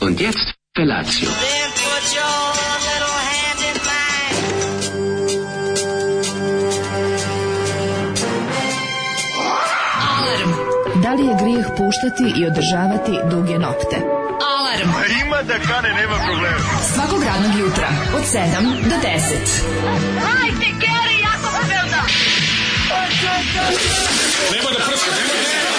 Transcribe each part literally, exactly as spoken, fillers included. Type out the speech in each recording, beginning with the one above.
Und jetzt Felatio. Da li je grijeh puštati i održavati duge nokte? Alarm! A ima da kane, nema problema. Svakog radnog jutra, od sedam do deset. Hajde, Geri, jako se velda! Nema da prska, nema da prska.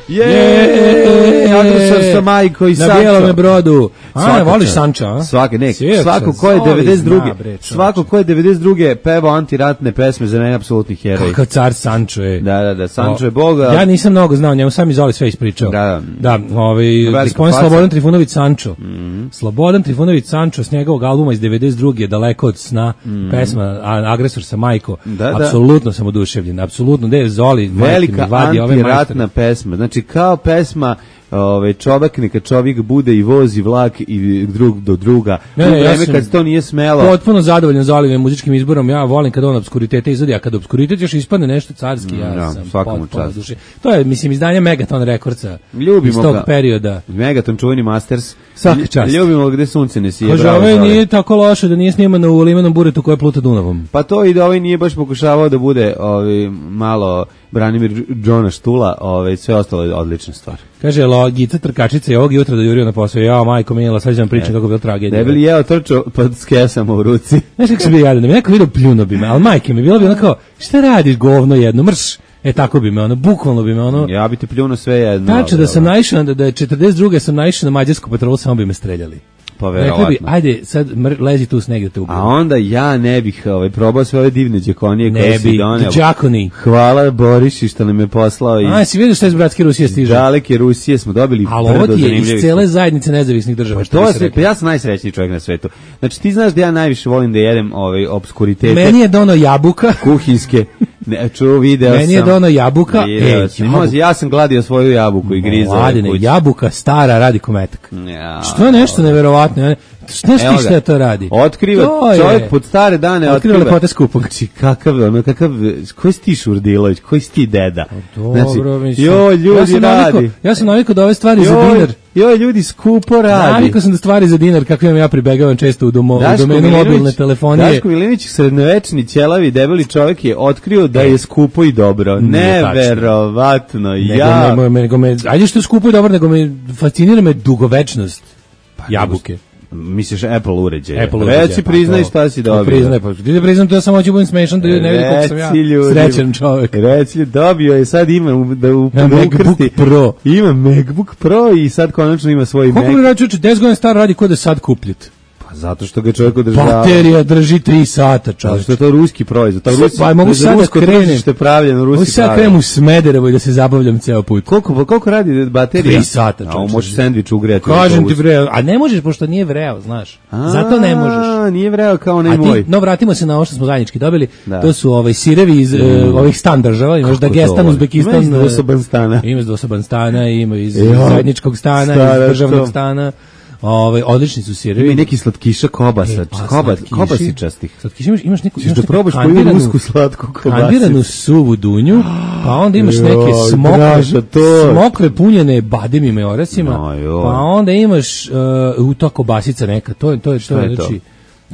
Jeee, agresor sa majko i Sančo. Na bijelome brodu. A, ne voliš Sanča, a? Svake, ne, Sjeća, svako ko je Zoli devedeset druge. zna, bre, Svako ko je devedeset druge pevao antiratne pesme, za mene apsolutni heroj. Kakav car Sančo je. Da, da, da, Sančo je boga. Ja nisam mnogo znao njemu, sam Zoli sve ispričao. Da, da. Da, ovaj, gospodin Slobodan Trifunović Sančo. Mm-hmm. Slobodan Trifunović Sančo s njegovog albuma iz devedeset druge Daleko od sna, mm-hmm. pesma Agresor sa majko. Da, da. Apsolutno sam oduševljen, apsolutno. Gde je Zoli? Velika antiratna pesma, znači kao pesma Ove, čovjek neka čovjek bude i vozi vlak i drug do druga. Ne, u vreme ja kad to nije smelo. Potpuno zadovoljan Zolijevim muzičkim izborom. Ja volim kad on obskuritete izvodi, a kad obskuritet još ispadne nešto carski, ja no, sam potpuno duše. To je, mislim, izdanje Megaton Rekordca iz tog ga, perioda. Megaton, čuveni Masters. Svaka čast. Ljubimo gde sunce ne sije. Kaže, ovaj nije tako loše da nije snimano u limenom buretu koje pluta Dunavom. Pa to i da ovaj nije baš pokušavao da bude ovaj, malo Branimir Džona Štula, ovaj, sve ostalo je odlična stvar. Kaže, logica trkačica je ovog jutra da jurio na posao. Ja, majko mila, sad ću vam pričati kako je bila tragedija. Ne bi li jeo trčao pa s kesama u ruci. Znaš kako se bi jadan, da mi neko vidio pljuno bi me, ali majke mi, bilo bi ono kao, šta radiš govno jedno, mrš. E tako bi me ono, bukvalno bi me ono. Ja bi te pljuno sve jedno. Tačno da sam naišao, da, da je četrdeset druge sam naišao na mađarsku patrolu, samo bi me streljali. Pa verovatno. Bi, ajde, sad mr, lezi tu sneg da te ubiju. A onda ja ne bih ovaj, probao sve ove divne džakonije koje si doneo. Džakoni. Hvala Boriši što nam je poslao iz... A, si vidio što je iz bratske Rusije stiže? Daleke Rusije smo dobili brdo zanimljivih. Ali ovo ti je iz cele zajednice nezavisnih država. Pa, to se, pa ja sam najsrećniji čovjek na svetu. Znači ti znaš da ja najviše volim da jedem ovaj, obskuritete. Meni je dono jabuka. Kuhinske. Ne, čuo, video Meni sam. Meni je dono jabuka. Video sam. Jabuka. Ja sam gladio svoju jabuku i grizao. Mladine, jabuka stara radi kometak. Ja. Što je nešto neverovatno. Ne znaš ti šta to radi? Otkriva to čovjek je. Pod stare dane. Otkriva lepote skupog. Znači, kakav, ono, kakav, koji si ti Šurdilović, koji si ti deda? Dobro, znači, mislim. Joj, ljudi ja radi. Navikao, ja sam navikao da ove stvari joj, za dinar. Joj, ljudi skupo radi. Navikao sam da stvari za dinar, kako imam ja pribegavam često u, domo, u domenu mobilne telefonije. Daško Milinić, srednjovečni, ćelavi, debeli čovjek je otkrio da je skupo i dobro. Neverovatno. Ja. Nego me, nego me, ajde što je skupo i dobro, nego me fascinira me dugovečnost pa, jabuke. Misliš Apple uređaje. Apple uređaje. Reci, priznaj pa šta si dobio. Priznaj, pa ti da priznam to, samo ću budem smešan da ne vidi koliko sam ja srećan čovjek. Reci, dobio je, sad ima da u ja, MacBook Pro. Ima MacBook Pro i sad konačno ima svoj Mac. Koliko mi račuče, deset godina star radi kod da sad kupljit. Zato što ga čovjek održava. Baterija drži tri sata, čovjek. Zato što je to ruski proizvod. To ruski, pa mogu sad da krenem. Što je pravljeno ruski. Mogu sad krenem u Smederevo i da se zabavljam ceo put. Koliko, koliko radi baterija? tri sata, čovjek. A možeš sendvič ugrejati. Kažem ti vreo, a ne možeš pošto nije vreo, znaš. A, zato ne možeš. A, nije vreo kao onaj moj. Ti, no, vratimo se na ovo što smo zajednički dobili. Da. To su ovaj sirevi iz mm. uh, ovih stan država. Imaš Dagestan, Uzbekistan. Ima iz dvosoban stana. Ima iz dvosoban stana, ima iz zajedničkog stana, iz državnog stana. Ovaj odlični su sirevi. Ima neki slatkiša kobasa, e, pa, koba, kobasičastih. Slatkiši imaš, imaš neku, imaš da probaš koju rusku slatku kobasicu. Kandiranu suvu dunju, pa onda imaš neke smokve, smokve punjene bademima i orasima, no, pa onda imaš uh, u to kobasica neka, to je to je to je znači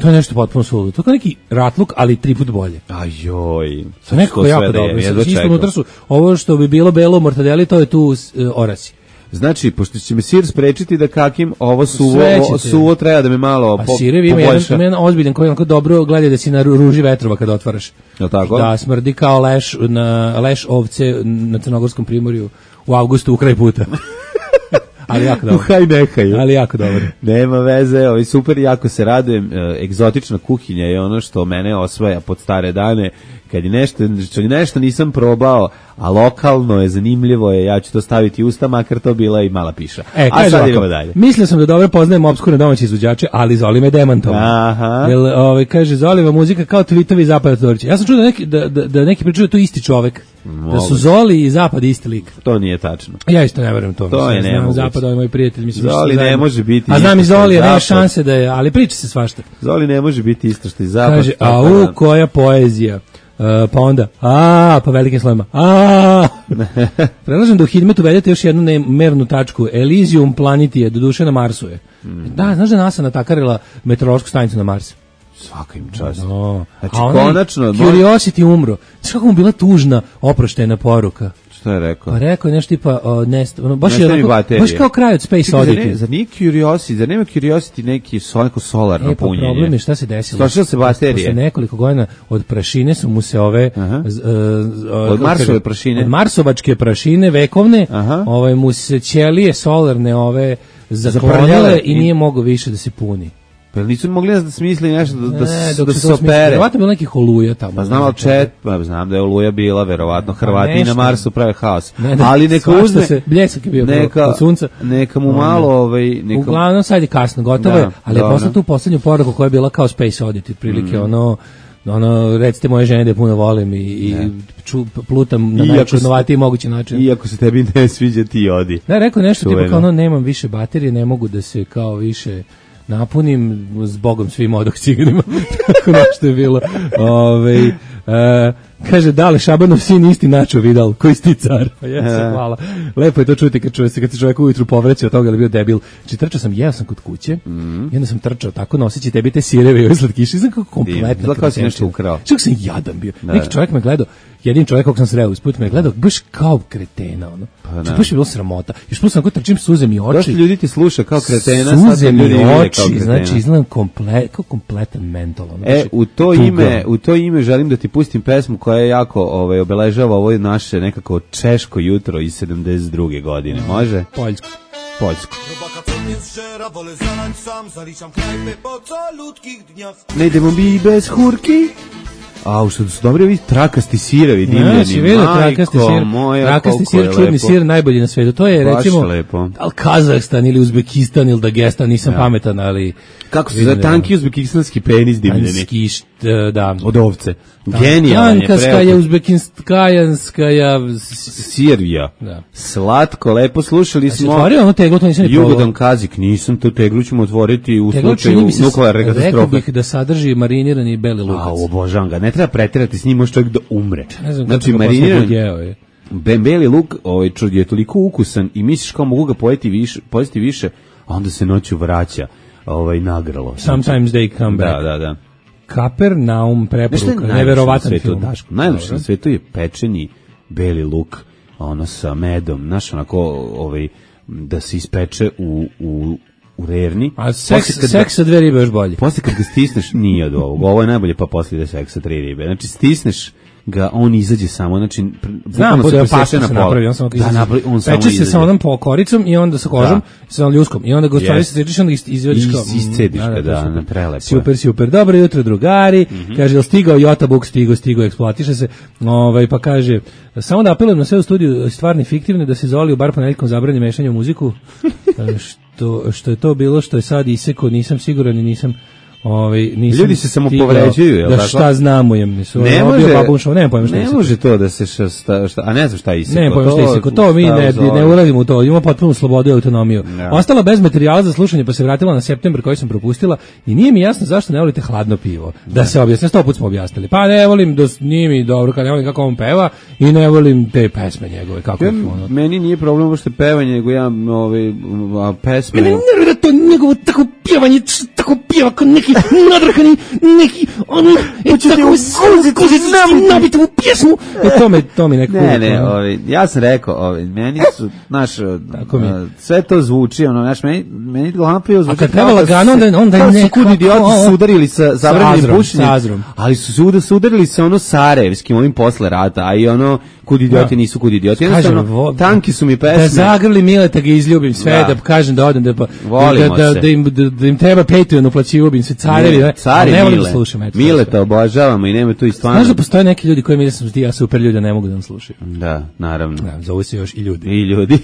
to je nešto potpuno suludo. To je neki ratluk, ali tri put bolje. Ajoj. To nekako jako dobro. Isto unutra su ovo što bi bilo belo mortadeli, to je tu uh, orasi. Znači, pošto će me sir sprečiti da kakim ovo suvo, ovo suvo treba da me malo po, sirevi ima jedan, ima jedan ozbiljan koji onako dobro gleda da si na ruži vetrova kada otvaraš. Je tako? Da, smrdi kao leš, na, leš ovce na Crnogorskom primorju u avgustu u kraj puta. Ali jako dobro. Uhaj nehaj. Ali jako dobro. Nema veze, ovaj super, jako se radujem. Egzotična kuhinja je ono što mene osvaja pod stare dane. Kad je nešto, što nešto nisam probao, a lokalno je, zanimljivo je, ja ću to staviti u usta, makar to bila i mala piša. E, a sad idemo dalje. Mislio sam da dobro poznajem opskurne domaće izvođače, ali Zoli me demantovao. Aha. Jel, ovaj, kaže, Zoliva muzika kao tweetovi Zapada Todorića. Ja sam čuo da neki, da, da, da neki pričaju da to isti čovek. Mogu. Da su Zoli i Zapad isti lik. To nije tačno. Ja isto ne verujem to. To mislim, je nemoguće. Zapad, ovaj moj prijatelj. Mislim, Zoli ne može biti. A znam i Zoli, nema šanse da je, ali priča se svašta. Zoli ne može biti isto što i Zapad. Kaže, a u koja poezija. pa onda, a, pa velikim slovima, a. Predlažem da u Hidmetu uvedete još jednu mernu tačku. Elysium planeti je, doduše na Marsu je. Mm. Da, znaš da NASA natakarila meteorološku stanicu na Mars? Svaka im čast. No. Znači, konačno... Curiosity umro. Znaš kako mu bila tužna, oproštena poruka? Što je rekao? Pa rekao je nešto tipa, o, nest, ono, baš, je onako, baš kao kraj od Space Čekaj, Oddity. Zar, ne, zar nije Curiosity, zar nema Curiosity neki neko solarno e, pa punjenje? Problem je šta se desilo. Stošilo se baterije. Posle nekoliko godina od prašine su mu se ove... Uh, z, uh, od Marsove prašine? Od Marsovačke prašine vekovne, aha. Ovaj, mu se ćelije solarne ove zaklonile i nije mogao više da se puni. Pa nisu mogli da smisli nešto da, da, ne, da se opere. Verovatno je bilo nekih oluja tamo. Pa znam, ali čet, pa znam da je oluja bila, verovatno Hrvati nešto. Na Marsu prave haos. Ne, ne, ali neka uzme... Se, bljesak je bio neka, od sunca. Neka mu malo... Ovaj, neka... Uglavnom, sad je kasno, gotovo da, je, ali je poslao tu poslednju poruku koja je bila kao Space Oddity, prilike mm. ono... ono, recite moje žene da je puno volim i, i ču, plutam na najčudnovatiji mogući način. Iako se tebi ne sviđa, ti odi. Ne, rekao nešto tipa kao ono, nemam više baterije, ne mogu da se kao više napunim, s Bogom svim odah ciganima. Tako nešto je bilo. Ove, uh, kaže, da li Šabanov sin isti Načo Vidal, koji si ti car? Pa jesam, hvala. Lepo je to čuti kad, čuje se, kad se čovjek ujutru povreće od toga, ali bio debil. Či trčao sam, jeo sam kod kuće, mm. i onda sam trčao tako noseći tebi te sireve i ove slatkiše, znam kako kompletno. Zla kao si nešto ukrao. Što sam jadan bio. Da. Neki čovjek me gledao, jedin čovjek kog sam sreo usput me gledao, baš kao kretena, ono. Pa da. Baš je bilo sramota. Još plus sam ko trčim suze mi oči. Dosta ljudi ti sluša kao kretena, suze mi oči, znači izgledam komplet, kao kompletan mental. Ono. E, u to tuga. ime, u to ime želim da ti pustim pesmu koja je jako ovaj obeležava ovo naše nekako češko jutro iz sedamdeset druge godine. Može? Poljsko. Poljsko. Ne idemo mi bez hurki. A, što su dobri ovi trakasti sirevi, dimljeni. Ja, si vidio trakasti sir, moja, trakasti sir, čudni sir, najbolji na svetu. To je, baš recimo, lepo. al Kazahstan ili Uzbekistan ili Dagestan, nisam ja. pametan, ali... Kako se za tanki uzbekistanski penis dimljeni? Tanski, da. Od ovce. Genijalan je preko. Tankaskaja, uzbekinskajanskaja... Sirija. Da. Slatko, lepo, slušali smo... Otvorio ono teglo, to nisam ni probao. Jugodan kazik, nisam, to teglu ćemo otvoriti u teglo slučaju nuklearne katastrofe. Rekao bih da sadrži marinirani beli lukac. A, obožavam ga, ne treba preterati s njim, može čovjek da umre. Ne znam, znači, marinirani... Beli luk ovaj, je toliko ukusan i misliš kao mogu ga pojeti više, pojesti više, a onda se noću vraća ovaj, nagralo. Sometimes they come back. Da, da, da. Kapernaum preporuka, neverovatan film. Najljepše na svetu je pečeni beli luk, ono sa medom, znaš, onako, ovaj, da se ispeče u, u, u rerni. A seks, seks sa dve ribe još bolje. Posle kad ga stisneš, nije od ovog, ovo je najbolje, pa posle ide seks sa tri ribe. Znači, stisneš ga, on izađe samo, znači znam, bude pasta se napravi, on samo da, napravi, on samo peče se sa onom pokoricom i onda sa kožom, da. Sa ljuskom i onda ga stvari se sediš, onda izvadiš kao iscediš ga, da, na prelepo. Super, super, dobro jutro drugari, mm -hmm. kaže, jel stigao Jota Buk, stigo, stigo, eksploatiše se, ovaj, pa kaže, samo da apelujem na sve u studiju stvarni fiktivne, da se Zoli u bar ponedjeljkom zabrani mešanje u muziku, što, što je to bilo, što je sad iseko, nisam siguran i nisam Ovaj nisam ljudi se samo povređuju, je l' da tako? Šta znamo jem, nisu. Ne može, ne pojma šta. Ne može to da se šta, šta, a ne znam šta iseko. Ne pojma šta iseko, to mi ne ne uradimo to, imamo potpunu slobodu i autonomiju. Ja. Ostala bez materijala za slušanje, pa se vratila na septembar koji sam propustila i nije mi jasno zašto ne volite hladno pivo. Da, da se objasni, sto puta smo objasnili. Pa ne volim, da nije mi dobro kad ne volim kako on peva i ne volim te pesme njegove kako ja, ono. Meni nije problem što pevanje, nego ja ove pesme. Meni ne da to njegovo tako pjevanje, tako pjeva kao neki nadrkani, neki ono, e, tako skuzi, znam nabiti u pjesmu. E, to me, to mi neko... Ne, ne, ovi, ja sam rekao, ovi, meni su, znaš, sve to zvuči, ono, znaš, meni, meni glavno pivo zvuči... A kad treba lagano, onda, onda je neko... Kako su idioti su udarili sa zabranjenim bušenjem, ali su se udarili sa ono sarajevskim, ovim posle rata, a i ono, kud idioti nisu kud idioti. Jednostavno, tanki su mi pesme. Da zagrli Mileta, ga izljubim sve, da kažem da odem, da im treba Patreon uplaćivao bi se carevi, ne, cari ne volim Mile. Da slušam. Eto, Mileta obožavamo i nema tu i stvarno. Znaš da postoje neki ljudi koji mi da sam ti ja super ljudi, ne mogu da nam slušaju. Da, naravno. Da, zovu se još i ljudi. I ljudi.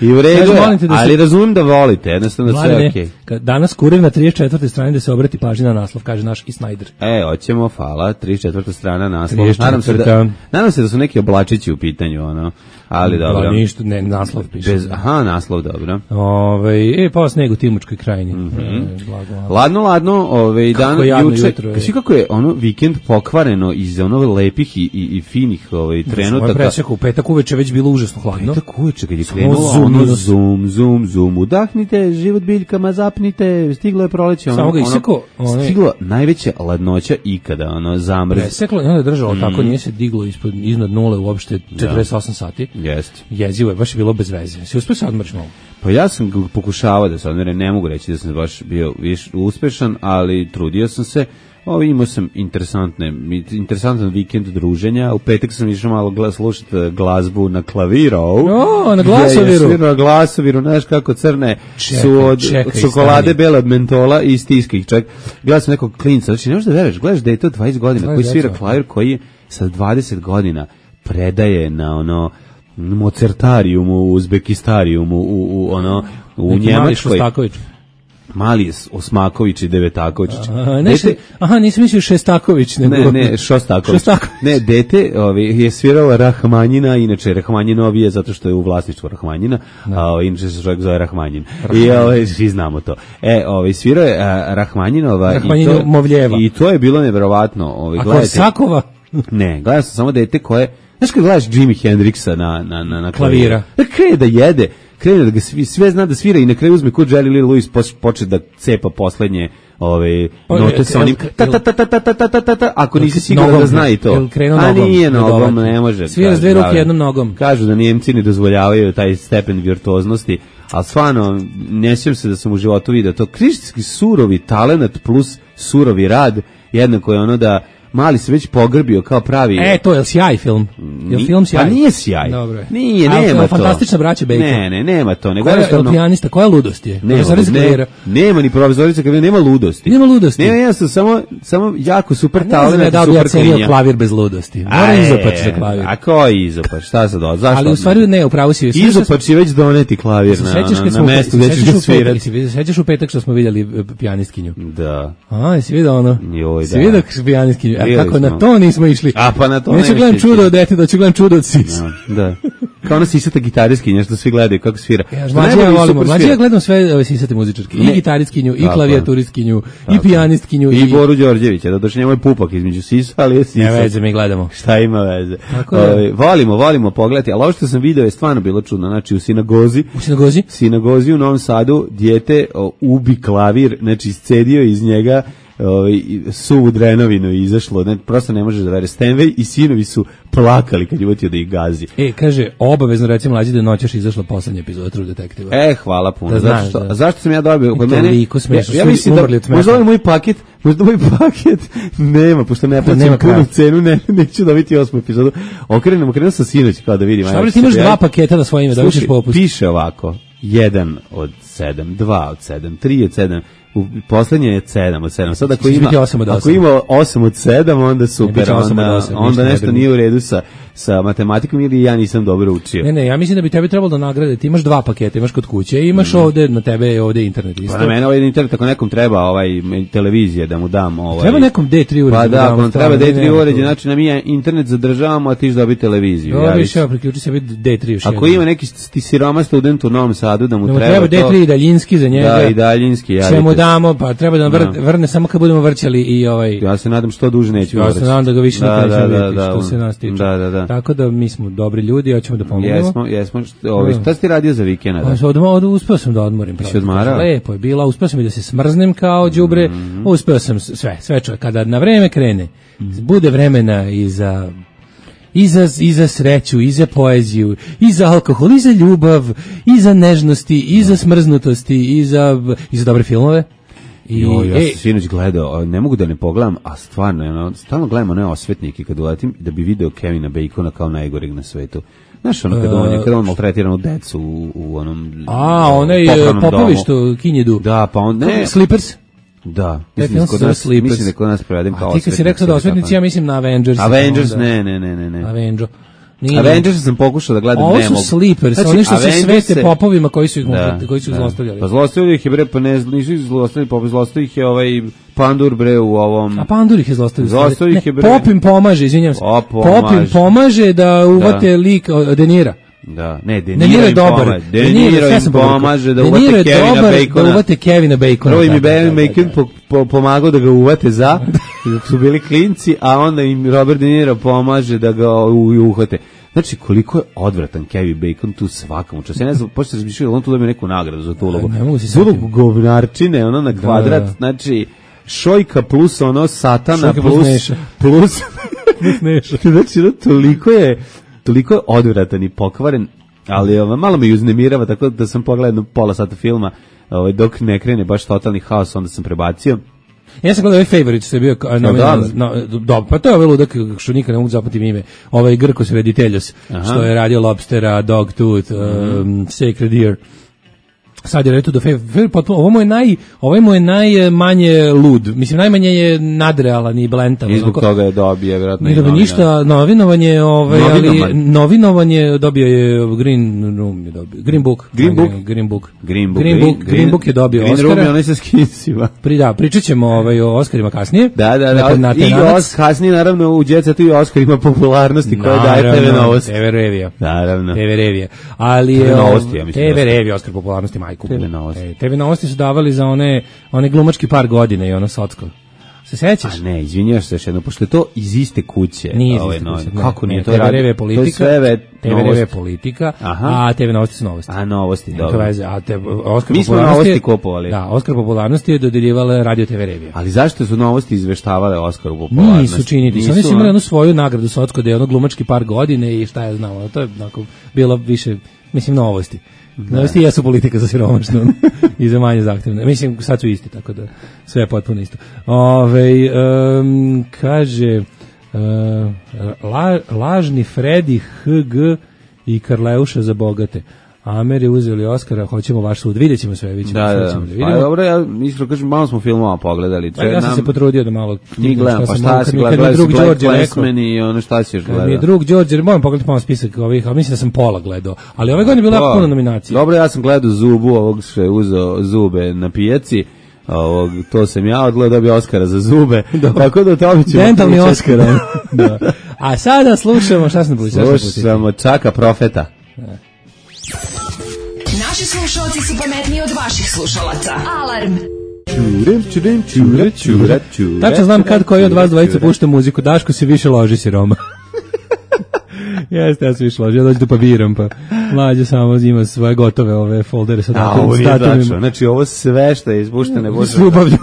I u redu, ali razumijem da volite, jednostavno da sve je okej. Okay. Danas kurir na trideset četvrtoj strani da se obrati pažnja na naslov, kaže naš i Snyder. E, hoćemo, hvala, trideset četvrta strana naslov. Nadam se, da, nadam se da su neki oblačići u pitanju, ono, ali dobro. Da, ništa, ne, naslov piše. Bez, aha, naslov, dobro. Ove, e, pa sneg u Timočkoj krajini. Mm -hmm. e, blago, ladno, ladno, ove, dan, juče, svi kako je ono vikend pokvareno iz ono lepih i, i, i finih ove, trenutaka. Presjeko, u petak uveče već bilo užasno hladno. Petak uveče, kad je krenulo, ono, zoom, zoom, zoom, udahnite, život biljkama, zapnite, stiglo je proleće, ono, ono, iseko, one... stiglo najveća ladnoća ikada, ono, zamrz. Preseklo, ono je držalo mm. tako, nije se diglo ispod, iznad nule uopšte četrdeset osam sati. Jeste. Jezivo je, baš je bilo bez veze. Si uspio se odmrći malo? Pa ja sam pokušavao da se odmere, ne mogu reći da sam baš bio viš, uspešan, ali trudio sam se. Ovo imao sam interesantne, interesantan vikend druženja. U petak sam išao malo glas, slušati glazbu na klaviru. O, na glasoviru. Je, na glasoviru, znaš kako crne čekaj, su od, čekaj, od čokolade stani. Bele od mentola i stiska ih čak. Gledao sam nekog klinca, znači ne možeš da veruješ, gledaš dete od dvadeset godina koji svira klavir, koji sa dvadeset godina predaje na ono Mozartariumu, u Uzbekistariumu, u, u ono u neki Njemačkoj. Mali Mali Osmaković i Devetaković. Aha, ne, dete, aha, nisam mislio Šestaković. Nego... Ne, ne, Šostaković. Šostaković. Ne, dete ovi, je svirao Rahmanjina, inače Rahmanjinovi je zato što je u vlasništvu Rahmanjina, no. a inače se čovjek zove Rahmanjin. I ovi, svi znamo to. E, ovi, svirao je a, Rahmanjinova i to, i to je bilo nevjerovatno. Ovi, a Korsakova? Ne, gledao sam samo dete koje, znaš kad gledaš Jimi Hendrixa na, na, na, na klavira, krene da jede, krene da ga svi, sve zna da svira i na kraju uzme kod Jerry Lee Lewis počne da cepa poslednje ove note sa onim ta ta ta ta ta ta ta ta ako nisi siguran da zna i to. A nije nogom, ne može. Svira s dve ruke jednom nogom. Kažu da Njemci ne dozvoljavaju taj stepen virtuoznosti, ali stvarno ne sjećam se da sam u životu vidio to. Krištinski surovi talenat plus surovi rad, jednako je ono da Mali se već pogrbio kao pravi. E, to je sjaj film. Je Ni, film sjaj? Pa nije sjaj. Dobro je. Nije, a, nema to. Fantastična braća Bejka. Ne, ne, nema to. Nego koja je pijanista, koja ludost je? Nema, ne, nema ni profesorica kada nema ludosti. Nema ludosti. Nema, ja sam samo, samo jako super talent, da super klinja. Klavir bez ludosti. Mora izopač za klavir. A ko je izopač? Šta sad od? Zašto? Ali u stvari ne, upravo si. Izopač je već doneti klavir na, na, na mestu gde ćeš ga svirati. Sećaš u petak što smo vidjeli pijanistkinju? Da. A, jesi vidio ono? Joj, da. Si vidio pijanistkinju? A kako na to nismo išli. A pa na to ne. Neću gledam čudo od dete, da ću gledam čudo od sisa. Da, da. Kao ona sisata gitariskinja što svi gledaju kako svira. Ja, mlađe ja volimo, mlađe ja gledam sve ove sisate muzičarke. I gitariskinju, i klavijaturistkinju, i pijanistkinju. I, i Boru Đorđevića, da došli njemu je pupak između sisa, ali je sisa. Ne veze, mi gledamo. Šta ima veze? Ove, volimo, volimo pogledati, ali ovo što sam video je stvarno bilo čudno. Znači u sinagozi, u sinagozi, sinagozi u Novom Sadu, dijete o, ubi klavir, znači iscedio iz njega ovaj suvu drenovinu i izašlo, ne, prosto ne možeš da veruješ. Stenvej i sinovi su plakali kad je utio da ih gazi. E, kaže, obavezno recimo mlađi da noćeš izašla poslednja epizoda True Detektiva. E, hvala puno. Da znaš, zašto, da. zašto sam ja dobio kod mene? Toliko smešno. Ja, ja mislim da možda ovaj moj paket, možda ovaj paket nema, pošto ne plaćam punu cenu, ne, neću dobiti osmu epizodu. Okrenem, okrenem sa sinoć kao da vidim. Šta li ti imaš dva paketa na svoje ime, da vidiš popust? Piše ovako, jedan od sedam, dva od sedam, tri od sedam, u poslednje je sedam od sedam. Sad ako ima ako ima osam od sedam, onda super, onda, onda nešto nije u redu sa sa matematikom ili ja nisam dobro učio. Ne, ne, ja mislim da bi tebi trebalo da nagrade. Ti imaš dva paketa, imaš kod kuće i imaš mm. ovde na tebe ovde internet isto. Pa na mene ovaj internet, ako nekom treba ovaj televizije da mu dam ovaj. Treba nekom D tri uređaj. Pa da, ako treba D tri uređaj, znači na mi internet zadržavamo, a ti dobi televiziju. Ja više ja priključi se vid D tri još. Ako ima neki siroma student u Novom Sadu da mu da treba, treba D tri daljinski za njega. Da, i daljinski, ja. Ćemo damo, pa treba da vr, vrne samo kad budemo vrćali i ovaj. Ja se nadam što duže neće. Ja se nadam da ga više da, neće da, vidjeti, da, što se nas tiče. Da, da, da. Tako da mi smo dobri ljudi, hoćemo da pomognemo. Jesmo, jesmo. Ovaj šta si ti radio za vikend? Pa od od uspeo sam da odmorim. Si odmarao? Lepo je bilo, uspeo sam i da se smrznem kao đubre. Mm-hmm. Uspeo sam sve, sve čovjek kada na vreme krene. Mm-hmm. Bude vremena i za i za, i za sreću, i za poeziju, i za alkohol, i za ljubav, i za nežnosti, i za smrznutosti, i za, i za dobre filmove. I, jo, ja sam sinoć gledao, ne mogu da ne pogledam, a stvarno, ono, stalno gledam one osvetnike kad uletim da bi video Kevina Bacona kao najgoreg na svetu. Znaš, ono, kada on je, kada on maltretirano decu u, u onom a, onaj Popović što kinjedu. Da, pa on, ne. Slippers? Da, mislim da kod nas, mislim da kod nas prevedem kao osvetnici. A ti kad si rekao da osvetnici, ja mislim na Avengers. Avengers, ne, ne, ne, ne. Avengers. Nije, Avengers sam pokušao da gledam, ovo ne mogu. Ovo su sleepers, znači, oni što se svete popovima koji su ih da, koji su da. zlostavljali. Pa zlostavljali ih je, bre, pa ne, nisu ih zlostavljali, pa zlostavljali ih je ovaj Pandur, bre, u ovom... A Pandur ih je zlostavljali. Zlostavljali ih je, bre... Pop im pomaže, izvinjam se. Pop Pop im pomaže da uvate da. lik Denira. Da, ne, Deniro im pomaže. Deniro im pomaže da uvate Kevina Bacona. Da uvate Kevina Bacona. Prvo im je Kevin Bacon po, po, pomagao da ga uvate za, dok su bili klinci, a onda im Robert De Niro pomaže da ga uhvate. Znači, koliko je odvratan Kevin Bacon tu svakom času. Ja ne znam, počete razmišljati, on tu dobije neku nagradu za tu ulogu. Ne mogu se sjetiti. Budu govnarčine, ono na kvadrat, da, da. Znači, Šojka plus ono satana Šojka plus... plus Neša. Plus... plus Neša. Znači, no, toliko je... toliko je odvratan i pokvaren, ali ovaj, malo me uznemirava, tako da sam pogledao pola sata filma, ovaj, dok ne krene baš totalni haos, onda sam prebacio. Ja sam gledao ovaj Favorite, što je bio nominovan, no, no, pa to je ovaj ludak što nikad ne mogu zapamtiti ime, ovaj Grkos Rediteljos, što je radio Lobstera, Dogtooth, mm-hmm. um, Sacred Deer. Sad je reto do Favorite, ovo mu je naj, ovo mu je najmanje lud. Mislim, najmanje je nadrealan i blentan. I zbog toga je dobio, vjerojatno. Nije dobio ništa, novinovanje, ovaj, ali novinovanje dobio je Green Room, je dobio. Green Book. Green Book? Green Book. Green Book. Green Book, Green, Green Book je dobio Green Oscara. Green Room je onaj sa skinsima. Pri, da, pričat ćemo ovaj, o Oscarima kasnije. Da, da, da. Na, i os, kasnije, naravno, u djeca tu i Oscar ima popularnosti koja daje T V Novosti. T V Revija. Naravno. T V Revija. Ali T V Novosti, ja mislim. T V Revija, Oscar popularnosti, majku. T V Novosti. T V Novosti su davali za one, one glumački par godine i ono socko. Se sećaš? A ne, izvinjaš se još jedno, pošto je to iz iste kuće. Nije iz iste kuće. Ne, kako nije? Ne, to je T V R V politika, T V R V politika, aha. A T V Novosti su novosti. A novosti, ne, dobro. Veze, a te, Oskar mi smo novosti kupovali. Da, Oskar popularnosti je dodeljivala Radio T V Revija. Ali zašto su novosti izveštavale Oskaru popularnosti? Nisu činiti. Nisu, oni su imali onu svoju nagradu socko da je ono glumački par godine i šta ja znam. To je onako bilo više, mislim, novosti. Novosti jesu politika za siromašnu i za manje zahtevne. Mislim, sad su isti, tako da sve je potpuno isto. Ove, um, kaže, uh, la, lažni Fredi, H G i Karleuša za bogate. Amer je uzeli Oskara, hoćemo vaš sud. Vidjet ćemo sve, vidjet ćemo. Da, da, da. Pa dobro, ja iskreno kažem, malo smo filmova pogledali. Pa ja sam nam... se potrudio da malo... Mi gledam, pa šta si gledali, gledali si Black Clansman i ono šta ćeš gledati. Mi je drug Đorđe, moram pogledati malo spisak ovih, ali mislim da sam pola gledao. Ali ove godine je bila puno nominacija. Dobro, ja sam gledao Zubu, ovog što je uzeo zube na pijaci. Ovog, to sam ja odgledao, dobio Oskara za zube. Tako da to ćemo... Dentalni Oskar. Da. A sada slušamo, šta sam pustio? Slušamo Čaka Profeta. Ne. Naši slušalci su pametniji od vaših slušalaca. Alarm! Čurem, čurem, čure, čure, čure. Tačno znam kad koji od vas dvojica pušta muziku. Daško se više loži si Roma. Jeste, ja se više loži. Ja dođu pa biram, pa mlađe samo ima svoje gotove ove foldere sa datumima. Znači ovo sve što je izpuštene. Ljubavlju.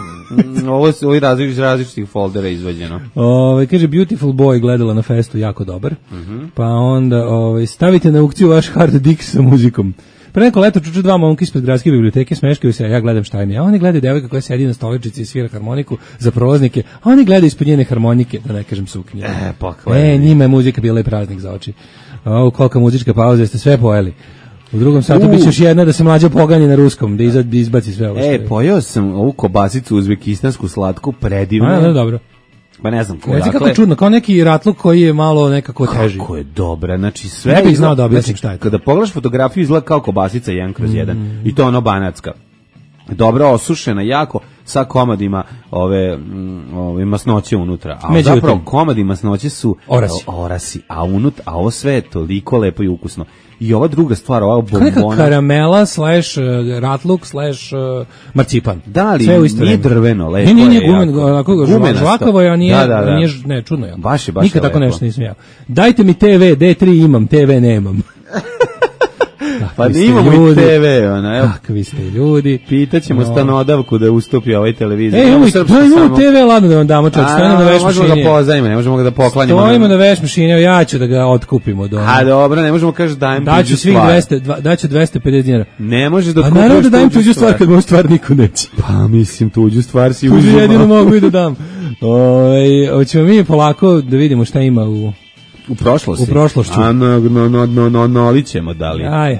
Ovo je iz različitih, različitih foldera izvađeno. Ove, kaže, Beautiful Boy gledala na festu, jako dobar. Uh-huh. Pa onda ove, stavite na aukciju vaš hard disk sa muzikom. Pre neko leto čuču dva momka ispred gradske biblioteke, smeškaju se, a ja gledam šta im je. A oni gledaju devojka koja sedi na stoličici i svira harmoniku za prolaznike, a oni gledaju ispod njene harmonike, da ne kažem suknje. E, pa e, njima je muzika bila i praznik za oči. O, kolika muzička pauza, jeste sve pojeli. U drugom satu biće još jedna da se mlađa pogani na ruskom, da izbaci sve ovo. E, pojeo sam ovu kobasicu uzbekistansku slatku, predivno. A, da, dobro. Pa ne znam ko. Reci kako čudno, kao neki ratluk koji je malo nekako teži. Kako je dobra, znači sve... Ne bih znao da objasnim šta je to. Kada pogledaš fotografiju izgleda kao kobasica jedan kroz jedan. Mm. I to ono banatska. Dobro osušena jako, sa komadima ove, ove masnoće unutra. A međutim, zapravo komadi masnoće su orasi. orasi, a unut, a ovo sve je toliko lepo i ukusno. I ova druga stvar, ova bombona... Neka karamela slash uh, ratluk slash uh, marcipan. Da, ali nije drveno, lepo je. Nije, nije gumen, žvakavo je, a nije, da, da, da. Nije, ne, čudno je. Baš je, baš nikad je tako lepo. nešto nisam ja. Dajte mi te ve, D tri imam, te ve nemam. Pa nimamo i te ve, ona, evo. Kakvi ste ljudi. Pitaćemo no. stanodavku da ustupi ovaj televizor. E, imamo, imamo te ve, ladno da vam damo čovjek, stojimo na veš mašini. Ne možemo ga pozajimo, ne možemo ga da poklanjamo. Stojimo na veš mašini, ja ću da ga otkupimo. Do A dobro, ne možemo kaži dajem tuđu stvar. Daću dvesta pedeset dinara. Ne možeš da kupiš tuđu stvar. A naravno da dajem tuđu stvar kad moju stvar niko neće. Pa mislim, tuđu stvar si uzimao. Tuđu jedino mogu i da dam. Hoćemo mi polako da vidimo šta ima u... U prošlosti. U prošlošću. A no, no, no, no, no, no, lićemo da li. Aj.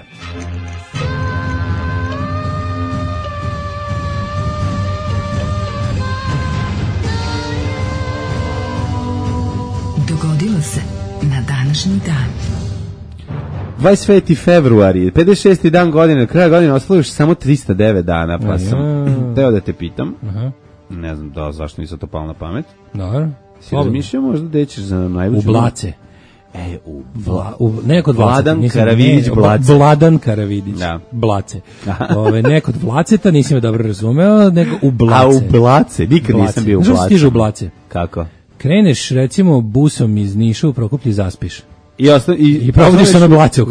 Dogodilo se na današnji dan. dvadeset peti februari, pedeset šesti dan godine, kraja godine ostalo još samo tristo devet dana, pa sam teo da te pitam. Aha. Ne znam da zašto nisam to palo na pamet. Dobro. Si razmišljao možda da ćeš za najluđu? U Blace. E, u, Vla, u ne kod Vladan Karavidić Blace. Vladan Karavidić da. Blace. Ove ne kod Blaceta, nisam me dobro razumeo, nego u Blace. A u Blace, nikad Blace. Nisam bio u Blace. Znaš stiže u Blace? Kako? Kreneš recimo busom iz Niša u Prokuplje, zaspiš. I, osta, i, I probudiš se na Blace,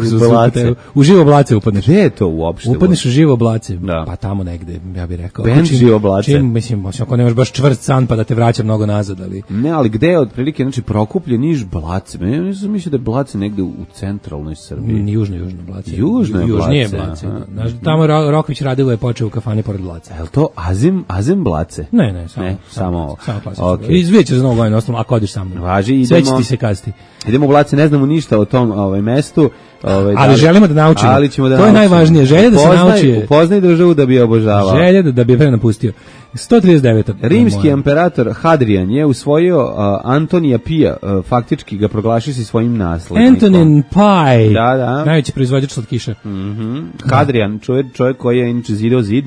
u živo Blace upadneš. Gde je to uopšte? Upadneš u živo Blace, da. Pa tamo negde, ja bih rekao. Ben živo Blace. Čim, mislim, ako nemaš baš čvrst san pa da te vraća mnogo nazad, ali... Ne, ali gde je otprilike, znači Prokuplje, Niš, Blace? Ja nisam mislio da je Blace negde u centralnoj Srbiji. Južno, južno Blace. Južno je Blace. Južnije Blace. Znaš, tamo Roković Radilo je počeo u kafani pored Blace. Je li to Azim, Azim Blace? Ne, ne, samo. Ne, samo ovo. Samo klasično. Okay. Izvidjet ćeš za novu godinu, osnovno, ako odiš sa mnom. Važi, idemo. Sve će ti se kasti. Idemo u Blace, ne znamo ništa o tom ovaj mestu. Ovaj, ali da, želimo da naučimo. Ali ćemo da to naučimo. je najvažnije, želja da se nauči. Upoznaj državu da bi je obožavao. Želja da, da bi je pre napustio. sto trideset devet. Rimski imperator Hadrian je usvojio uh, Antonija Pija, uh, faktički ga proglašio si svojim naslednikom. Antonin Pie. Da, da. Najveći proizvođač slatkiša. Mhm. Hadrian, čovjek, čovjek koji je inače zidao zid.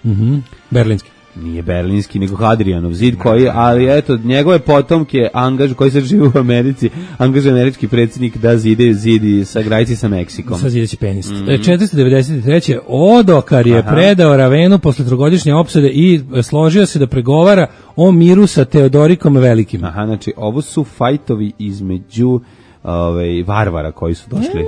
Mhm. Berlinski. Nije berlinski, nego Hadrianov zid koji, ali eto, njegove potomke angaž, koji se žive u Americi, angažuje američki predsjednik da zide zidi sa granici sa Meksikom. Sa zideći penis. Mm -hmm. četiristo devedeset treće. Odokar je Aha. predao Ravenu posle trogodišnje opsade i složio se da pregovara o miru sa Teodorikom Velikim. Aha, znači ovo su fajtovi između ovaj, varvara koji su došli.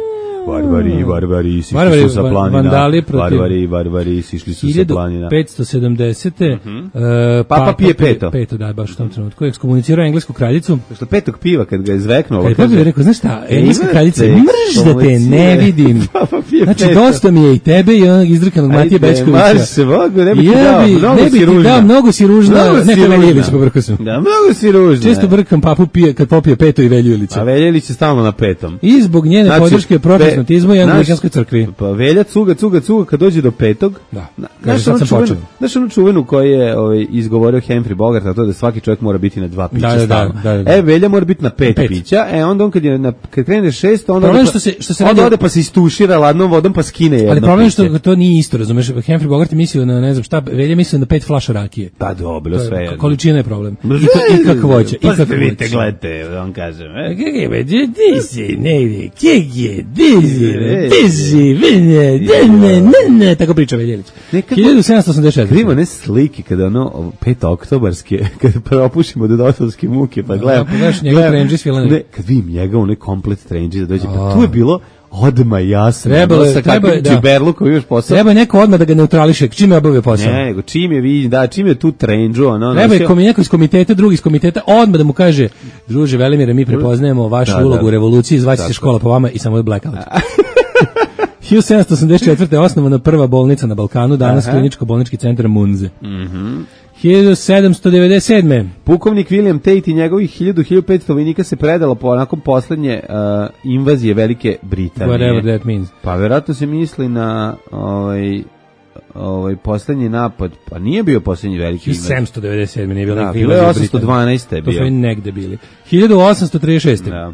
Varvari, varvari, sišli varvari, su sa planina. Vandali protiv... Varvari, varvari, sišli su sa planina. hiljadu petsto sedamdesete. Mm -hmm. uh, Papa, Papa Pije peto. Peto, da, baš u tom trenutku. Ekskomunicirao englesku kraljicu. Što petog piva kad ga je izveknulo. Kad je Papa rekao, znaš šta, engleska kraljica, mrž da te ne vidim. Znači, peto. Dosta mi je i tebe i onog izdrkanog Matije Bečkovića. Ajde, se mogu, ne bi ti dao, mnogo ne bi si ružna. Dao, mnogo si ružna. Ne, to Veljević pobrkao sam. Da, mnogo si ružna. Često brkam Papu Pije kad popije peto i Veljevića. A Veljević je stalno na petom. I zbog njene znači, podrške protestantizmu i anglikanskoj crkvi. Pa Velja cuga, cuga, cuga kad dođe do petog. Da. Kaže sad sam počeo. Znaš onu čuvenu koju je ovaj, izgovorio Humphrey Bogart, a to da svaki čovjek mora biti na dva pića da, da, stalno. Da, da, da. E, Velja mora biti na pet, pet. pića, e onda on kad, je na, kad krene šest, onda ode, što se, što se onda ode pa se istušira ladnom vodom pa skine jedno. Ali problem je što to nije isto, razumeš? Humphrey Bogart je mislio na, ne znam šta, Velja mislio na pet flaša rakije. Pa dobro, sve jedno. Količina je problem. I kakvoća, i kakvoća. Vidite, gledajte, on kaže. Kako je, ti si, ne, kjeg je, ti si, ti si, ne, ne, ne, tako priča Veljević. hiljadu sedamsto osamdeset četvrte. Krivo ne slike kada ono pet oktobarske, kada propušimo do dosovske muke, pa gledam. Pa gledaš njegov trenđi s filane. Ne, kad vidim njega, onaj komplet trenđi da dođe, pa tu je bilo odma jasno. Trebalo je, treba je, da. Čiberlukom još posao. Treba je neko odmah da ga neutrališe, čim je obavio posao. Ne, nego čim je vidim, da, čim je tu trenđu, ono. Treba je neko iz komiteta, drugi iz komiteta, odmah da mu kaže, druže Velimire, mi prepoznajemo vašu da, ulogu da. u revoluciji, zvaće se škola po vama i samo je blackout. hiljadu sedamsto osamdeset četvrte. osnovana prva bolnica na Balkanu, danas kliničko-bolnički centar Munze. Mhm. hiljadu sedamsto devedeset sedme. Pukovnik William Tate i njegovih hiljadu do hiljadu petsto vojnika se predalo po onako poslednje uh, invazije Velike Britanije. Whatever that means. Pa verovatno se misli na ovaj ovaj poslednji napad, pa nije bio poslednji veliki invazij. hiljadu sedamsto devedeset sedme nije bilo da, bilo je osamsto dvanaeste je bio. To su i negde bili. hiljadu osamsto trideset šeste. Da.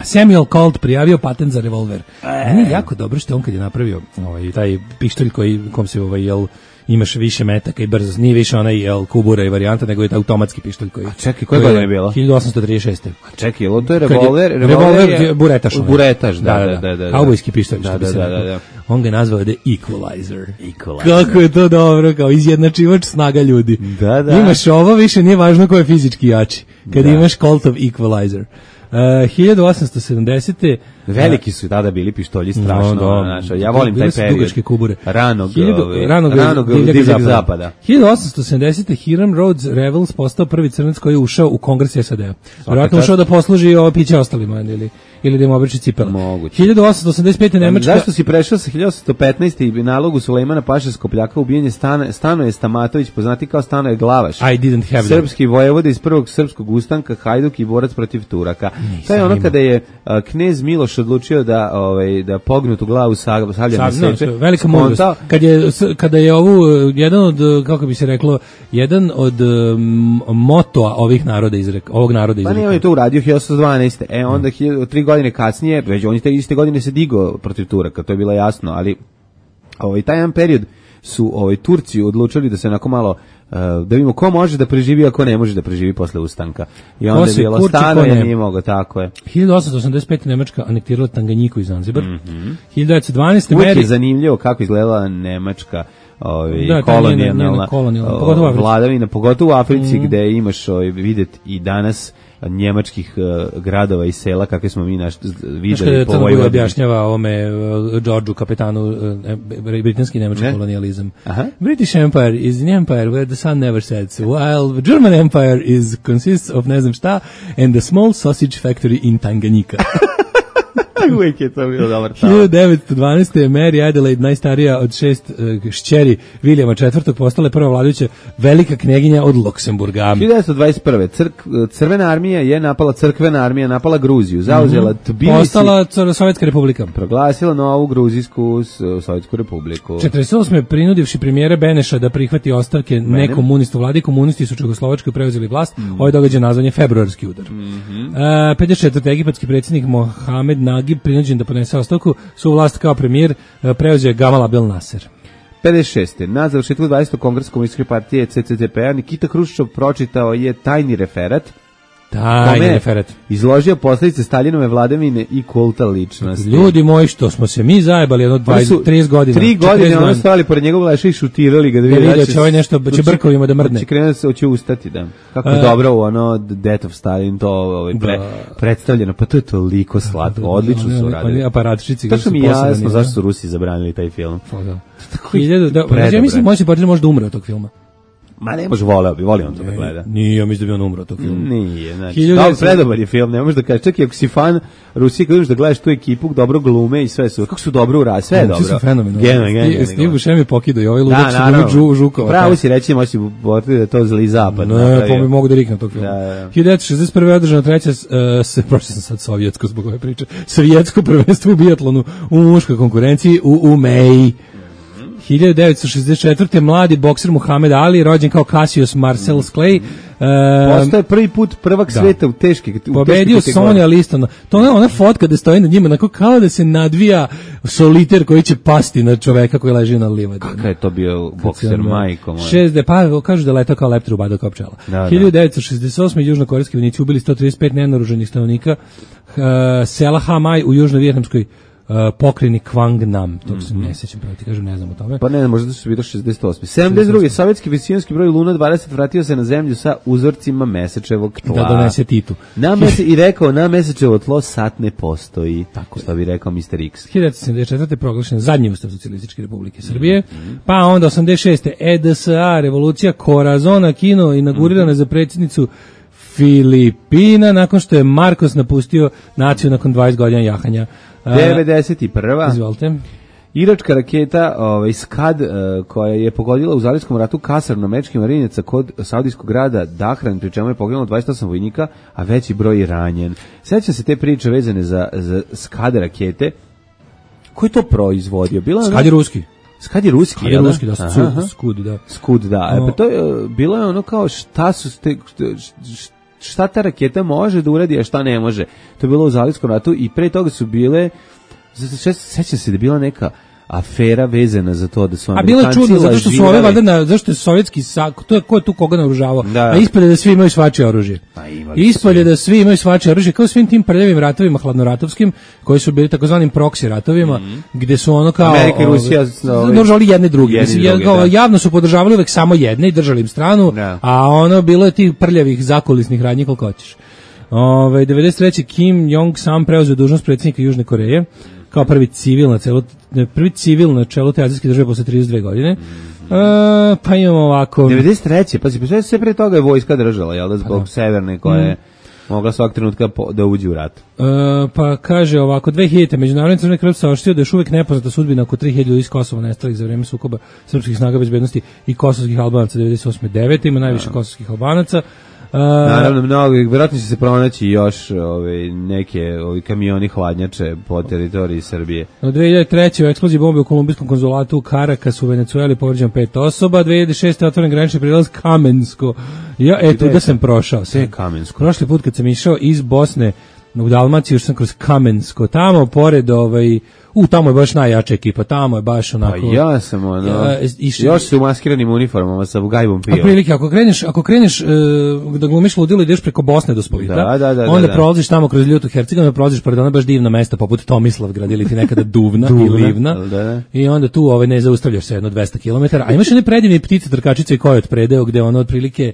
Samuel Colt prijavio patent za revolver. Meni je jako dobro što on kad je napravio ovaj, taj pištolj koji, kom se ovaj, jel, imaš više metaka i brzo, nije više onaj jel, kubura i varijanta, nego je taj automatski pištolj koji... A čekaj, koje godine je bilo? hiljadu osamsto trideset šeste. A čekaj, jel, to je revolver? Je, revolver je buretaš. Buretaš, da, da, da. da, da, da. Kaubojski pištolj, da, što bi da, se da, rekao. da, da. On ga je nazvao The Equalizer. Equalizer. Kako je to dobro, kao izjednačivač snaga ljudi. Da, da. Imaš ovo, više nije važno ko je fizički jači. Kad da. imaš Coltov Equalizer. Uh, hiljadu osamsto sedamdesete. Veliki su tada bili pištolji, strašno. No, no. Znaš, ja volim taj period. Dugačke kubure. Ranog, hiljadu, ove, ranog, ranog divljeg zapada. zapada. hiljadu osamsto sedamdesete. Hiram Rhodes Revels postao prvi crnac koji je ušao u Kongres S A D-a. Vjerojatno ušao da posluži ovo piće ostalima ili, ili da im obriči cipele. Moguće. hiljadu osamsto osamdeset pete. Nemačka... Zašto si prešao sa hiljadu osamsto petnaeste. i nalogu Sulejmana Paše Skopljaka ubijenje Stana, Stanoje Stamatović, poznati kao Stanoje Glavaš. I didn't have Srpski vojevode iz prvog srpskog ustanka, Hajduk i borac protiv Turaka. To je ono kada je uh, knez Miloš odlučio da ovaj da pognutu glavu savlja na seče. Velika mudrost. Kad je kada je ovu jedan od, kako bi se reklo, jedan od um, motoa ovih naroda izrek, ovog naroda izreka. Pa nije on je to uradio hiljadu osamsto dvanaeste. E onda tri godine kasnije, već on te iste godine se digao protiv Turaka, to je bilo jasno, ali ovaj taj jedan period su ovaj Turci odlučili da se onako malo uh, da vidimo ko može da preživi, a ko ne može da preživi posle ustanka. I onda je bilo stano, ja nije mogao, tako je. hiljadu osamsto osamdeset pete Nemačka anektirala Tanganjiku i Zanzibar. Mm-hmm. hiljadu devetsto dvanaeste Uvijek je zanimljivo kako izgledala Nemačka ovaj da, kolonijalna kolonijalna vladavina, pogotovo u Africi mm. gde imaš ovaj videti i danas njemačkih uh, gradova i sela kakve smo mi naš videli po ovoj objašnjava ovome uh, Đorđu kapetanu uh, britanski nemački ne? kolonijalizam. Aha. British Empire is an empire where the sun never sets, while the German Empire is consists of ne znam šta and a small sausage factory in Tanganyika. Uvijek je to bilo dobar tamo. hiljadu devetsto dvanaeste. Mary Adelaide, najstarija od šest uh, šćeri Vilijama četvrtog, postala je prva vladajuća velika knjeginja od Luksemburga. hiljadu devetsto dvadeset prve. Crk, crvena armija je napala, crkvena armija napala Gruziju, zauzela Tbilisi. Postala Sovjetska republika. Proglasila novu Gruzijsku Sovjetsku republiku. četrdeset osme. prinudivši premijera Beneša da prihvati ostavke nekomunista vladi, komunisti su u Čehoslovačkoj preuzeli vlast. Mm. Ovaj događaj nazvan je februarski udar. Mm-hmm. uh, pedeset četvrte. egipatski predsjednik Mohamed Nagib prinuđen da podnese ostavku, su vlast kao premijer preuzeo Gamal Abdel Nasser. pedeset šeste. Na završetku dvadesetog kongresa komunističke partije C C C P-a Nikita Hruščov pročitao je tajni referat. Tajni referat. Izložio posljedice Staljinove vladavine i kulta ličnosti. Ljudi moji, što smo se mi zajebali jedno dvadeset, trideset godina. Tri godine ono stojali pored njegovog leša i šutirali ga da vidi da će ovaj nešto, će brkovima da mrdne. Će krenuti se, hoće ustati, da. Kako je dobro u ono Death of Stalin to ovaj, pre, predstavljeno, pa to je toliko slatko, odlično su uradili. Oni aparatčici. To što mi jasno zašto su Rusi zabranili taj film. Hiljadu, da, ja mislim, možda se možda umre od tog filma. Ma ne može, voleo bi, voli on to da gleda. Nije, ja mislim da bi on umro tog filma. Nije, znači, da, predobar je film, ne možeš da kažeš, čak i ako si fan Rusije, kad vidiš da gledaš tu ekipu, dobro glume i sve su, kako su dobro uradili, sve je dobro. Sve su fenomenalno. Geno, geno. Steve Buscemi pokidao i ovaj ludak su Žu, Žukova. Pravo si reći, moći boriti da to zli zapad. Ne, pa mi mogu da riknem tog filma. hiljadu devetsto šezdeset prve. održano treća, se, prošli sam sad sovjetsko zbog ove priče, sovjetsko prvenstvo u biatlonu u muškoj konkurenciji u Umeji. hiljadu devetsto šezdeset četvrte. mladi bokser Muhammed Ali, rođen kao Cassius Marcel Clay, um, postaje prvi put prvak da. sveta u teške u pobedio Sonja Liston. To je ona fotka da stoji na njima onako kao da se nadvija soliter koji će pasti na čoveka koji leži na livadi. Kakav je to bio bokser, majko moja. šezdeset pa kažu da letao kao leptir u bada kao pčela. Da, hiljadu devetsto šezdeset osme. južnokorejski vojnici ubili sto trideset pet nenaoružanih stanovnika uh, sela Hamaj u južno-vijetnamskoj Uh, pokrini Quang Nam, to se mm-hmm. ne sećam, pravo ti kažem, ne znam o tome. Pa ne, možda su bilo šezdeset osme. sedamdeset druge. Sovjetski visijonski broj Luna dvadeset vratio se na zemlju sa uzorcima mesečevog tla. Da donese Titu. Na mese, I rekao, na mesečevo tlo sat ne postoji, tako što bi rekao mister X. hiljadu devetsto sedamdeset četvrte. proglašen zadnji ustav Socijalističke Republike Srbije, mm-hmm. pa onda osamdeset šeste. E D S A, revolucija Corazon Aquino, inaugurirana mm-hmm. za predsjednicu Filipina, nakon što je Marcos napustio naciju nakon dvadeset godina jahanja. devedeset prva. Izvolite. Iračka raketa ovaj, Skad, uh, koja je pogodila u Zalivskom ratu kasarnu američkih marinaca kod saudijskog grada Dahran, pri čemu je poginulo dvadeset osam vojnika, a veći broj je ranjen. Sjećam se te priče vezane za, za Skad rakete. Ko je to proizvodio? Bila Skad je ruski. Skad je ruski, Skad je ruski, da, Skud, Skud, da. Skud, da. E, pa to je, bilo je ono kao šta su te... šta ta raketa može da uradi, a šta ne može. To je bilo u Zalivskom ratu i pre toga su bile, sećam se da je bila neka afera vezana za to da su Amerikanci lažirali. A bilo je čudno, zato što su ove valjda, na, zašto je sovjetski sak, to je ko je tu koga naoružavao, da. A ispolje da svi imaju svačije oružje. Ispolje da svi imaju svačije oružje, kao svim tim prljavim ratovima hladnoratovskim, koji su bili takozvanim proksi ratovima, mm-hmm. gde su ono kao Amerika i Rusija naoružavali jedne druge. Jedni Mislim, druge, kao, da. Javno su podržavali uvek samo jedne i držali im stranu, da. A ono bilo je tih prljavih zakulisnih radnji koliko hoćeš. Ove, devedeset treće. Kim Jong Sam preuzeo dužnost predsjednika Južne Koreje kao prvi civil na celu, prvi civil na čelu te azijske države posle trideset dve godine. Mm-hmm. E, pa imamo ovako... devedeset treće. Pa sve, sve pre toga je vojska držala, jel da, zbog pa, severne koje je mm. mogla svak trenutka po, da uđe u rat. E, pa kaže ovako, dve hiljadite. Međunarodni Crveni krst saopštio da još uvijek nepoznata sudbina oko tri hiljade ljudi iz Kosova nestalih za vreme sukoba srpskih snaga bezbednosti i kosovskih Albanaca devedeset osme devete. Ima najviše ja. kosovskih Albanaca. Uh, Naravno, mnogo, vjerojatno će se pronaći još ove, neke ovi kamioni hladnjače po teritoriji Srbije. U dve hiljade treće. u eksploziji bombe u kolumbijskom konzulatu u Caracas u Venecueli povređeno pet osoba. dve hiljade šeste. otvoren granični prilaz Kamensko. Ja, eto, da sam prošao. Sve Kamensko. Prošli put kad sam išao iz Bosne u Dalmaciji, još sam kroz Kamensko, tamo pored ovaj, u tamo je baš najjača ekipa, tamo je baš onako. Pa ja sam ono, ja, išli, još su u maskiranim uniformama sa gajbom pio. A prilike, ako kreneš, ako kreneš uh, da glumiš ludilo, ideš preko Bosne do Splita, da, da, da, onda da, da. prolaziš tamo kroz Ljutu Hercegovinu, prolaziš pored ona baš divna mesta poput Tomislavgrad ili ti nekada Duvna i Livna, da, da. I onda tu ovaj, ne zaustavljaš se jedno dvesta kilometara, a imaš one predivne ptice, trkačice i kojot predeo, gde ono otprilike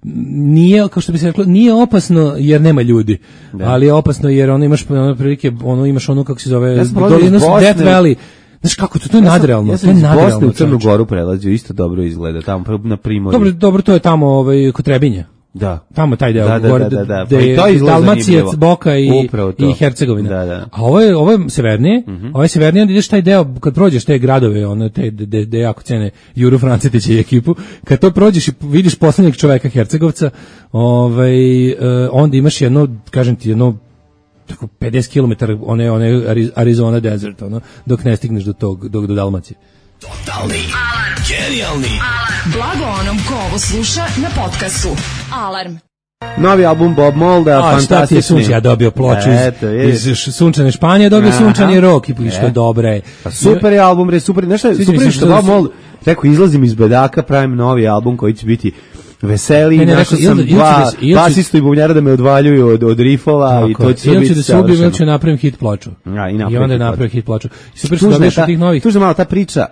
nije, kao što bi se reklo, nije opasno jer nema ljudi, da. Ali je opasno jer ono imaš ono prilike, ono imaš ono kako se zove, ja dolinu Death Valley. Znaš kako to, to je ja nadrealno. Ja sam iz Bosne u Crnu Goru prelazio, isto dobro izgleda, tamo na Primorju. Dobro, dobro, to je tamo ovaj, kod Trebinja. Da. Tamo taj deo, da, da, gore, da, da, da. Da je Dalmacijac, Boka i, i Hercegovina. Da, da. A ovo je, ovo je severnije, mm-hmm. ovo je severnije, onda ideš taj deo, kad prođeš te gradove, ono, te, de, de jako cene Juru Francetića i ekipu, kad to prođeš i vidiš poslednjeg čoveka Hercegovca, ovaj, uh, onda imaš jedno, kažem ti, jedno tako pedeset kilometara one, one Arizona desert, ono, dok ne stigneš do tog, do, do Dalmacije. Totalni alarm. Genijalni alarm. Blago onom ko ovo sluša na podcastu. Alarm. Novi album Bob Molda, fantastični. Sunčani, ja dobio ploču iz, iz sunčane Španije, dobio Aha. Sunčani rok i što je dobro je. Pa super je album, re, super, nešto je super što Bob Mold rekao, izlazim iz bedaka, pravim novi album koji će biti veseli, našao sam dva basistu i bubnjara da me odvaljuju od, od rifova i to će ili biti da se ubijem ili ću napravim hit ploču. Ja, i, I onda je napravio hit ploču. I super što dobiješ od tih novih. Tužno malo ta priča,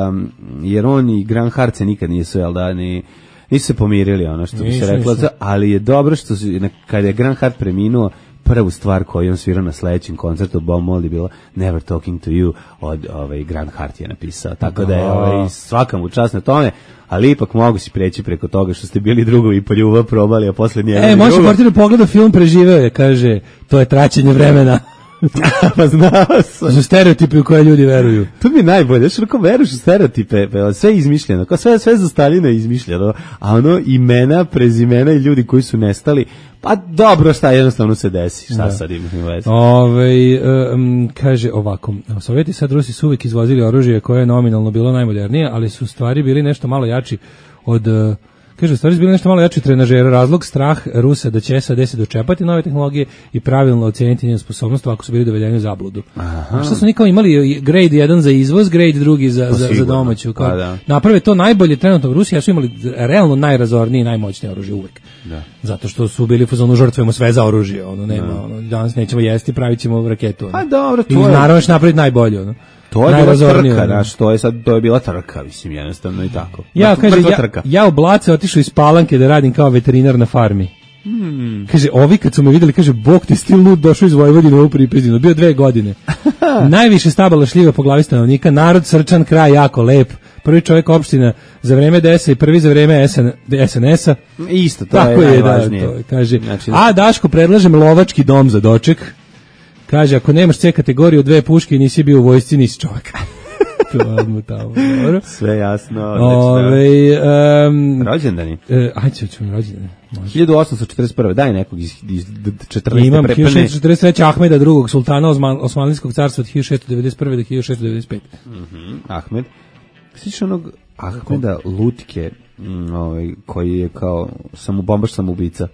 um, jer on i Grant Hart se nikad nisu, jel da, ni, nisu se pomirili, ono što bi se reklo, ali je dobro što su, kada je Grant Hart preminuo, prvu stvar koju on svirao na sledećem koncertu Bob Mold je bila Never Talking to You od ovaj, Grant Hart je napisao, tako da je ovaj, svaka mu čast na tome, ali ipak mogu si preći preko toga što ste bili drugovi i po ljubav probali, a posle njega e, može Martinu pogleda film, preživeo je, kaže, to je traćenje vremena. Pa znao sam. Za stereotipe u koje ljudi veruju. To mi je najbolje, što ako veruješ u stereotipe, sve je izmišljeno, kao sve, sve za Staljina je izmišljeno, a ono imena, prezimena i ljudi koji su nestali, pa dobro, šta jednostavno se desi, šta da. Sad ima veze. Ove, um, kaže ovako, Sovjeti sad Rusi su uvijek izvozili oružje koje je nominalno bilo najmodernije, ali su stvari bili nešto malo jači od... Uh, Kaže, stvari su bili nešto malo jači trenažera, razlog, strah Rusa da će S A D se dočepati nove tehnologije i pravilno oceniti njenu sposobnost ako su bili dovedeni u zabludu. Aha. A što su nikao imali grade jedan za izvoz, grade drugi za, za, za domaću. Kao, da. Naprave to najbolje trenutno u Rusiji, a su imali realno najrazornije i najmoćnije oružje uvek. Da. Zato što su bili u fazonu žrtvujemo sve za oružje. Ono, nema, da. Ono, danas nećemo jesti, pravit ćemo raketu. Ono. A dobro, to I je... naravno će napraviti najbolje. Ono. To je bila trka, znaš, to je sad, to je bila trka, mislim, jednostavno i tako. Ja, kaže, ja, ja u Blace otišao iz Palanke da radim kao veterinar na farmi. Hmm. Kaže, ovi kad su me videli, kaže, Bog ti stil lud došao iz Vojvodine u ovu Pripizinu, bio dve godine. Najviše stabala šljiva po glavi stanovnika, narod srčan, kraj jako lep, prvi čovjek opština za vreme D S A i prvi za vreme S N S-a. Isto, to tako je, je najvažnije. Da, to, kaže, znači, a Daško, predlažem lovački dom za doček. Kaže, ako nemaš C kategoriju dve puške i nisi bio u vojsci, nisi čovjek. Tamo, sve jasno. Ove, um, rođendani. Uh, ajde, ćemo rođendani. hiljadu osamsto četrdeset prve. Daj nekog iz, iz četrnaeste Imam prepane. hiljadu šeststo četrdeset treće. Ahmeda drugog, sultana Osman, Osmanlijskog carstva od hiljadu šeststo devedeset prve do hiljadu šeststo devedeset pete. Mm-hmm. Ahmed. Sviš onog Ahmeda Lutke, mm, ovaj, koji je kao samobombaš samoubica.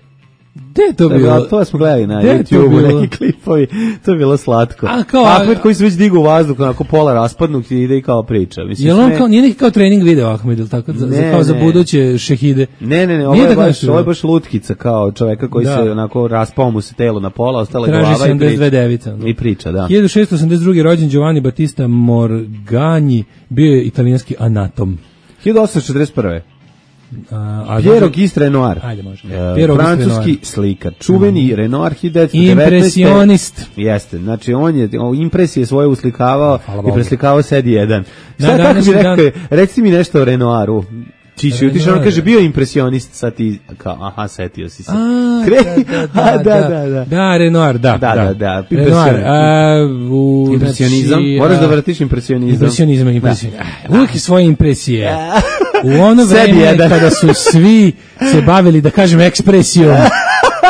Gde je to bilo? bilo? To smo gledali na YouTube, neki klipovi, to je bilo slatko. A kao, Ahmed koji se već digu u vazduh, onako pola raspadnut i ide i kao priča. Mislim, je li on kao, nije neki kao trening video Ahmed, ili tako, za, ne, kao za buduće šehide? Ne, ne, ne, ovo je, baš, ovo je baš lutkica kao čoveka koji da. se onako raspao mu se telo na pola, ostala je glava i priča. Devica, no. I priča, da. hiljadu šeststo osamdeset druge. rođen Giovanni Battista Morgagni, bio je italijanski anatom. hiljadu osamsto četrdeset prve. A, Piero Gist Renoir, ajde, može. Uh, francuski slikar, čuveni mm. Renoir, hiljadu devetsto devetnaeste. Impresionist. Jeste, znači on je o, impresije svoje uslikavao i preslikavao sedi jedan. Šta da, kako bi rekao, dan... reci mi nešto o Renoiru. Čiši, utišao, on kaže, bio impresionist, sad ti, kao, aha, setio si se. A, Kre... da, da, da, da, da. Da, Renoir, da. Da, da, da. Renoir, a, u... Impresionizam, znači, moraš da vratiš impresionizam. Impresionizam, impresionizam. Da. Uvijek je svoje impresije. U ono vreme kada su svi se bavili, da kažem, ekspresijom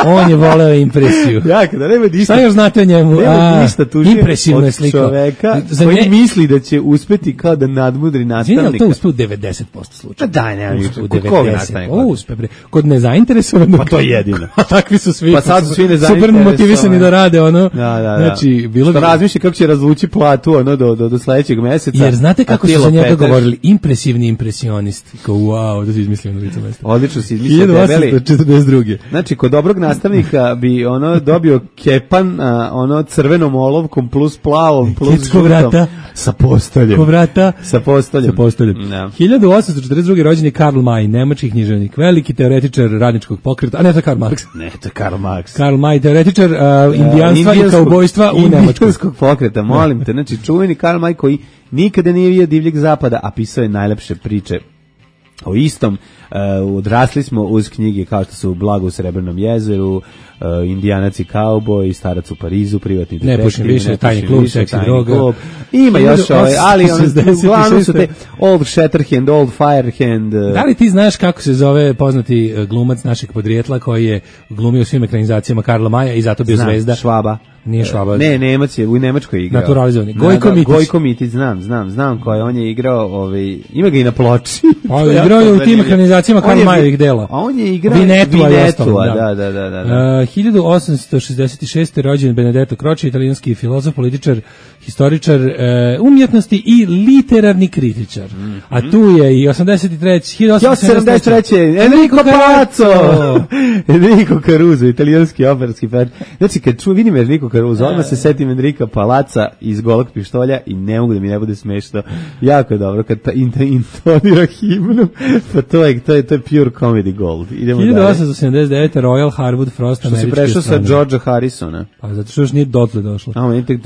On je voleo impresiju. Ja, kada nema ništa. Šta još znate o njemu? Nema ništa tužnije impresivno je slika. Čoveka za koji nje... misli da će uspeti kao da nadmudri nastavnika. Zini, to uspe u devedeset posto slučaja. Pa daj, nema ništa. Kod koga nastavnika? O, uspe, bre. Kod nezainteresovanog. Pa to je jedino. A takvi su svi. Pa sad su svi nezainteresovani. Super motivisani da rade, ono. Da, da, da. Znači, bilo što razmišlja kako će razvući platu, ono, do, do, do sledećeg meseca. Jer znate kako su za njega govorili? Impresivni impresionist. Kao, wow, da si izmislio na licu mesta. Odlično si izmislio debeli. hiljadu osamsto četrdeset druge. Znači, kod dobrog nastavnika bi ono dobio kepan, a, ono crvenom olovkom plus plavom plus žutom. Sa postoljem. Ko vrata? Sa postoljem. Sa postoljem. No. hiljadu osamsto četrdeset druge rođen je Karl May, nemački književnik, veliki teoretičar radničkog pokreta, a ne to je Karl Marx. Ne, to je Karl Marx. Karl May, teoretičar uh, indijanstva i kaubojstva u Nemačkoj. Indijanskog pokreta, molim te. Znači, čuveni Karl May koji nikada nije vidio divljeg zapada, a pisao je najlepše priče o istom. Uh, odrasli smo uz knjige kao što su Blago u Srebrnom jezeru, uh, Indijanac i kauboj, Starac u Parizu, Privatni detektiv, ne pušim više, Tajni klub, Seksi droga. Klub. Ima još ove, ali on, uglavnom su te Old Shatterhand, Old Firehand. Uh, da li ti znaš kako se zove poznati glumac našeg podrijetla koji je glumio u svim ekranizacijama Karla Maja i zato bio znam, zvezda? Švaba. Nije Švaba. Ne, Nemac je u Nemačkoj igrao. Naturalizovani. Gojko Mitić. Gojko Mitić, znam, znam, znam ko je, on je igrao, ovaj, ima ga i na ploči. Pa igrao je u tim ekranizacijama Karl Mayovih dela. A on je igrao Vinetu, Vinetu, da, da, da, da. Uh, hiljadu osamsto šezdeset šeste rođen Benedetto Croce, italijanski filozof, političar, historičar uh, umjetnosti i literarni kritičar. Mm -hmm. A tu je i osamdeset treće hiljadu osamsto sedamdeset treće Enrico Palazzo. Enrico Caruso, italijanski operski pevač. Znači kad čujem vidim Enrico Caruso, odmah se setim Enrika Palazza iz Golog pištolja i ne mogu da mi ne bude smešno. Jako je dobro kad ta intonira himnu. Pa to je to je to je pure comedy gold. Idemo dalje. hiljadu osamsto sedamdeset devete Royal Harwood Frost američki. Što se prešao sa Georgea Harrisona. Pa zato što još nije dotle došlo. A on tek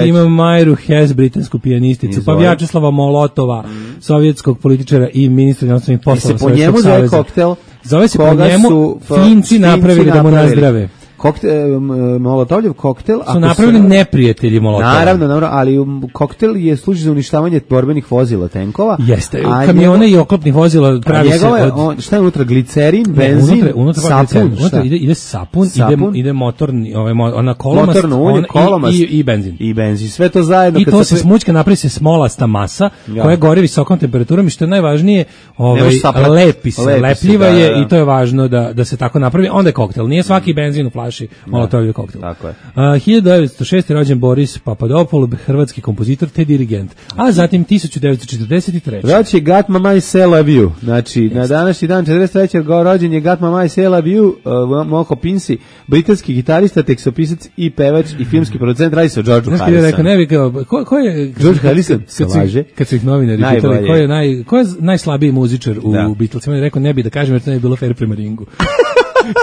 ima Majru Hess, britansku pijanisticu, pa Vjačeslava Molotova, mm. sovjetskog političara i ministra inostranih poslova Sovjetskog saveza. Se po njemu zove koktel. Zove se po njemu Finci napravili da mu nazdrave. Koktel, Molotovljev koktel su napravili se... neprijatelji Molotova. Naravno, naravno, ali koktel je služi za uništavanje borbenih vozila, tenkova. Jeste, kamione njegov... i oklopnih vozila pravi se od... On, šta je unutra, glicerin, benzin, ne, unutra, unutra sapun, unutra ide, ide sapun, sapun, ide, ide motorni, ovaj, ona kolomast, motorno ulje, on, kolomast i, i, i benzin. I benzin, sve to zajedno. I kad to se se smućka, napravi se smolasta masa, ja. koja gori visokom temperaturom i što je najvažnije, ovaj, lepi se, lepi lepljiva se, da, je da. I to je važno da, da se tako napravi. Onda je koktel, nije svaki benzin u flaši Molotovljev koktel. Tako je. Uh, hiljadu devetsto šeste rođen Boris Papadopoulos, hrvatski kompozitor te dirigent. A zatim tisuću devetsto četrdeset treće Rođen je Got My Mind Say Love You. Znači, yes. na današnji dan četrdeset treće rođen je Got My Mind Say Love You, uh, Moko Pinsi, britanski gitarista, tekstopisac i pevač i filmski producent. Radi se o Georgeu Harrisonu. Znaš kada je rekao, ne bi kao, ko, ko je... George Harrison se laže. Kad su ih novinari pitali, ko je, naj, ko je najslabiji muzičar u da. Beatlesima, on je rekao, ne bi da kažem jer to ne bi bilo fair prema ringu.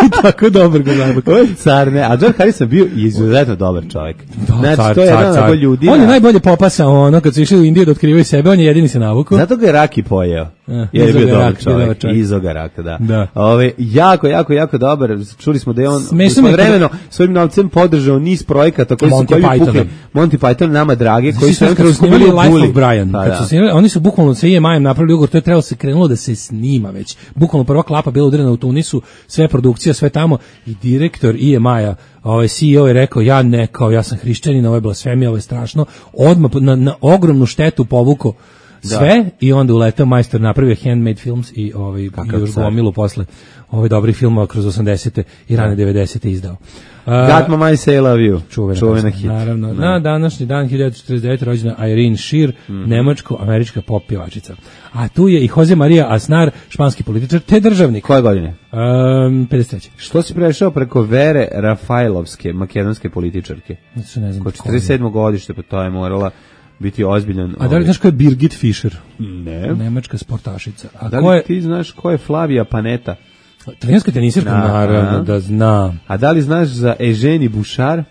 I tako dobro ga znam. Ovo je car, ne, a George Harrison bio izuzetno dobar čovjek. Da, znači, car, to je car, jedan car. od ljudi. On je najbolje popasao ono, kad su išli u Indiju da otkrivaju sebe, on je jedini se navukao. Zato ga je Raki pojeo. Eh, jer je bio dobar rak, čovjek. čovjek. Izoga Raka, da. da. Ove, jako, jako, jako dobar. Čuli smo da je on vremeno svojim novcem podržao niz projekata koji su koji pukli. Monty Python, nama drage, koji su kad su snimali Life of Brian. Pa, kad su snimali, oni su bukvalno sa E M I-em napravili ugovor, to je trebalo se krenulo da se snima već. Bukvalno prva klapa bila udarena u Tunisu, sve produkcija, sve tamo i direktor E M I-a, ovaj C E O je rekao, ja ne, kao ja sam hrišćanin, ovo je blasfemija, ovo je strašno, odmah na, na ogromnu štetu povuko sve da. I onda uletao majstor, napravio Handmade Films i ovaj i još gomilu posle ovaj dobri filmova kroz osamdesete i rane devedesete izdao. Uh, Got My Mind Say Love You, čuvena, čuvena hit. Naravno, no. Na današnji dan hiljadu četrdeset devete rođena Irene Shear, mm -hmm. nemačko-američka pop pjevačica. A tu je i Jose Maria Aznar, španski političar te državnik. Koje godine? Um, pedeset treće Što si prešao preko Vere Rafajlovske, makedonske političarke? Znači, ne znam. Ko četrdeset sedmo godište, pa to je morala biti ozbiljan. A da li znaš ko je Birgit Fischer? Ne. Nemačka sportašica. A da li ko je... ti znaš ko je Flavija Panetta? Italijanska tenisirka, naravno da znam. A da li znaš za Eugenie Bouchard?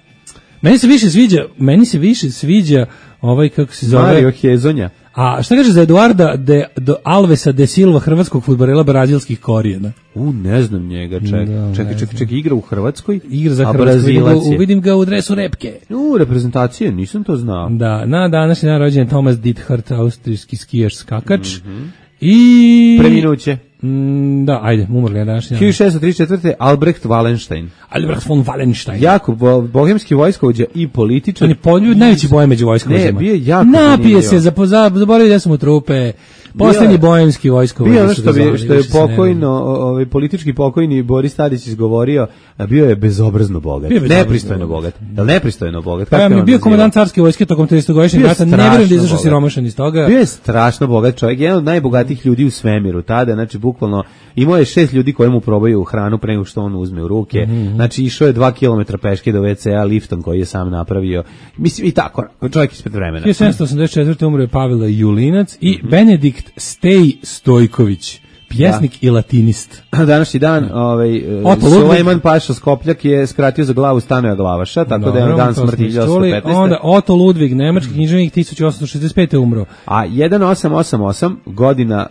Meni se više sviđa, meni se više sviđa ovaj, kako se zove... Mario Hezonja. A šta kaže za Eduarda de, de Alvesa de Silva, hrvatskog fudbalera brazilskih korijena? U, ne znam njega, čekaj. Da, čekaj, čekaj, čekaj, igra u Hrvatskoj? Igra za Hrvatsku, vidim ga u dresu repke. U, reprezentacije, nisam to znao. Da, na današnji dan rođen Thomas Diethard, austrijski skijaš skakač. Mm -hmm. I... Preminuće. Mm, da, ajde, umrli je današnji. hiljadu šessto trideset četvrte. Albrecht Wallenstein. Albrecht von Wallenstein. Jako bo, bohemski vojskovođa i političar. On je poljub, najveći bojem među vojskovođama. Ne, bio je jako napije se, zaboravio da su mu trupe. Poslednji bohemski vojskovođa. Bio ono što, bi, što je pokojno, ovaj politički pokojni Boris Tadić izgovorio, a bio je bezobrazno bogat. Bio nepristojno bogat. Jel nepristojno bogat? Kako je bio komandant carske vojske tokom tridesetogodišnjeg rata, ne verujem da izašao siromašan iz toga. Bio je strašno bogat čovjek, jedan od najbogatijih ljudi u svemiru tada, znači bukvalno imao je šest ljudi koji mu probaju hranu pre nego što on uzme u ruke. Mm-hmm. Znači išao je dva kilometra peške do ve ce a liftom koji je sam napravio. Mislim i tako, čovjek ispred vremena. hiljadu sedamsto osamdeset četvrte umro je Pavle Julinac i mm-hmm. Benedikt Stej Stojković, pjesnik da. I latinist. Današnji dan, ovaj Sulejman Paša Skopljak je skratio za glavu Stanoja Glavaša, tako dobro, da je dan smrti hiljadu osamsto petnaeste. Onda Otto Ludvig, nemački književnik, tisuću osamsto šezdeset pete umro. A sedam osam osam godina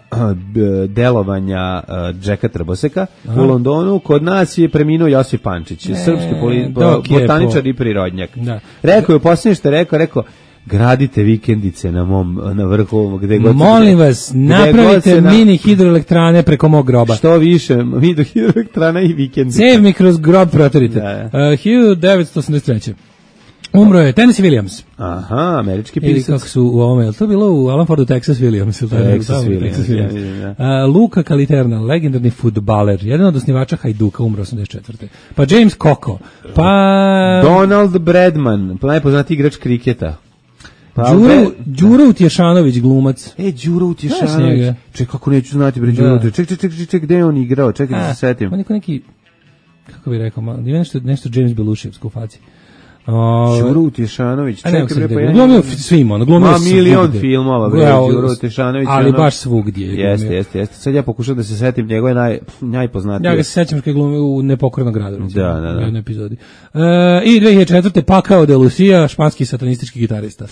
delovanja Džeka Trboseka u Londonu, kod nas je preminuo Josip Pančić, e, srpski poli, botaničar i prirodnjak. Da. Rekao je u posljednje što je rekao, rekao gradite vikendice na mom na vrhu gde god. Molim vas, napravite na... mini hidroelektrane preko mog groba. Što više, mi do hidroelektrana i vikendice. Save mi kroz grob protorite. Da. Uh, hiljadu devetsto osamdeset treće umro je Tennessee Williams. Aha, američki pisac. Ili kako su u ovome, je to bilo u Alan Fordu Texas Williams? Texas, Texas Williams. Texas Williams. Ja, ja. Uh, Luka Kaliterna, legendarni fudbaler, jedan od osnivača Hajduka, umro osamdeset četvrte Pa James Coco, pa... Donald Bradman, najpoznatiji igrač kriketa. Đuro, Đuro Utješanović, glumac. E, Đuro Utješanović. Ček, kako neću znati, bre, Đuro Utješanović. Ček, ček, ček, ček, gde je on igrao? Čekaj da se setim. On je neki, kako bih rekao, ima nešto, nešto James Belushevsko u faci. Đuro Utješanović. Čekaj, bre, pa ja... Glumio svima, ono, glumio svugdje. Ma, milion filmova, bre, Đuro Utješanović. Ali baš svugdje. Jeste, jeste, jeste. Sad ja pokušam da se setim, njegove naj, najpoznatije. Ja ga se sećam što je glumio u Nepokornom gradu. Da, da, da. U jednoj epizodi. I dve hiljade četvrte Pakao de Lucia, španski satanistički gitarista.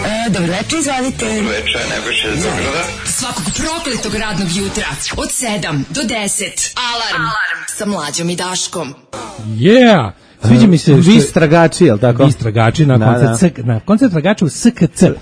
E, dobro večer, izvalite. Dobro večer, najbolje iz Beograda. Svakog prokletog radnog jutra od sedam do deset. Alarm, Alarm. Sa Mlađom i Daškom. Yeah! Sviđa mi se... Vi stragači, jel tako? Vi stragači na koncert, da, da. na koncert tragača u S K C.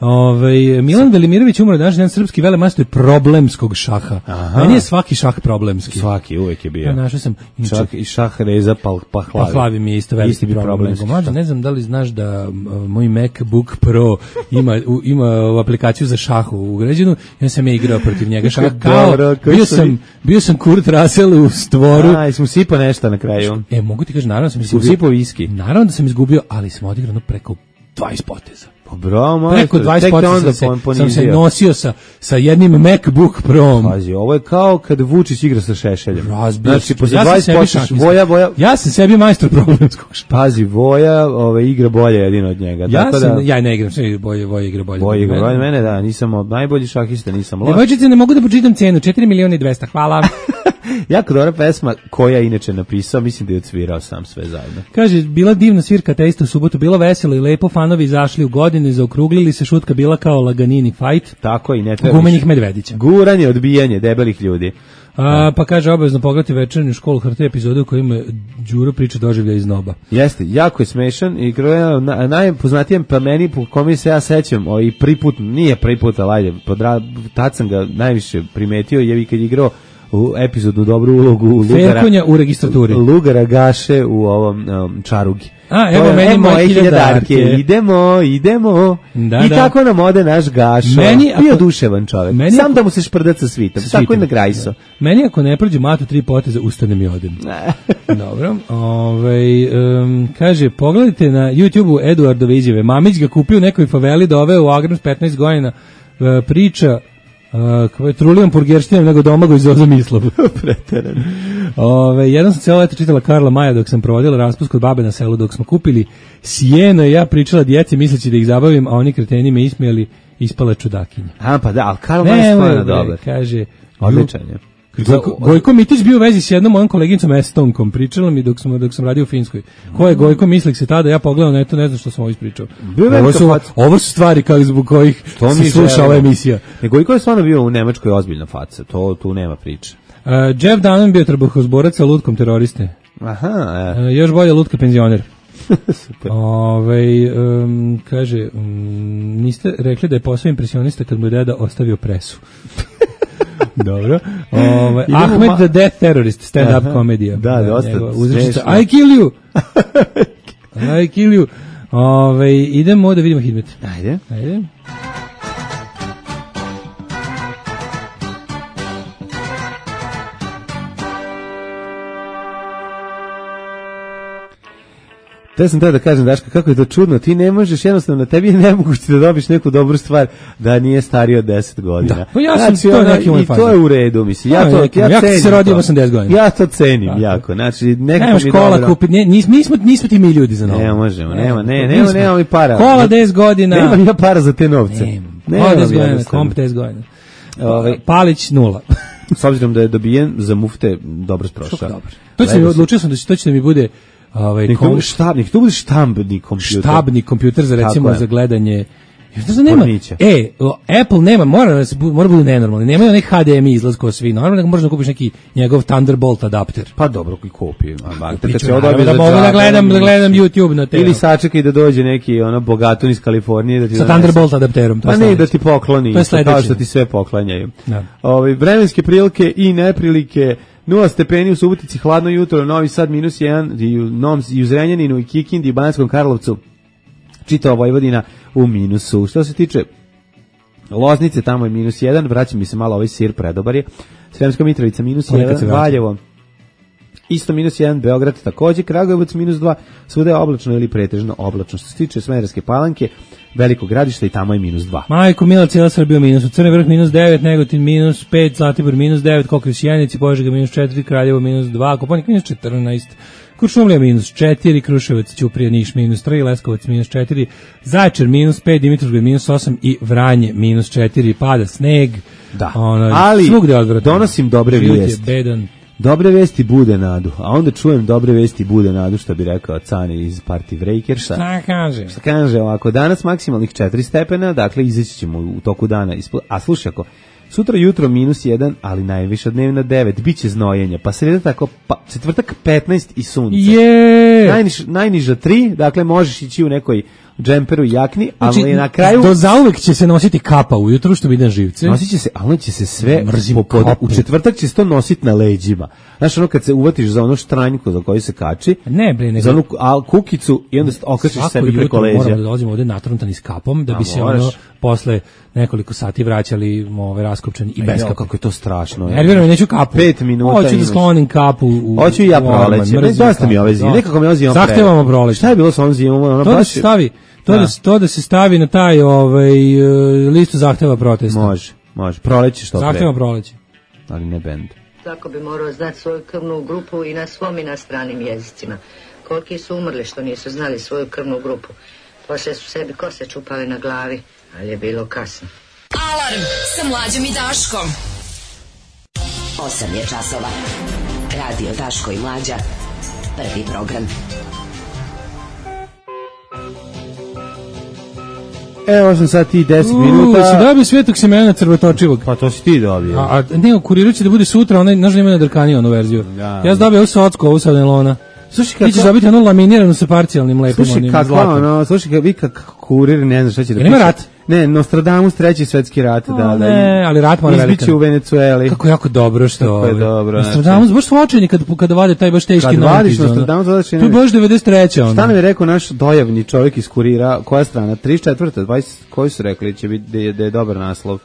Ove, Milan Velimirović umro danas, jedan srpski velemajstor problemskog šaha. Aha. Meni je svaki šah problemski. Svaki, uvek je bio. Ja, našao sam... Čak i šah Reza Pahlavi. Pahlavi mi je isto veliki problem. problemski. Mlađe, ne znam da li znaš da uh, moj MacBook Pro ima, u, ima aplikaciju za šahu ugrađenu. Ja sam je igrao protiv njega šah. Kao, Dobro, bio, sam, bio sam Kurt Russell u stvoru. A, i smo sipo nešto na kraju. E, mogu ti kaži, naravno sam izgubio. Sipo viski. Naravno da sam izgubio, ali smo odigrano preko dvadeset poteza. Pa bravo, preko dvadeset poteza sam, sam se nosio sa, sa jednim MacBook Pro. Pazi, ovo je kao kad Vučić igra sa Šešeljem. Razbio. Znači, posle ja dvadeset poteza, Voja, Voja... Ja sam sebi majstor problemskog šaha. Pazi, Voja ove, igra bolje jedino od njega. Ja, tako sam, da, ja ne igram, sve bolje, Voja igra bolje. Voja igra bolje mene, da, nisam od najbolji šahista, nisam loš. Devojčice, ne mogu da počitam cenu, četiri miliona i dvesta, hvala. Jako dobra pesma, koja je inače napisao, mislim da je odsvirao sam sve zajedno. Kaže, bila divna svirka Teista u subotu, bilo veselo i lepo, fanovi izašli u godine, zaokruglili se, šutka bila kao Laganini fight. Tako i ne treba. Gumenih medvedića. Guranje, odbijanje debelih ljudi. A, pa kaže, obavezno pogledati večernju školu H R T epizode u kojima Đuro priča doživlja iz noba. Jeste, jako je smešan i na, najpoznatijem pa meni po kome se ja sećam, o, i prvi put, nije prvi put, ali ajde, tad sam ga najviše primetio, je kad je igrao u epizodu dobru ulogu Lugara. Ferkonja u registraturi. Lugara Gaše u ovom um, Čarugi. A, evo meni moje hiljadarke. Idemo, idemo. Da, I da. Tako nam ode naš Gašo. Meni, ako, bio duševan čovjek. Meni, Sam ako, da mu se šprdat sa svitom. Sa tako i na Grajso. Da. Meni ako ne prođe matu tri poteza, ustanem i odem. Dobro. Ove, um, kaže, pogledajte na YouTube-u Eduardove izjave. Mamić ga kupio u nekoj faveli, doveo u Agram s petnaest godina. Uh, priča Uh, trulijom purgerštinom nego domago iz Zoza Mislav. Preteran. Ove, jednom sam cijelo leto čitala Karla Maja dok sam provodila raspust kod babe na selu dok smo kupili sjeno i ja pričala djeci misleći da ih zabavim, a oni kreteni me ismijali, ispala čudakinja. A pa da, ali Karl Maja je stvarno dobar. Kaže, odličan je. Gojko, Gojko Mitić bio u vezi s jednom mojom koleginicom Estonkom, pričala mi dok sam, dok sam radio u Finskoj. Ko je Gojko Mislik se tada, ja pogledam na to, ne znam što sam ovo ispričao. Ovo su, ovo su stvari kao zbog kojih se sluša ova emisija. Ne, Gojko je stvarno bio u Nemačkoj ozbiljna faca, to tu nema priče. Uh, Jeff Dunham bio trbuhozborac sa lutkom teroriste. Aha, e. uh, još bolje lutka penzioner. Super. Ove, um, kaže, um, niste rekli da je posao impresionista kad mu je deda ostavio presu. Dobro. Ove, Ahmed ma... the Death Terrorist, stand-up komedija. Da, dosta smešno. I kill you! I kill you! Ove, idemo da vidimo Hidmet. Ajde. Ajde. Da sam teo da kažem, Daška, kako je to čudno, ti ne možeš, jednostavno, na tebi je nemoguće da dobiš neku dobru stvar da nije stariji od deset godina. Da, pa ja sam, znači, to je neki moj i to je u redu, mislim, ja to, ja, ja cenim se rodio osamdeset godina. Ja to cenim da, jako, znači, nekako nema mi škola dobro. kupiti, ne, nismo, nismo, nismo ti mi ljudi za novo. Ne možemo, nema, ne, nema, nema mi para. Kola deset godina. Nema mi ja para za te novce. Nema, kola deset godina, komp deset godina. Ove, Palić nula. S obzirom da je dobijen za mufte, dobro sprošao. Dobro. To će, odlučio sam da će, to će da mi bude ovaj kom... štabnik, to bude štambni kompjuter. Štabni kompjuter za recimo za gledanje. Ja nema. E, Apple nema, mora mora bude nenormalni. Nema onih H D M I izlaz kao svi. Normalno možeš da kupiš neki njegov Thunderbolt adapter. Pa dobro, koji kupi. Kad se odobri da mogu da gledam, da gledam YouTube na te. Ili sačekaj da dođe neki ono bogatun iz Kalifornije da ti sa Thunderbolt adapterom. Pa ne da ti pokloni, kao što ti sve poklanjaju. Ovi vremenske prilike i neprilike. Nula stepeni u Subotici, hladno jutro, Novi Sad minus jedan, i u, Novom, i u Zrenjaninu, i Kikindi, i Banatskom Karlovcu, čitava Vojvodina u minusu. Što se tiče Loznice, tamo je minus jedan, vraća mi se malo ovaj sir, predobar je. Sremska Mitrovica minus jedan, Valjevo, isto minus jedan, Beograd takođe, Kragujevac minus dva, svuda je oblačno ili pretežno oblačno. Što se tiče Smederevske Palanke, Veliko Gradište i tamo je minus dva. Majko Mila, cijela Srbija minus, u Crni Vrh minus devet, Negotin minus pet, Zlatibor minus devet, Kokrić Janici, Požega minus četiri, Kraljevo minus dva, Kopaonik minus četrnaest, Kuršumlija minus četiri, Kruševac, Ćuprija, Niš minus tri, Leskovac minus četiri, Zaječar minus pet, Dimitrovgrad minus osam i Vranje minus četiri, pada sneg. Da, ono, ali donosim dobre vijesti. Bedan. Dobre vesti bude nadu, a onda čujem dobre vesti bude nadu, što bi rekao Cane iz Party Breakersa. Šta kaže? Šta kaže ovako, danas maksimalnih četiri stepena, dakle izaći ćemo u toku dana. Ispod, a slušaj ako, sutra jutro minus jedan, ali najviša dnevna devet, bit će znojenja, pa sreda tako, pa, četvrtak petnaest i sunce. Je! Najniž, najniža tri, dakle možeš ići u nekoj džemperu i jakni, ali znači, na kraju... Do zauvek će se nositi kapa ujutru, što bi na živce. Nosit će se, ali će se sve... Po, u četvrtak će se to nositi na leđima. Znaš, ono kad se uvatiš za ono štranjku za koju se kači, ne, bre, nego... za onu a, kukicu i onda okačiš sebi preko leđa. Moramo da dolazimo ovde natruntani s kapom, da bi a, se moraš. Ono posle nekoliko sati vraćali ove raskopčani i bez kape. Kako je to strašno. Nerviram, neću kapu. Pet minuta hoću da sklonim kapu. U, hoću i ja proleće. Ne, dosta mi ove zime. Nekako mi ove zime. Zahtevamo proleće. Šta je bilo sa ovom zimom? Ono to baš... da se stavi... To da. Da, to da se stavi na taj ovaj listu zahteva protesta. Može, može. Proleće što pre. Zahteva proleće. Ali ne bend. Tako bi morao znati svoju krvnu grupu i na svom i na stranim jezicima. Koliki su umrli što nisu znali svoju krvnu grupu. Poslije su sebi kose čupali na glavi, ali je bilo kasno. Alarm sa Mlađom i Daškom. osam je časova. Radio Daško i Mlađa. Prvi program. Evo osam sati i deset minuta. Si dobio Svetog Simena Crvotočivog? Pa to si ti dobio. A, a ne, u kuriru će da bude sutra, onaj, znaš da ima na drkaniju onu verziju. Da, ja sam dobio ovu socku, ovu sa nelona. Slušaj, kako... Ti ćeš dobiti onu laminiranu sa parcijalnim lepim slušaj, onim kako, zlatom. No, slušaj, vi kako kurir, ne znam šta će da piše. Nema rat? Ne, Nostradamus, treći svetski rat. O, da, ne, da, ali rat mora velikan. Izbiće u Venecueli. Kako jako dobro što... Kako je dobro. Nostradamus, znači, baš su očajni kada, kada vade taj baš teški notiz. Kad vadiš Nostradamus, vadaš... To je baš devedeset treća Šta nam je rekao naš dojavni čovjek iz kurira? Koja strana? trideset četvrta dvadeset Koji su rekli će biti da je, da je dobar naslov?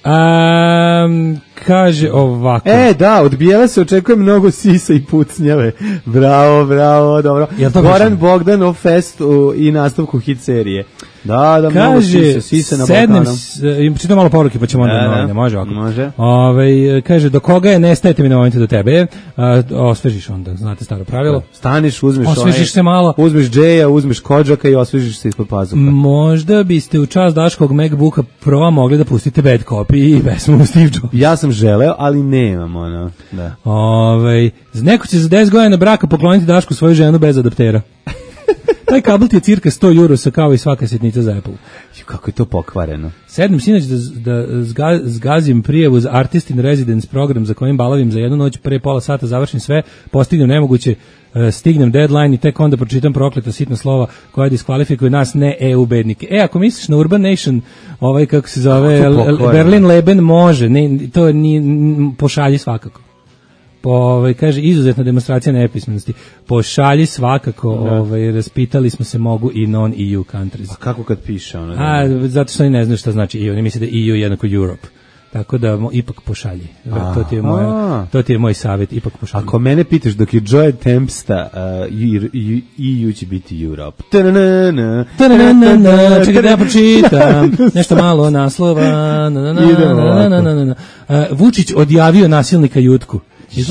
Um, kaže ovako. E, da, od Bijela se očekuje mnogo sisa i pucnjave. Bravo, bravo, dobro. Goran Bogdanov fest u, i nastavku hit serije. Da, da, kaže, mnogo sisa, sisa na Balkanu. Kaže, čitam malo poruke pa ćemo onda da, novine, može ovako. Može. Ove, kaže, do koga je nestajete mi na momentu do tebe, a, osvežiš onda, znate staro pravilo. Staniš, uzmeš osvežiš onaj, se malo. Uzmeš džeja, uzmeš kodžaka i osvežiš se ispod pazuha. Možda biste u čast Daškog MacBooka Pro mogli da pustite bad copy i pesmu Steve Jobs. Ja sam želeo, ali nemam ono. Da. Ove, neko će za deset godina braka pokloniti Dašku svoju ženu bez adaptera. Taj kabel ti je cirka sto eurosa kao i svaka sitnica za Apple. Kako je to pokvareno. Sedam sinoć da, da zga, zgazim prijavu za Artist in Residence program za kojim balavim za jednu noć, pre pola sata završim sve, postignem nemoguće, stignem deadline i tek onda pročitam prokleta sitna slova koja diskvalifikuje nas ne E U bednike. E, ako misliš na Urban Nation, ovaj kako se zove, Berlin Leben, može, ne, to ni pošalji svakako. Po, ovaj, kaže, izuzetna demonstracija nepismenosti. Pošalji svakako, ovaj, raspitali smo se mogu i non-E U countries. A kako kad piše ono? A, zato što oni ne znaju šta znači E U, oni misle da E U je jednako Europe. Tako da mo, ipak pošalji. Aha. To ti je moj to ti je moj savjet, ipak pošalji. Ako mene pitaš dok je Joy Tempesta, uh, E U će biti Europe. Čekaj da ja pročitam. Nešto malo naslova. Vučić odjavio nasilnika Jutku.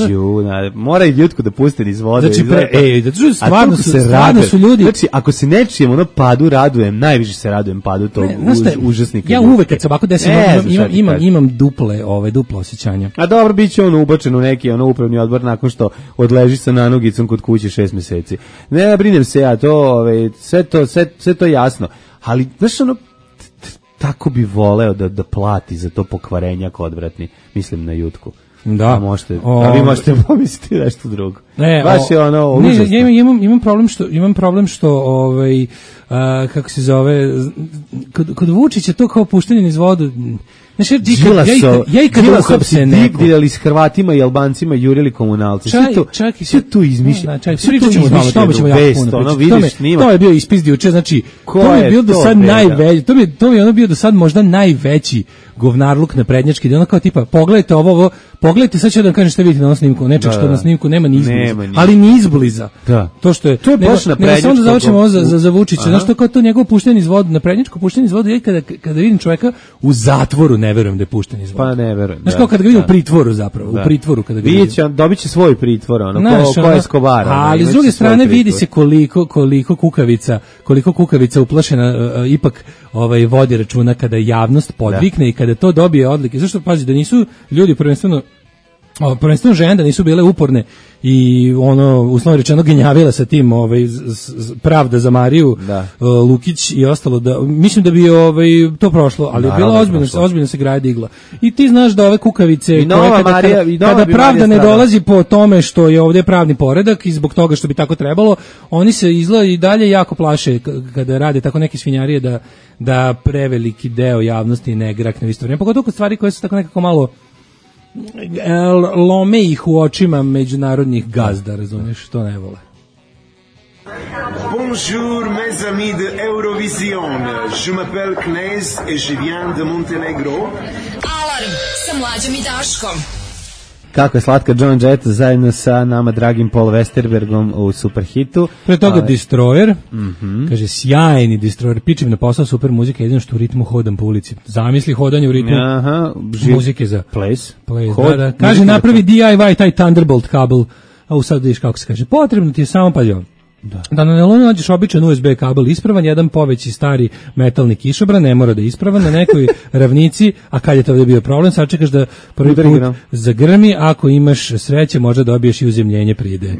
Ju, na, mora i Ljutku da puste niz vode. Znači, pre, ej, da stvarno su, stvarno su ljudi. Znači, ako se nečijem ono padu radujem, najviše se radujem padu tog ne, uz, užasnika. Ja uvek kad se ovako desim, imam, imam, imam, imam duple, ove, duplo osjećanja. A dobro, bit će ono ubačen u neki ono upravni odbor nakon što odleži sa nanogicom kod kuće šest meseci. Ne, brinem se ja, to, ove, sve to, sve, sve to jasno. Ali, znaš, ono, tako bi voleo da, da plati za to pokvarenjak odvratni, mislim na Jutku. Da, a možete, o, a vi možete pomisliti nešto drugo. Ne, baš je ono užasno. Ne, ja imam, imam problem što imam problem što ovaj a, kako se zove kod kod Vučića to kao puštanje niz vodu. Znači, ja, ja, ja i kad uhapse neko digdali s Hrvatima i Albancima jurili komunalci. Sve to, čak i sve to izmišlja. Sve to izmišlja. To je bio ispis juče, znači to je bio do sad najveći, to bi to bi ono bio do sad možda najveći govnarluk na prednjački, da ono kao tipa pogledajte ovo, ovo pogledajte, sad ću da vam kažem šta vidite na ovom snimku, nečeg što na snimku nema ni izbliza, ali ni izbliza. Da. To što je, to je baš na prednjačku. Samo da završimo ovo za, za, za Vučića, znaš što kao to njegovo puštanje iz vode, na prednjačko puštanje iz vode, ja kada, kada vidim čoveka u zatvoru, ne verujem da je pušten iz vode. Pa ne verujem. Znaš kao kada ga vidim u pritvoru zapravo, u pritvoru kada ga vidim. Dobit će svoj pritvor, ono, ko, ko je Escobar. Ali s druge strane vidi se koliko, koliko kukavica, koliko kukavica uplašena uh, ipak ovaj vodi računa kada javnost podvikne da. I kada to dobije odlike. Zašto pazi da nisu ljudi prvenstveno o, prvenstveno žene da nisu bile uporne i ono uslovno rečeno genjavila sa tim ovaj pravda za Mariju uh, Lukić i ostalo da mislim da bi ovaj to prošlo, ali je bila ozbiljno se ozbiljno se graja digla. I ti znaš da ove kukavice koje kada, Marija, kada, kada pravda ne dolazi po tome što je ovdje pravni poredak i zbog toga što bi tako trebalo, oni se izgleda i dalje jako plaše kada rade tako neke svinjarije da da preveliki deo javnosti ne grakne u isto vrijeme. Pogotovo kod stvari koje su tako nekako malo lome ih u očima međunarodnih gazda, razumiješ, što ne vole. Bonjour mes amis de Eurovision. Je m'appelle Knez et je viens de Montenegro. Alarm sa Mlađom i Daškom. Kako je slatka John Jett zajedno sa nama dragim Paul Westerbergom u Superhitu. Pre toga ali... Destroyer, mm-hmm. kaže sjajni Destroyer, pičim na posao super muzika, jedino što u ritmu hodam po ulici. Zamisli hodanje u ritmu aha, živ... muzike za place. place Hod, da, da. Kaže napravi D I Y taj Thunderbolt kabel, a u sad vidiš kako se kaže, potrebno ti je samo pa jo. Da. Da na nelonu nađeš običan U S B kabel ispravan, jedan poveći stari metalni kišobran, ne mora da je ispravan, na nekoj ravnici, a kad je to ovdje bio problem, sad čekaš da prvi put zagrmi, ako imaš sreće, možda dobiješ i uzemljenje pride.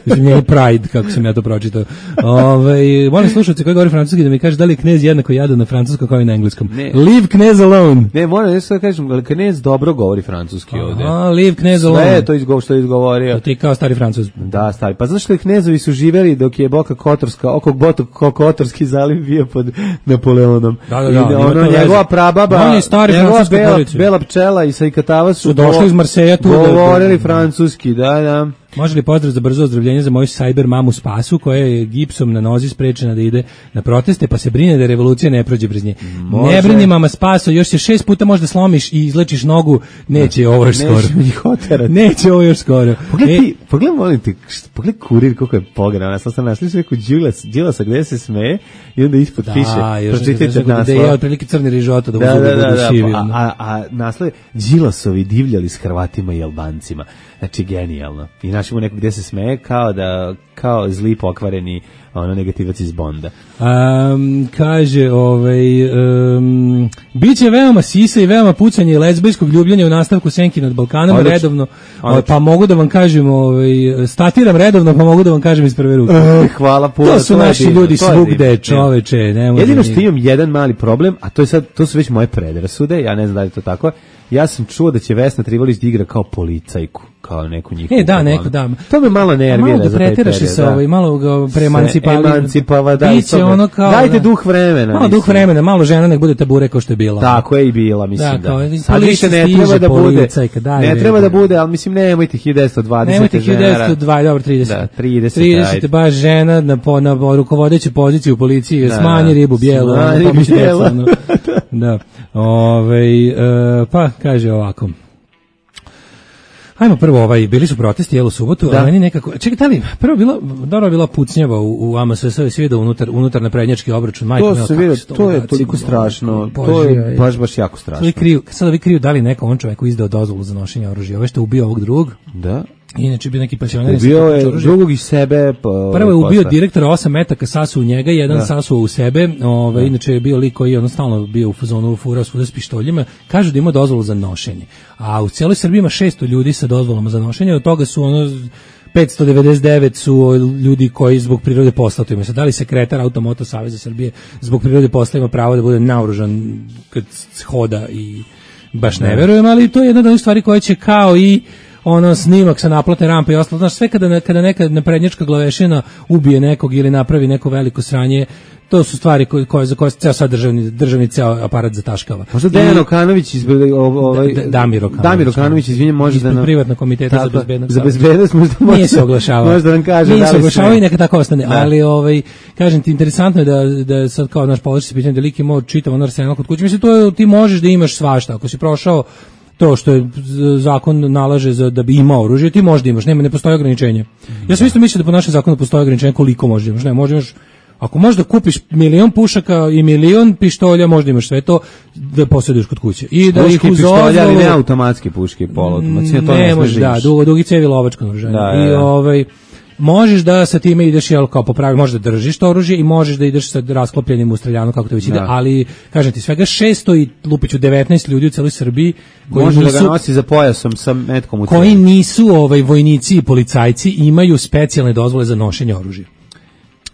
Uzemljenje Pride, kako sam ja to pročitao. Ove, molim slušalce koji govori francuski da mi kaže da li je Knez jednako jadan na francuskom kao i na engleskom. Ne. Leave Knez alone. Ne, moram nešto da kažem, ali Knez dobro govori francuski ovdje. A, leave Knez alone. Sve je to izgo, što je izgovorio. To ti kao stari Francuz. Da, stari. Pa znaš što je Knezovi su živeli dok je Boka Kotorska, oko Botok Kotorski zaliv bio pod Napoleonom. Da, da, da. I ono, njegova prababa, njegova bela, bela pčela i Sajkatava su, su došli iz Marseja tu. Govorili francuski, da, da. Može li pozdrav za brzo ozdravljenje za moju cyber mamu Spasu, koja je gipsom na nozi sprečena da ide na proteste, pa se brine da revolucija ne prođe brez nje. Može. Ne brini mama Spaso, još se šest puta možda slomiš i izlečiš nogu, neće ovo još skoro. Neće, neće ovo još skoro. Pogledaj ti, pogledaj molim ti, pogledaj kurir koliko je pogredan. Ja sam sam našli neku Đilasa gdje se smeje i onda ispod da, piše, pročitajte naslov. Da je otprilike crni rižota da, da, da, da, da, da, šivi, a, a, a naslov Đilasovi divljali s Hrvatima i Albancima. Znači genijalno. I naš Rašimu nekog gde se smeje kao da kao zli pokvareni ono negativac iz Bonda. Um, kaže, ovaj, um, biće veoma sisa i veoma pucanje i lezbijskog ljubljenja u nastavku Senki nad Balkanom, Odlič. redovno, Odlič. pa mogu da vam kažem, ovaj, statiram redovno, pa mogu da vam kažem iz prve ruke. Uh, hvala puno. To su to naši divno, ljudi svugde, čoveče. Ne Jedino što imam jedan mali problem, a to je sad, to su već moje predrasude, ja ne znam da li je to tako. Ja sam čuo da će Vesna Trivalić da igra kao policajku, kao neku njihovu. E, da, neko, da. To me malo nervira za taj period. Malo da pretiraš se ovaj, malo ga preemancipali. Emancipava, da. Biće ono kao, dajte da. duh vremena. Malo duh vremena, malo žena nek bude tabure kao što je bila. Tako je i bila, mislim da. Kao, da. Sad više ne treba da bude. Daj, ne treba da bude, ali mislim nemojte hiljadu devetsto dvadeset Nemojte hiljadu devetsto dvadeset, dobro, trideset. Da, trideset. trideset, baš žena na, na rukovodeću poziciju u policiji, smanji ribu bijelu. Smanji bijelu. Da. Ove, uh, pa, kaže ovako. Ajmo prvo, ovaj, bili su protesti, jel, u subotu, da. a meni nekako, čekaj, da li, prvo bila, dobro bila pucnjava u, u A M S S, svi vidio unutar, unutar naprednjački obračun, majko, to se vidio, to je toliko strašno, to je baš, baš jako strašno. Kriju, sad ovi kriju da li neko on čoveku izdao dozvolu za nošenje oružja, ove što je ubio ovog drugog. Da. Inače bio neki pensioner. Ubio je drugog iz sebe. Pa, prvo je ubio direktora osam metaka, sasuo u njega, jedan da. sasuo u sebe. Ove, da. Inače je bio lik koji je jednostavno bio u fazonu furao svuda s pištoljima. Kažu da ima dozvolu za nošenje. A u cijeloj Srbiji ima šesto ljudi sa dozvolama za nošenje. Od toga su ono petsto devedeset devet su ljudi koji zbog prirode posla to imaju. Sad, da li sekretar Automoto Saveza Srbije zbog prirode posla ima pravo da bude naoružan kad hoda i baš ne verujem, ali to je jedna od onih stvari koje će kao i ono snimak sa naplatne rampe i ostalo, znaš, sve kada, kada neka naprednjačka glavešina ubije nekog ili napravi neko veliko sranje, to su stvari koje, koje za koje ceo sad državni, državni ceo aparat zataškava. Možda Dejan Okanović izbili ovaj da, Damir Okanović. Damir Okanović, izvinjavam, može da nam privatna komiteta za bezbednost. Za bezbednost možda može. Nije se oglašavao. Možda nam kaže Nije da li se oglašavao i neka tako ostane, da. ali ovaj kažem ti interesantno je da da sad kao naš položaj se pitanje da lik ima čitav arsenal kod kuće. Mislim to je, ti možeš da imaš svašta ako si prošao to što je zakon nalaže za da bi imao oružje, ti možda imaš, nema, ne postoji ograničenje. Ja sam isto mislio da po našem zakonu postoji ograničenje koliko možeš imaš, ne, možeš imaš, ako možeš da kupiš milion pušaka i milion pištolja, možda imaš sve to da posjeduješ kod kuće. I da puške, ih uz pištolja, ali ne automatske puške i poluautomatske, to ne, ne može, da, dugo, dugi cevi lovačko naoružanje. Da, I da. ovaj možeš da sa time ideš jel kao popravi, možeš da držiš to oružje i možeš da ideš sa rasklopljenim u streljanu kako to već ide, ali kažem ti svega šesto i lupiću devetnaest ljudi u celoj Srbiji koji može nisu, da ga nosi za pojasom sa metkom u koji nisu ovaj vojnici i policajci, imaju specijalne dozvole za nošenje oružja.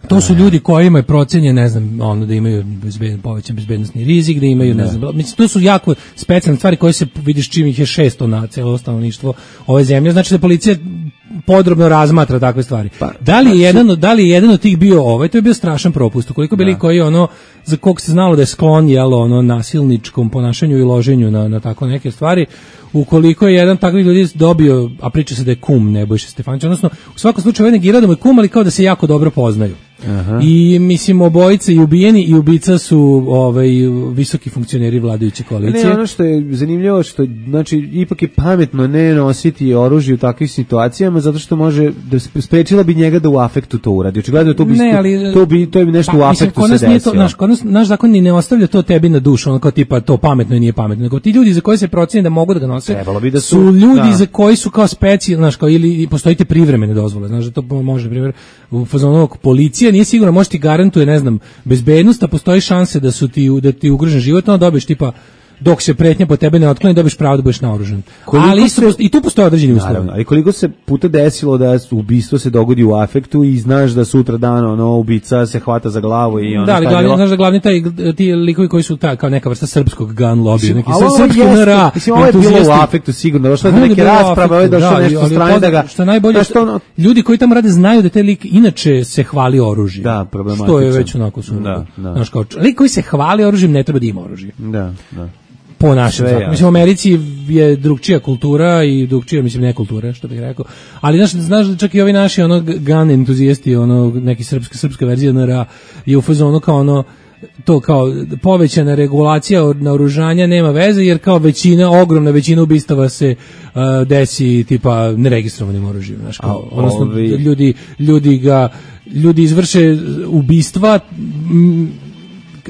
To su ljudi kojima je procenjen, ne znam, ono da imaju bezbedno, povećan bezbednosni rizik, da imaju, ne, ne znam, mislim, to su jako specijalne stvari koje se vidiš čim ih je šesto na celo stanovništvo ove zemlje, znači da policija podrobno razmatra takve stvari. Pa, da li je jedan od, da li je jedan od tih bio ovaj, to je bio strašan propust. Koliko bili koji ono za kog se znalo da je sklon jelo ono nasilničkom ponašanju i loženju na na tako neke stvari, ukoliko je jedan takvih ljudi dobio, a priča se da je kum Nebojša Stefanović, odnosno u svakom slučaju ovaj negira da mu je kum, ali kao da se jako dobro poznaju. Aha. I mislim obojice i ubijeni i ubica su ovaj visoki funkcioneri vladajuće koalicije. Ne, ono što je zanimljivo što znači ipak je pametno ne nositi oružje u takvim situacijama zato što može da sprečila bi njega da u afektu to uradi. Očigledno to bi ne, ali, to bi to je nešto pa, u afektu mislim, se desilo. Naš kod nas naš zakon ni ne ostavlja to tebi na dušu, ono kao tipa to pametno i nije pametno. Nego ti ljudi za koje se proceni da mogu da ga nose, bi da su, su ljudi da. za koji su kao specijalni, znaš, kao ili postoji te privremene dozvole, znaš da to može primjer u fazonu policije nije sigurno, može ti garantuje, ne znam, bezbednost, a postoji šanse da su ti da ti ugrožen život, onda dobiješ tipa dok se pretnja po tebe ne otkloni, dobiješ pravo da budeš naoružan. Ali se, i tu postoje određeni uslovi. Ali koliko se puta desilo da ubistvo se dogodi u afektu i znaš da sutra dan ono ubica se hvata za glavu i ono. Da, ali glavni, znaš da glavni taj ti likovi koji su ta kao neka vrsta srpskog gun lobby, neki srpski N R A. Mislim ovo je bilo u afektu sigurno, došlo do neke rasprave, ovaj došao nešto strane da ga što najbolje što ljudi koji tamo rade znaju da taj lik inače se hvali oružjem. Da, problematično. Što je već onako su. Da, da. Znaš kao lik koji se hvali oružjem ne treba da ima oružje. Da, da. Po našem zakonu. Mislim, u Americi je drugčija kultura i drugčija, mislim, ne kultura, što bih rekao. Ali, znaš, znaš čak i ovi naši ono, gun entuzijesti, ono, neki srpska, srpska verzija N R A je u fazonu kao ono, to kao povećana regulacija naoružanja nema veze, jer kao većina, ogromna većina ubistava se uh, desi tipa neregistrovanim oružjem. Znaš, kao, A, odnosno, ovi... ljudi, ljudi ga, ljudi izvrše ubistva m,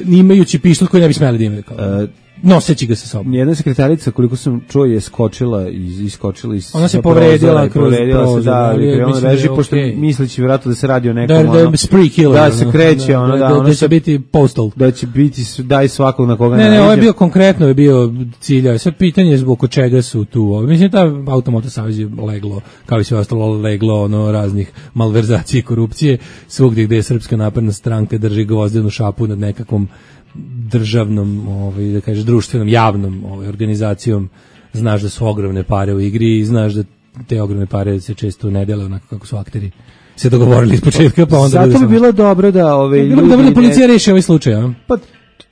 imajući pištolj koji ne bi smeli da imaju. Kao. Uh, noseći ga sa sobom. Jedna sekretarica, koliko sam čuo, je skočila iz iskočila iz ona se povredila kroz povredila prozor, se, da, ali je, krenula reži, da pošto okay. misleći vjerojatno da se radi o nekom, da, da, ono, spree killer, da se kreće, da, ono, da, da, ono da će se, biti postal. Da će biti, daj svakog na koga ne, ne, ne, ovo je bio konkretno, je bio cilja. Sve pitanje je zbog čega su tu. Mislim, ta Automoto savez je leglo, kao i sve ostalo leglo, ono, raznih malverzacije i korupcije, svugdje gde je Srpska napredna stranka drži gvozdenu šapu nad nekakvom državnom, ovaj, da kažeš, društvenom, javnom ovaj, organizacijom. Znaš da su ogromne pare u igri i znaš da te ogromne pare se često ne dele onako kako su akteri se dogovorili iz početka, pa onda... Zato bi bilo dobro da... Ove, bilo bi dobro da policija reši ovaj slučaj, a? Pa,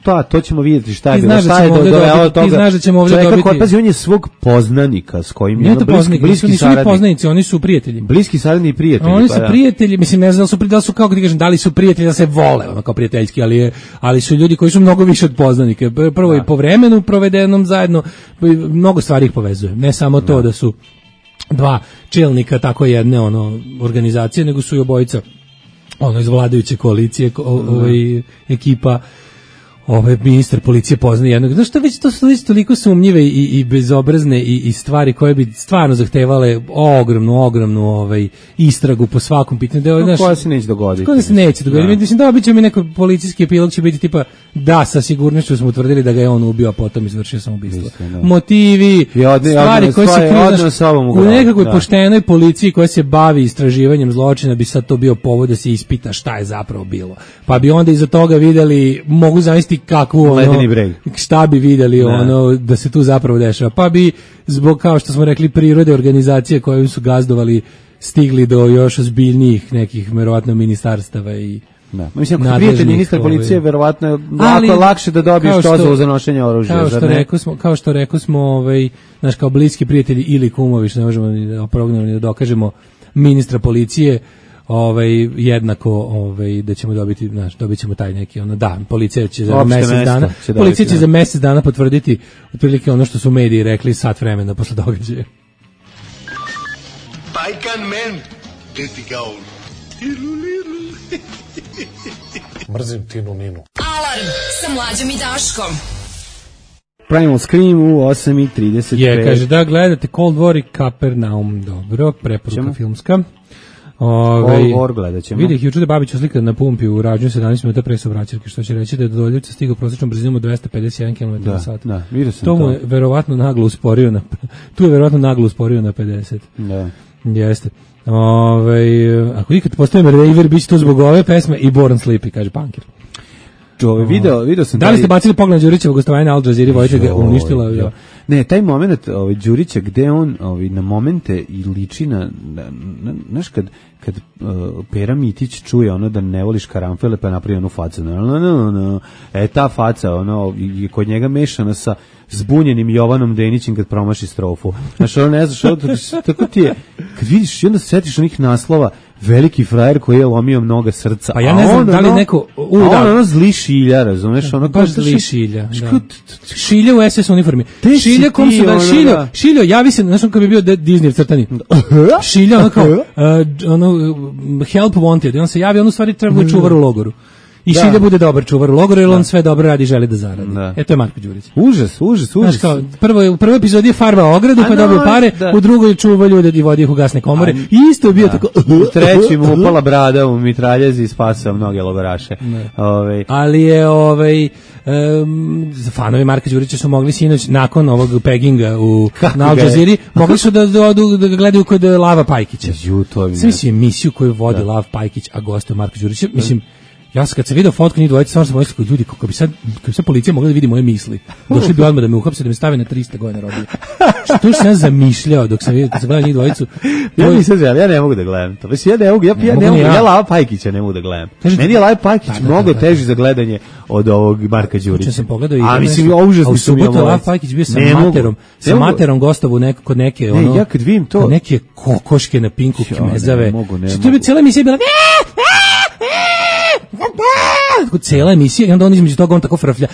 pa, to ćemo vidjeti šta je bilo. Šta je do, dovelo toga. Ti znaš da ćemo ovdje dobiti... Čovjeka, pazi, on je svog poznanika s kojim je bliski, poznanik, bliski nisu saradnik. Nisu poznanici, oni su prijatelji. Bliski saradni i prijatelji. Oni pa su da. prijatelji, mislim, ne znam da su, da su kako ti kažem, da li su prijatelji da se vole, ono kao prijateljski, ali, je, ali su ljudi koji su mnogo više od poznanike. Prvo i po vremenu provedenom zajedno, mnogo stvari ih povezuje. Ne samo to da, da su dva čelnika tako jedne ono organizacije, nego su i obojica ono iz vladajuće koalicije, ovaj ekipa, ovaj ministar policije poznaje jednog. Znaš što, već to su već toliko sumnjive i, i bezobrazne i, i stvari koje bi stvarno zahtevale ogromnu, ogromnu ovaj, istragu po svakom pitanju. Da, no, koja se neće dogoditi. Koja se neće dogoditi. Mislim, da bit će mi neko policijski epilog će biti tipa, da, sa sigurnošću smo utvrdili da ga je on ubio, a potom izvršio samoubistvo. Motivi, odne, stvari odne, koje se kriju u nekakvoj da. poštenoj policiji koja se bavi istraživanjem zločina bi sad to bio povod da se ispita šta je zapravo bilo. Pa bi onda iza toga videli, mogu zamisliti kakvu ono, šta bi vidjeli ono da se tu zapravo dešava. Pa bi zbog, kao što smo rekli, prirode organizacije koje su gazdovali stigli do još ozbiljnijih nekih verovatno ministarstava i da. Mislim, ako prijatelj ministar policije, verovatno je lako lakše da dobiješ dozvolu za nošenje oružja. Kao što rekao smo, kao što rekao smo, ovaj, naš kao bliski prijatelji ili kumovi, što ne možemo ni da oprognemo ni da dokažemo ministra policije, ovaj jednako ovaj da ćemo dobiti, znaš, dobićemo taj neki ono da policija će za mjesec dana će policija će za mjesec dana potvrditi otprilike ono što su mediji rekli sat vremena posle događaja. Bajkan men detikao. Mrzim Tinu Ninu. Alarm sa Mlađom i Daškom. Primal Scream u osam i trideset pet. Je, kaže da gledate Cold War i Kapernaum, dobro, preporuka Čemo? filmska. Ove, War gledat ćemo. Vidih juče da Babić slika na pumpi u rađu sedamnaest minuta pre saobraćajke, što će reći da je do Doljevca stigao prosječnom brzinom od dvesta pedeset jedan kilometara na sat. Da, vidio sam to. mu je verovatno naglo usporio na tu je verovatno naglo usporio na pedeset. Da. Jeste. Ove, ako ikad postavim Raver, bit će to zbog ove pesme i Born Sleepy, kaže Punker. Ove, video, video sam da li ste bacili pogled na Đurićevo gostovanje na Al Jazeera, Vojte ga uništila? Jo. Ne, taj moment ovaj Đurića gde on ovaj na momente i liči na, znaš kad kad uh, Pera Mitić čuje ono da ne voliš karanfele pa napravi onu facu. No, no, no, no. E ta faca ono je kod njega mešana sa zbunjenim Jovanom Denićem kad promaši strofu. Znaš, ono ne znaš, ono, tako ti je, kad vidiš i onda setiš onih naslova veliki frajer koji je lomio mnoga srca. Pa ja ne znam da li neko... U, da. On ono zli šilja, razumeš? Ono baš zli šilja. Da. Šilja u es es uniformi. Šilja kom su da... Šiljo, šiljo, javi se, znaš on kad bi bio Disney crtani. Šilja, ono kao, uh, ono, help wanted. I on se javi, on u stvari treba čuvar u logoru. I Šilja bude dobar čuvar u logoru, jer on sve dobro radi i želi da zaradi. Da. E, to je Marko Đurić. Užas, užas, užas. Znaš kao, prvo, u prvoj epizodi je farba ogradu, pa dobio pare, da. U drugoj čuva ljude i vodi ih u gasne komore. I isto je bio da. Tako... U treći mu upala brada u mitraljezi i spasao mnoge logoraše. Ove. Ali je, ovaj, um, fanovi Marka Đurića su mogli sinoć, nakon ovog peginga u, na Al Jazeera, mogli su da, da, da ga gledaju kod Lava Pajkića. Ju, to je. Sve mislim emisiju koju vodi da. Lav Pajkić, a gostuje Marko Đurić. Mislim, ja sam kad sam video fotku njih dvojice, stvarno sam mislio, ljudi, kako bi sad, kako bi sad policija mogla da vidi moje misli. Došli bi odmah da me uhapse, da me stave na trista godina robije. Što sam ja zamišljao dok sam vidio, kad sam gledao njih dvojicu. Ja nisam želeo, ja ne mogu da gledam to. Mislim, ja ne mogu, ja, ja, ne mogu, ja. ja Lava Pajkića ne mogu da gledam. Kažem, meni je Lava Pajkić da, mnogo da, da, teži za gledanje od ovog Marka Đurića. Sam pogledao i a mislim, užasno su mi ovo. Lava Pajkić bio sa ne materom, mogu, sa materom gostovu neko, kod neke, ne, ono, ja kad vidim to, kod neke kokoške na Pinku Kmezave. Ne mogu, ne mogu. Što bi cijela emisija bila, tako cijela emisija i onda on između toga on tako frflja.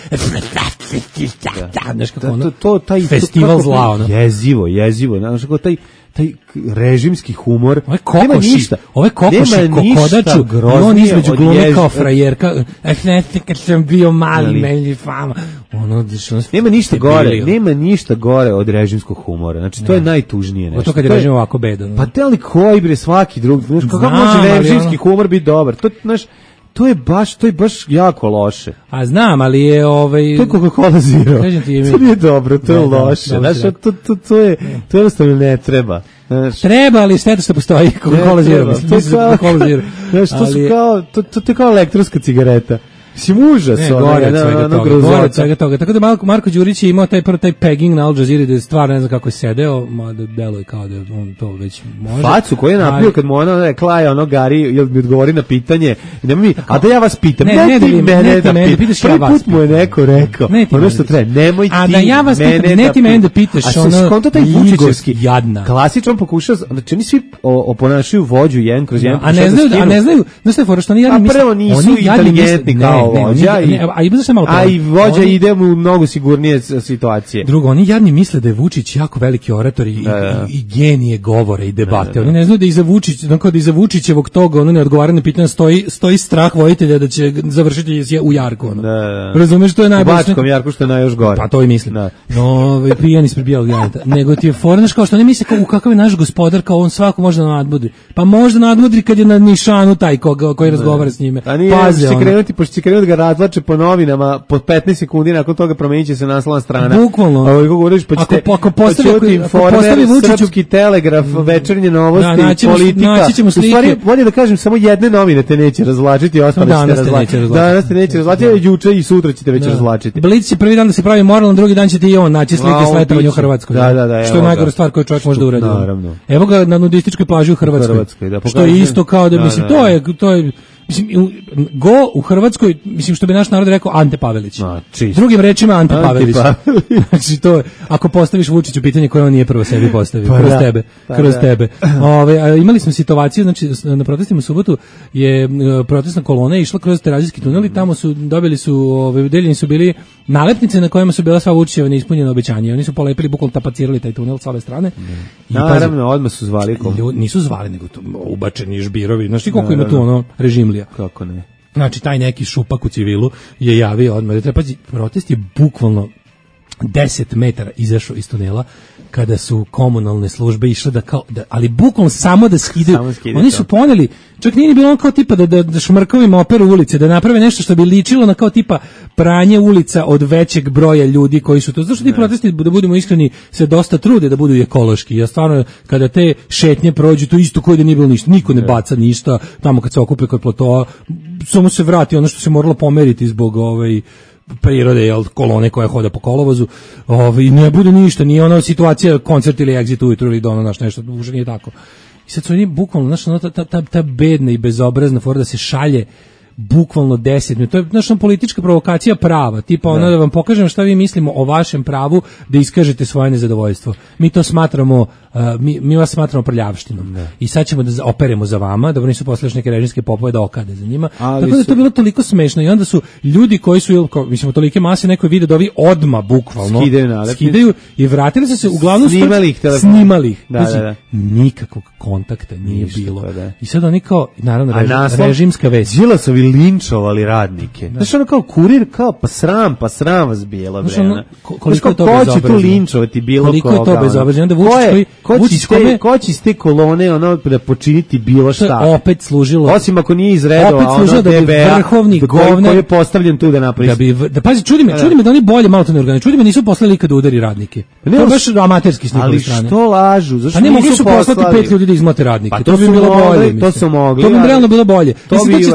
Znaš kako ono, to, to, taj, festival to, zla, ono. Jezivo, jezivo, znaš kako taj, taj režimski humor. Ove kokoši, ove kokoši kokodaču, i on između glume kao frajerka. Ne, kad sam bio mali, meni fama. ono, nema ništa gore, nema ništa gore od režimskog humora. Znači to ne. je najtužnije nešto. To kad je režim ovako bedan. Pa te li koji bre svaki drugi, znaš, kako može režimski ono... humor biti dobar? To znaš, to je baš, to je baš jako loše. A znam, ali je ovaj to je Coca-Cola Zero. Kažem ti, to nije dobro, to je ne, loše. Da, znaš, to to to je to jednostavno ne treba. Znaš, treba, ali šteta što postoji Coca-Cola Zero. Mislim, to kao, Coca-Cola Zero. Znaš, to su kao to to to je kao elektronska cigareta. Mislim, užas, ne, gore od svega toga, gore od svega toga. Tako da Marko, Marko Đurić je imao taj prvo taj pegging na Al Jazeera, da je stvarno ne znam kako je sedeo, mada deluje kao da on to već može. Facu koju je napio kad mu ona rekla je ono Gari, jel mi odgovori na pitanje, nema mi, a da ja vas pitam, ne, ne, ne ti mene da pitaš, prvi put mu je neko rekao, ono što treba, nemoj ti a da ja vas pitam, ne ti mene da pitaš, ono, konto taj Vučićevski, klasično pokušao, znači oni svi oponašaju vođu jedan kroz jedan, a ne znaju, a ne znaju, znaš šta je fora, što oni jadni misle, nisu inteligentni kao vođa i a i se malo a i vođa oni, ide u mnogo sigurnije situacije. Drugo, oni jadni misle da je Vučić jako veliki orator i, da, da. i, i genije govore i debate. Da, da, da. Oni ne znaju da iza Vučić, znači da iza Vučićevog toga ono neodgovarane pitanja stoji stoji strah voditelja da će završiti u jarku ono. Da, da. Razumeš, to je najbolje. U Bačkom jarku što je najjoš gore. Pa to i mislim. Da. No, ovaj pijan ispred bijelog janeta. Nego ti je fornaš kao što oni misle kao u kakav je naš gospodar, kao on svako može da nadmudri. Pa može da nadmudri kad je na nišanu taj koga koji razgovara s njime. Pazi, će krenuti, pošto će krenuti da ga razvlače po novinama, po petnaest sekundi nakon toga promenit će se naslovna strana. Bukvalno. Ovo kako govoriš, pa ćete, ako, ako postavi, pa informer, Srpski telegraf, Večernje novosti, da, naćemo, politika. U stvari, bolje da kažem, samo jedne novine te neće razvlačiti, ostale ćete razvlačiti. Danas te neće razvlačiti, juče i sutra ćete već da. razvlačiti. Blic će prvi dan da se pravi moralno, drugi dan ćete i on naći slike s letovanja u Hrvatskoj. Da, da, da, što je najgora stvar koju čovjek može da uradi. Evo ga na nudističkoj plaži u Hrvatskoj. Što je isto kao da, mislim, to je, to je mislim, go u Hrvatskoj, mislim što bi naš narod rekao Ante Pavelić. No, drugim rečima Ante, Ante Pavelić. Znači to, ako postaviš Vučiću pitanje koje on nije prvo sebi postavio, pa kroz da, tebe, pa kroz da. tebe. Ove, imali smo situaciju, znači na protestima u subotu je protestna kolona išla kroz Terazijski tunel i tamo su dobili su, ove, deljeni su bili nalepnice na kojima su bila sva Vučićeva neispunjena obećanja. Oni su polepili, bukvalno tapacirali taj tunel s ove strane. I naravno, odmah su zvali kom. Nisu zvali, nego to ubačeni žbirovi. Znači koliko ima tu ono režimlija. Kako ne? Znači, taj neki šupak u civilu je javio odmah. Da treba, protest je bukvalno deset metara izašao iz tunela kada su komunalne službe išle da kao, da, ali bukvalno samo da skidaju. Oni su poneli, čak nije bilo ono kao tipa da, da, da šmrkovima operu ulice, da naprave nešto što bi ličilo na kao tipa pranje ulica od većeg broja ljudi koji su to. Zašto ti protesti, da budemo iskreni, se dosta trude da budu ekološki. Ja stvarno, kada te šetnje prođu, to isto koji da nije bilo ništa. Niko ne baca ništa, tamo kad se okupe kod platoa, samo se vrati ono što se moralo pomeriti zbog ovaj prirode, jel, kolone koja hoda po kolovozu, ovaj, ne bude ništa, nije ona situacija koncert ili exit ujutru ili dono, naš nešto, už nije tako. I sad su oni bukvalno, znaš, ta, ta, ta, ta bedna i bezobrazna fora da se šalje bukvalno deset minuta. To je naša politička provokacija prava, tipa ono da. da vam pokažem šta vi mislimo o vašem pravu da iskažete svoje nezadovoljstvo. Mi to smatramo, uh, mi, mi vas smatramo prljavštinom. Da. I sad ćemo da operemo za vama, da nisu posle neke režimske popove da okade za njima. Ali tako da je to bilo toliko smešno i onda su ljudi koji su, mislimo, tolike mase, neko je vidio da ovi odma bukvalno skidaju, skidaju i vratili su se uglavnom snimali ih, snimali ih. Da, da, da. Nikakvog kontakta nije Ništa, bilo. Pa da. I sad oni kao, naravno, režim, naslov, režimska vest. Đilasovi linčovali radnike. Znaš, ono kao kurir, kao pa sram, pa sram vas bilo, bre. Ono, koliko je to bezobrazno? Ko će tu linčovati bilo koga? Koliko je to bezobrazno? Onda Vučić koji... Ko će, ste, ko će iz te kolone ono, da počiniti bilo šta? To je opet služilo... Osim ako nije iz redova, opet služilo da bi vrhovni govnar... Koji je postavljen tu da napravi... Da, bi, da pazi, čudi me, čudi me da oni bolje malo to ne organizuju. Čudi me nisu poslali kad udari radnike. To je baš amaterski s njihove strane. Ali što lažu? Zašto pa ne mogli su poslati pet ljudi da izmote radnike. Pa to bi bilo bolje. To su mogli. To bi realno bilo bolje.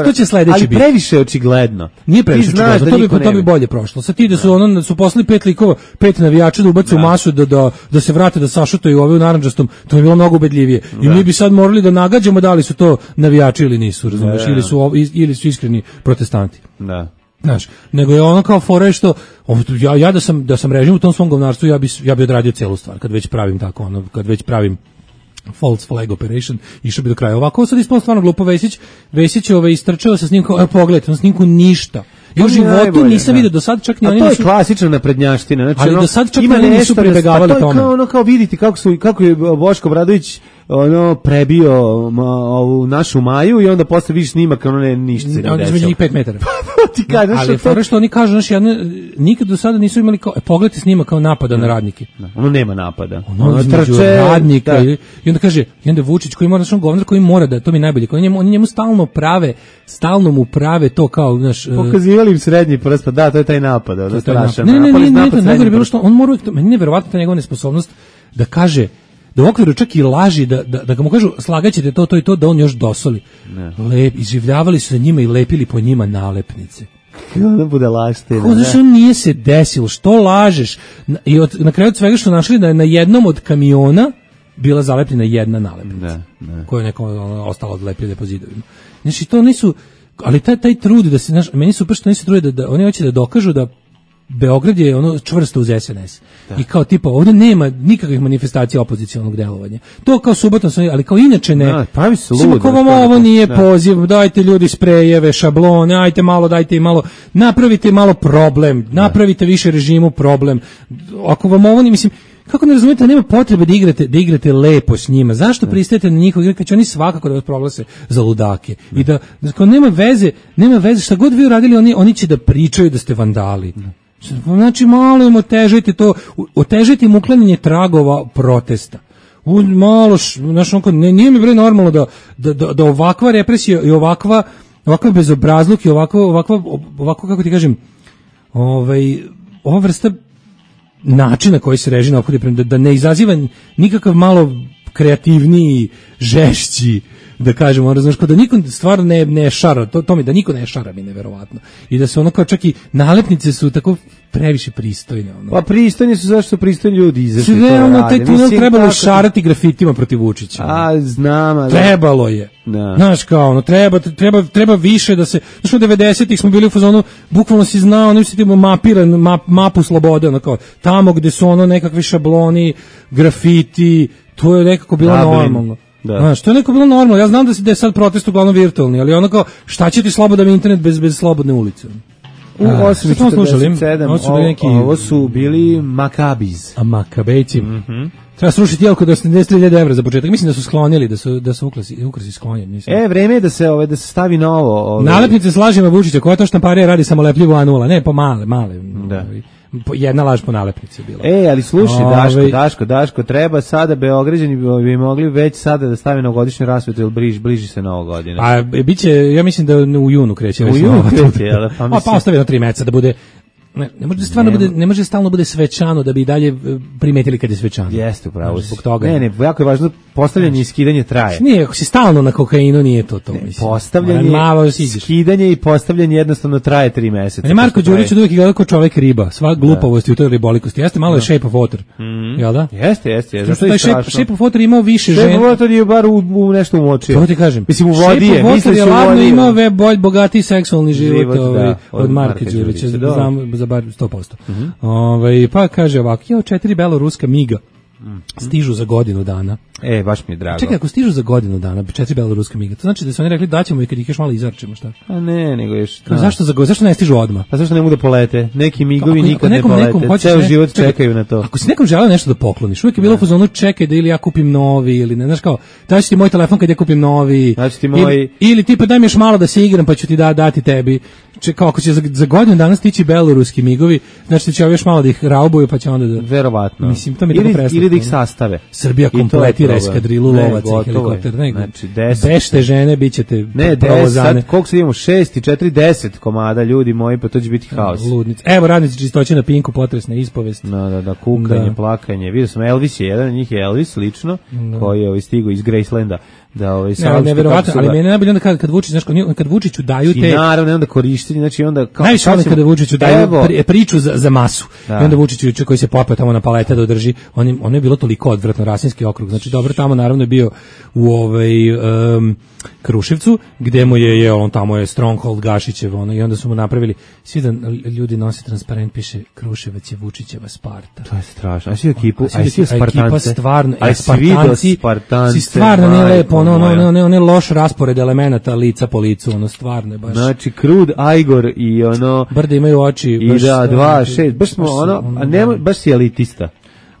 To će sledeći biti. Ali previše očigledno. Nije previše očigledno, to bi, to bi bolje prošlo. Sad ti da su, ono, su poslali pet likova, pet navijača da ubace u masu, da, da, da se vrate, da sašutaju ove u narandžastom, to bi bilo mnogo ubedljivije. I mi bi sad morali da nagađamo da li su to navijači ili nisu, razumiješ, ili su, ili su iskreni protestanti. Da. Znaš, nego je ono kao fora što ja, ja da sam da sam režim u tom svom govnarstvu, ja bi ja bi odradio celu stvar kad već pravim tako, ono, kad već pravim false flag operation, išao bi do kraja. Ovako sad ispalo stvarno glupo. Vesić, Vesić ovaj istrčao sa snimkom, evo pogledajte, na snimku ništa. Ja u životu nisam vidio do sad čak ni oni nisu. A to je klasična naprednjaština, znači ali ono, do sad čak ni oni nisu pribegavali tome. To je kao ono kao vidite kako su kako je Boško Obradović ono prebio ma, ovu našu Maju i onda posle vidiš snimak, ono ne ništa se ne desilo. Onda između njih pet metara. Ti kažeš ali što, to... što oni kažu, znaš, jedne, nikad do sada nisu imali kao, e, pogledajte snima kao napada na radnike. Da, ono nema napada. Ono, ono trče radnika da. i, i onda kaže, i onda Vučić koji mora, znaš, on govnar koji mora da, to mi je najbolje, koji njemu, oni njemu stalno prave, stalno mu prave to kao, znaš... Pokazivali im srednji prst, pa da, to je taj napad. To je taj napad. Ne, ne, ne, ne, ne, ne, bilo što, on mora, meni je nevjerovatno ta njegova nesposobnost da kaže, da u okviru čak i laži, da, da, da ga mu kažu slagaćete to, to i to, da on još dosoli. Lep, izživljavali su se njima i lepili po njima nalepnice. Ono bude laština. Kako znaš, on nije se desilo, što lažeš? I od, na kraju od svega što našli da je na jednom od kamiona bila zalepljena jedna nalepnica. Ne, ne. Koja je neko ono, ostala odlepljena po zidovima. Znači, to nisu, ali taj, taj trud da se, znaš, meni super što oni se trude da, da oni hoće da dokažu da Beograd je ono čvrsto uz S N S. Da. I kao tipa ovdje nema nikakvih manifestacija opozicionog delovanja. To kao subotom, ali kao inače ne. Da, pravi se ludo. Kao vam ovo nije da. poziv, dajte ljudi sprejeve, šablone, ajte malo, dajte i malo, napravite malo problem, napravite da. više režimu problem. Ako vam ovo nije, mislim, kako ne razumijete, nema potrebe da igrate, da igrate lepo s njima. Zašto pristajete na njihov igre kad će oni svakako da vas proglase za ludake? Da. I da, da nema veze, nema veze, šta god vi uradili, oni, oni će da pričaju da ste vandali. Da. Znači, malo im otežajte to, otežajte im uklanjanje tragova protesta. U, malo, znaš, onko, ne, nije mi bre normalno da, da, da, da ovakva represija i ovakva, ovakva bezobrazluk i ovakva, ovakva, ovakva, kako ti kažem, ovaj, ova vrsta načina koji se režim ophodi, da, da ne izaziva nikakav malo kreativniji, žešći, da kažemo, ono, znaš, kao da niko stvarno ne, ne šara, to, to mi da niko ne šara mi neverovatno. I da se ono kao čak i nalepnice su tako previše pristojne. Ono. Pa pristojni su, zašto su pristojni ljudi izašli to rade. Ono, taj tunel trebalo tako... šarati grafitima protiv Vučića. A, znam. Ali... Trebalo je. Da. Znaš, kao, ono, treba, treba, treba više da se, znaš, u devedesetih smo bili u fazonu, bukvalno si znao, ono, si ti mapiran, map, mapu slobode, ono, kao, tamo gde su ono nekakvi šabloni, grafiti, to je nekako bilo Dublin. Normalno. Da. Znaš, to je neko bilo normalno. Ja znam da, si, da je sad protest uglavnom virtualni, ali ono kao, šta će ti slobodan internet bez, bez slobodne ulice? U osam četrdeset sedam ovo, neki... ovo su bili Makabiz. A Makabejci. Mm-hmm. Treba srušiti jelko do osamdeset hiljada evra za početak. Mislim da su sklonili, da su, da su ukrasi, ukrasi sklonjeni. E, vreme je da se, ove, da se stavi novo. Ove... Nalepnice s lažima Vučića, koja to štamparija radi samolepljivo A nula. Ne, po male, male. Da. Jedna laž po nalepnici je bila. E, ali slušaj, Ove... Daško, Daško, Daško, treba sada Beograđani bi mogli već sada da stave novogodišnju rasvetu, jer bliži, bliži se Nova godina. A biće, ja mislim da u junu kreće. U junu kreće, jel? Pa, mislim... pa ostavi na tri meseca da bude... Ne, ne može stvarno ne, bude, ne može stalno bude svečano da bi i dalje primetili kad je svečano. Jeste, upravo. Zbog toga. Ne, ne, jako je važno postavljanje i skidanje traje. Nije, ako si stalno na kokainu, nije to to, mislim. Postavljanje, malo skidanje i postavljanje jednostavno traje tri meseca. Ne, Marko Đurić uvijek gleda kao čovek riba, sva glupavost u toj ribolikosti. Jeste malo je Shape of Water. Mm. Jel da? Jeste, jeste. jeste. Što taj shape, shape of Water imao više žena. Shape of Water je bar u, u nešto umočio. To ti kažem. Mislim, u vodi je. Shape of Water je ladno imao ve bolj bogatiji seksualni život, život ovaj, da, od, od Marka Đurića. Znam za bar sto posto. Mm-hmm. Ove, pa kaže ovako, jo, četiri beloruska miga mm-hmm. stižu za godinu dana. E, baš mi je drago. Čekaj, ako stižu za godinu dana, četiri beloruska miga, to znači da su oni rekli da ćemo i kad ih još malo izarčemo, šta? A ne, nego još... Kao, zašto, za, zašto ne stižu odmah? Pa zašto ne mogu da polete? Neki migovi ako, nikad ako nekom, ne polete, ceo ne, život čekaj, čekaju na to. Ako si nekom želeo nešto da pokloniš, uvijek je bilo u fazonu čekaj da ili ja kupim novi, ili ne, znaš kao, daći ti moj telefon kad ja kupim novi, ti moj... ili, ili ti pa daj mi još malo da se igram pa ću ti da, dati tebi. Čekao, ako će za, za godinu danas stići beloruski migovi, znači će još malo da ih raubuju pa će onda da... Verovatno. Mislim, to mi ili, tako ili da ih sastave. Srbija kompletira eskadrilu lovaca i helikopter. Ne, znači, deset. Bešte žene, bit ćete ne, deset, koliko sad imamo? Šest i četiri, deset komada, ljudi moji, pa to će biti haos. Ludnic. Evo, radnici čistoće na Pinku, potresna ispovest. Da, da, da, kukanje, da. Plakanje. Vidio sam, Elvis je, jedan od njih je Elvis, lično, da. Koji je ovaj stigao iz Gracelanda. Da, ovaj ne, neverovatno, ali meni najbolje onda kad, kad Vučić, znaš, kad Vučiću daju te... I naravno, onda korištenje, znači onda... Kao, najviše onda kada Vučiću daju pri, priču za, za masu. Da. I onda Vučiću koji se popeo tamo na palete da održi, on, ono je bilo toliko odvratno, Rasinski okrug, znači dobro, tamo naravno je bio u ovaj... Um, Kruševcu, gde mu je, je on tamo je Stronghold Gašićev, ono, i onda su mu napravili, svi da ljudi nose transparent, piše Kruševac je Vučićeva Sparta. To je strašno. A svi ekipu, a svi Spartance. Ekipa stvarno, a Spartanci, Spartance, si stvarno ne lepo, ono, ono, ono, ono, ono loš raspored elemenata lica po licu, ono, stvarno je baš. Znači, Krud, Ajgor i ono... Brde imaju oči. I baš, da, dva, šest, baš smo, ono, a nema, baš si elitista.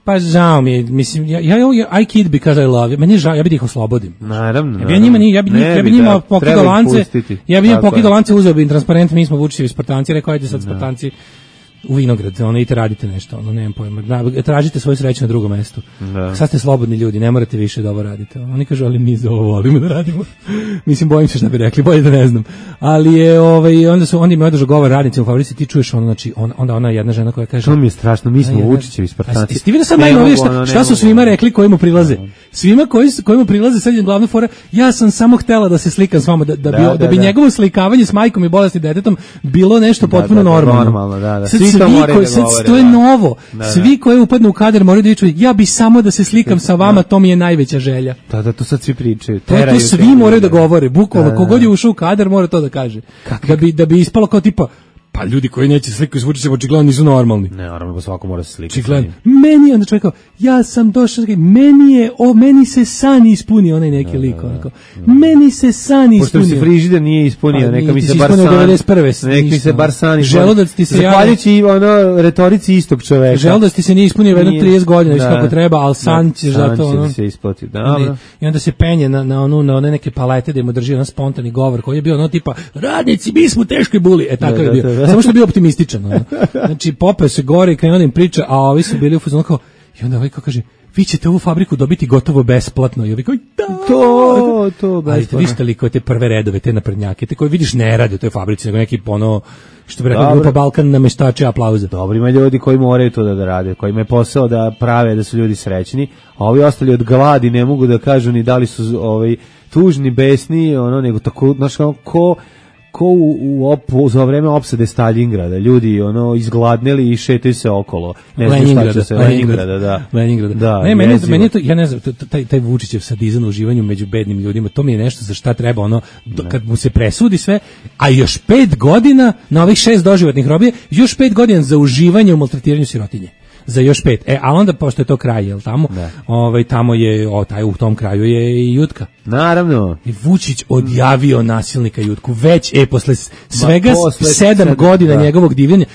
Pa žao mi je, mislim, ja, ja, ja I kid because I love you, meni je žao, ja bih ih oslobodim. Naravno. Ja bi njima, ja bi, ja bi njima pokidao lance, ja bi njima pokidao lance, uzeo bi im transparent, mi smo Vučićevi Spartanci, rekao, ajde sad Spartanci u Vinograd, ono, idite radite nešto, ono, nemam pojma, da, tražite svoju sreću na drugom mestu. Da. Sad ste slobodni ljudi, ne morate više da ovo radite. Oni kažu, ali mi za ovo volimo da radimo. Mislim, bojim se šta bi rekli, bolje da ne znam. Ali je, ovaj, onda su, onda im je održao govor radnici u fabrici, ti čuješ ono, znači, on, onda ona jedna žena koja kaže... To mi je strašno, mi smo Vučićevi Spartanci. Ti vidio sad najnovije šta, šta su svima rekli koji mu prilaze? Svima koji, koji mu prilaze, sad je glavna fora, ja sam samo htela da se slikam s vama, da, da, da, bi, da, da bi da. njegovo slikavanje s majkom i bolesnim detetom bilo nešto potpuno da, da, normalno. normalno da, da. Svi to moraju da govore. To je novo. Da, da. Svi koji upadnu u kadar moraju da viču, ja bi samo da se slikam sa vama, to mi je najveća želja. Da, da, to sad svi pričaju. To, to svi moraju da govore, bukvalno, da, da. Kogod je ušao u kadar mora to da kaže. Kak, da bi, da bi ispalo kao tipa, pa ljudi koji neće slikati s Vučićem očigledno nisu normalni. Ne, naravno, svako mora se slikati. Očigledno. Meni je onda čovjek kao, ja sam došao, meni je, o, meni se san ispuni, onaj neki lik, onako. Meni se san ispunio. Pošto se frižider nije ispunio, neka mi se bar san. Neka mi se bar san ispunio. Želudac ti se zahvaljujući ono retorici istog čoveka. Želudac ti se nije ispunio jedno trideset godina, viš kako treba, al san ćeš zato ono. Se isplati. Dobro. I onda se penje na na onu na one neke palete da mu drži jedan spontani govor koji je bio ono tipa radnici, mi smo teški buli, e tako je bio. Samo što je bio optimističan. Ono. Znači, popeo se gore i krenuo da im priča, a ovi su bili u fazonu kao, i onda ovaj kao kaže, vi ćete ovu fabriku dobiti gotovo besplatno. I ovi kao, da, to, to besplatno. Ali vi ste te prve redove, te naprednjake, te koje vidiš ne rade u toj fabrici, nego neki ono, što bi rekao grupa Balkan nameštače aplauza. Dobri ima ljudi koji moraju to da, da rade, koji imaju posao da prave da su ljudi srećni, a ovi ostali od gladi ne mogu da kažu ni da li su ovaj, tužni, besni, ono, nego tako, znaš, ko ko u, u op, za vreme opsade Stalingrada, ljudi ono izgladneli i šetaju se okolo. Ne znam šta će se Leningrada, da. Leningrada. Da, ne, meni, meni to, ja ne znam, taj, taj Vučićev sadizam u uživanju među bednim ljudima, to mi je nešto za šta treba, ono, do, kad mu se presudi sve, a još pet godina, na ovih šest doživotnih robije, još pet godina za uživanje u maltretiranju sirotinje. Za još pet. E, a onda, pošto je to kraj, jel tamo, ovaj, tamo je, o, taj, u tom kraju je i Jutka. Naravno. I Vučić odjavio nasilnika Jutku. Već, e, posle svega Ma, posle sedam, sedam godina da. njegovog divljenja,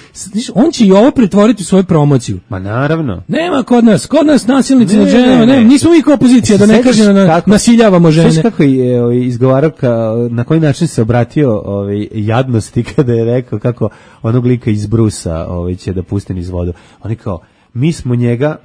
on će i ovo pretvoriti u svoju promociju. Ma naravno. Nema kod nas, kod nas nasilnici ne, nad ženama, ne, ne, nismo mi kao opozicija, da ne kažem na, kako, nasiljavamo žene. Znaš kako je ovaj, izgovarao, ka, na koji način se obratio ovaj, jadnosti kada je rekao kako onog lika iz Brusa ovaj, će da pusti niz vodu. Oni kao, mi smo njega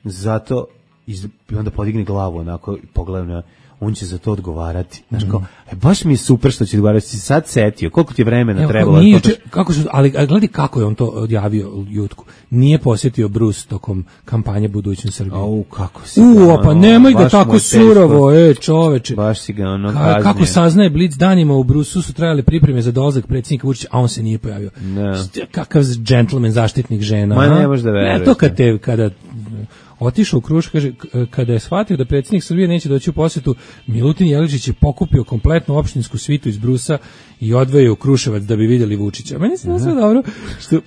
zato iz, i onda podigne glavu onako i pogleda na, on će za to odgovarati. Znaš kao, e, baš mi je super što će odgovarati. Si sad setio, koliko ti je vremena Evo, trebalo? Nije, to... kako su, ali gledaj kako je on to odjavio Jutku. Nije posjetio Bruce tokom kampanje Budućnost Srbije. Au, kako si U, ga, pa nemoj da tako surovo, e, čoveče. Baš si ga ono Ka, kako saznaje Blic, danima u Brusu su trajale pripreme za dolazak predsjednika Vučića, a on se nije pojavio. Ne. Kakav džentlmen, zaštitnik žena. Ma ne možeš da veruješ. Ne, to kad te, kada... otišao u Krušev, kaže, kada je shvatio da predsjednik Srbije neće doći u posjetu, Milutin Jeličić je pokupio kompletnu opštinsku svitu iz Brusa i odveo u Kruševac da bi vidjeli Vučića. Meni se sve dobro, što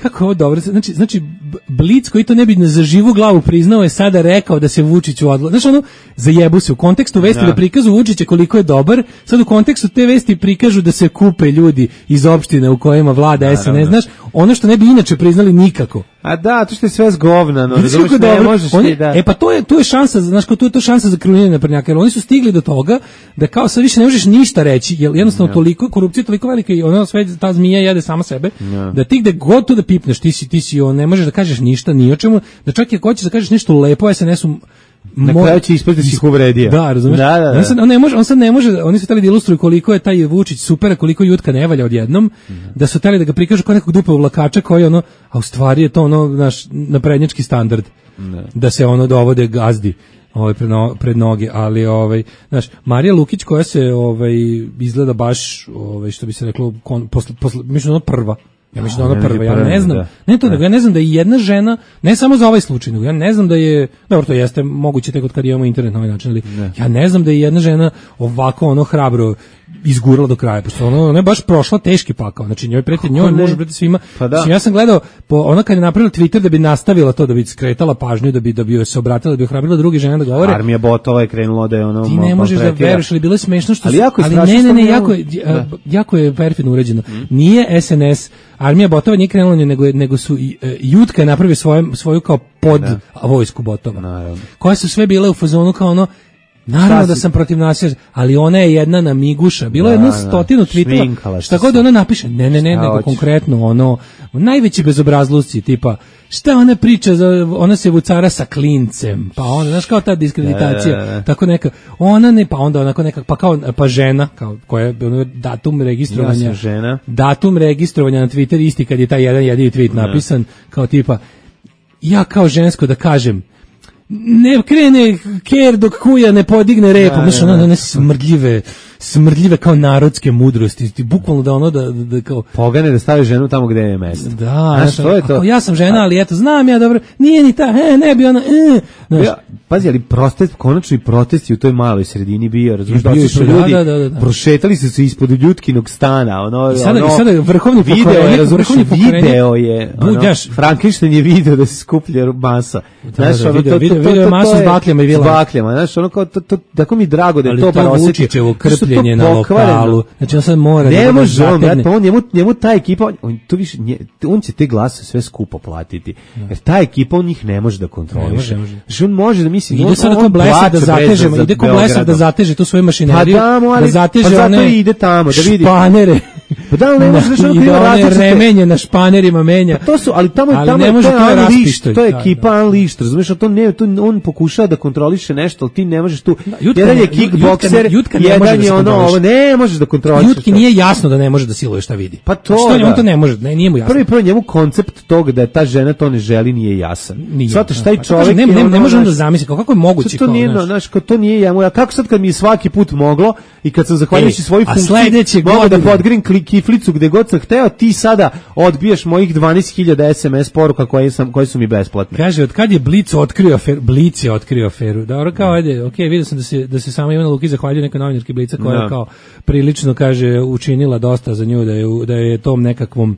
kako je ovo dobro, znači, znači Blic koji to ne bi za živu glavu priznao je sada rekao da se Vučić odla. Znači ono, zajebu se u kontekstu vesti da, da prikazu Vučića koliko je dobar, sad u kontekstu te vesti prikažu da se kupe ljudi iz opštine u kojima vlada S N S, znaš, ono što ne bi inače priznali nikako. A da, to što je sve zgovnano, razumiješ, ne možeš ti da... E pa to je, to je šansa, znaš, to je to šansa za krunjenje naprednjaka, jer oni su stigli do toga da kao sad više ne možeš ništa reći, jer jednostavno toliko, korupcija je toliko velika i ono sve, ta zmija jede sama sebe, ja. Da ti gde god to da pipneš, ti si, ti si, on, ne možeš da kažeš ništa, ni o čemu, da čak i ako hoćeš da kažeš nešto lepo, S N S-u, na kraju će ispati da si ih uvredio. Da, razumiješ? Da, da, da. On, sad, on, ne može, on sad ne može, oni su htjeli da ilustruju koliko je taj Vučić super, koliko Jutka ne valja odjednom, mm-hmm. da su htjeli da ga prikažu kao nekog dupa uvlakača koji ono, a u stvari je to ono naš naprednjački standard, ne. Da se ono dovode gazdi ovaj pred, no, pred noge, ali ovaj znaš, Marija Lukić koja se ovaj izgleda baš ovaj što bi se reklo kon, posle, posle, mislim ono prva. Ja mislim da ona prva, ja ne znam, da. ne to nego, ja ne znam da je jedna žena, ne samo za ovaj slučaj, nego ja ne znam da je, dobro to jeste moguće tek od kad imamo internet na ovaj način, ali ne. Ja ne znam da je jedna žena ovako ono hrabro izgurala do kraja, pošto ono, ona je baš prošla teški pakao, znači njoj preti, njoj može preti svima, pa da. Znači, ja sam gledao, po, ona kad je napravila Twitter da bi nastavila to, da bi skretala pažnju, da bi, da bi se obratila, da bi ohrabrila druge žene da govore. Armija botova je krenula da je ono... Ti ne možeš da veruješ, ali bilo je smešno što... Ali, jako ali ne, ne, ne, jako je, jako je perfidno urađeno. Mm. Nije S N S, armija botova nije krenula nego, nego su e, Jutka je napravio svoju, svoju kao pod da. vojsku botova. Naravno. Koje su sve bile u fazonu kao ono, naravno da sam protiv nasilja, ali ona je jedna namiguša. Bilo je jedno stotinu tweetova. Šta god ona napiše, ne, ne, ne, nego konkretno ono, najveći bezobrazluci, tipa, šta ona priča, za, ona se vucara sa klincem, pa ona, znaš, kao ta diskreditacija, da, da, da. tako neka, ona ne, pa onda onako neka, pa kao, pa žena, kao, koja je ono, datum registrovanja, ja žena. datum registrovanja na Twitter, isti kad je taj jedan jedini tweet da. napisan, kao tipa, ja kao žensko da kažem, ne krene ker dok kuja ne podigne repu, znaš, ono, one smrdljive, smrdljive kao narodske mudrosti, ti bukvalno da ono, da, da, da kao... Pogane da stavi ženu tamo gde je mesto. Da, znaš, to je to. Ako ja sam žena, ali eto, znam ja dobro, nije ni ta, e, ne bi ona, e, znaš. Ja, pazi, ali protest, konačno i protesti u toj maloj sredini bio, razumiješ, da su ljudi, da, da, da, da. prošetali su se ispod Ljutkinog stana, ono, I sada, ono, i sada vrhovni video, razumiješ, video je, ono, Frankenstein je video da se skuplja masa. Znaš, ono, to, to, video je masu s bakljama i vilama. S bakljama, znaš, ono kao, to, to, tako mi drago da je ali to bar osjetio. Ali to Vučićevo krpljenje na lokalu, znači on sad mora ne da može on, brat, pa on, njemu, njemu ta ekipa, on, to više, nje, on će te glase sve skupo platiti, jer ta ekipa on njih ne može da kontroliše. Znači on može da misli, ide sad ko Blesav da zateže, ide ko Blesav da zateže tu svoju mašineriju, pa da zateže pa one ide tamo, da vidi. Španere. Pa da, ne može da ono različite remenje na španerima menja. To su, ali tamo je tamo to je Unleashed, to je ekipa Unleashed, razumiješ, to ne, to on pokušava da kontroliše nešto, ali ti ne možeš tu. Jedan je kickbokser, jedan je ono, ovo ne možeš da kontrolišeš. Jutki nije jasno da ne može da siluje šta vidi. Pa to on to ne može, ne, nije mu jasno. Prvi prvo njemu koncept toga da je ta žena to ne želi nije jasan. Zato što taj čovjek ne ne može on da zamisli kako je moguće to nije, znaš, to nije ja moja. Kako sad kad mi je svaki put moglo i kad sam zahvaljujući svoju funkciju mogu da podgrim kiflicu gde god sam hteo, ti sada odbiješ mojih dvanaest hiljada es em es poruka koje sam koje su mi besplatne. Kaže, od kad je Blic otkrio aferu, Blic je otkrio aferu. Dobro, kao ajde, okej, vidio sam da se da se sama Ivana Lukić zahvaljuje nekoj novinarki Blica koja je kao prilično, kaže, učinila dosta za nju, da je da je tom nekakvom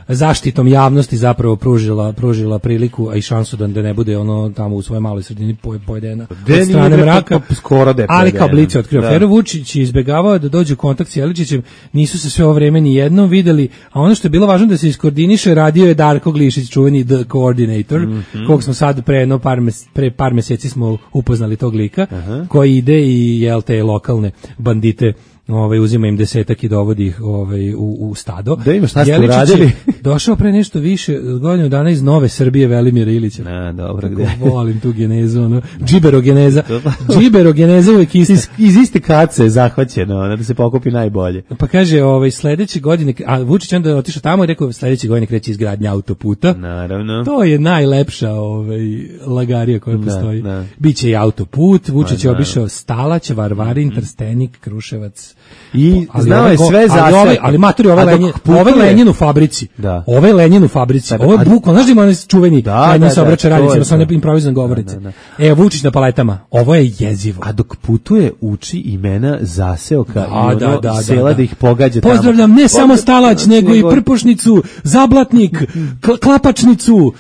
zaštitom javnosti zapravo pružila pružila priliku, a i šansu da ne bude ono tamo u svojoj maloj sredini pojedena od strane mraka, pa skoro da je ali kao Blic je otkrio aferu. Vučić je izbegavao da dođe u kontakt s Jeličićem, nisu se sve ovo vreme ni jednom videli, a ono što je bilo važno da se iskoordiniše, radio je Darko Glišić, čuveni The Coordinator, mm -hmm. kog smo sad pre, no, par, mes, pre par meseci smo upoznali tog lika, uh-huh. koji ide i jel te lokalne bandite ovaj uzima im desetak i dovodi ih ovaj u, u stado. Da ima šta ste uradili? Došao pre nešto više godinu dana iz Nove Srbije Velimira Ilića. Na, dobro, gde. Volim tu genezu, ono. Džiberogeneza. Džiberogeneza uvek isti. Iz, iz iste kace je zahvaćeno, da se pokupi najbolje. Pa kaže, ovaj sledeće godine, a Vučić onda otišao tamo i rekao sledeće godine kreće izgradnja autoputa. Naravno. To je najlepša ovaj lagarija koja da, postoji. Da. Biće i autoput, Vučić je obišao Stalać, Varvarin, mm -hmm. Trstenik, Kruševac. I znao je sve za ali ovaj, ali maturi ovaj Lenjin, ovaj Lenjin u fabrici. Da. Ovaj Lenjin u fabrici. Ovo je bukvalno, znaš da ima onaj čuveni Lenjin se obraća radnicima, sa onim improvizan govorice. E, Vučić na paletama. Ovo je jezivo. A dok putuje uči imena zaseoka da, i ono da, da, sela da, da. da ih pogađa tamo. Pozdravljam ne samo Stalać, nego i Prpošnicu, Zablatnik, Klapačnicu,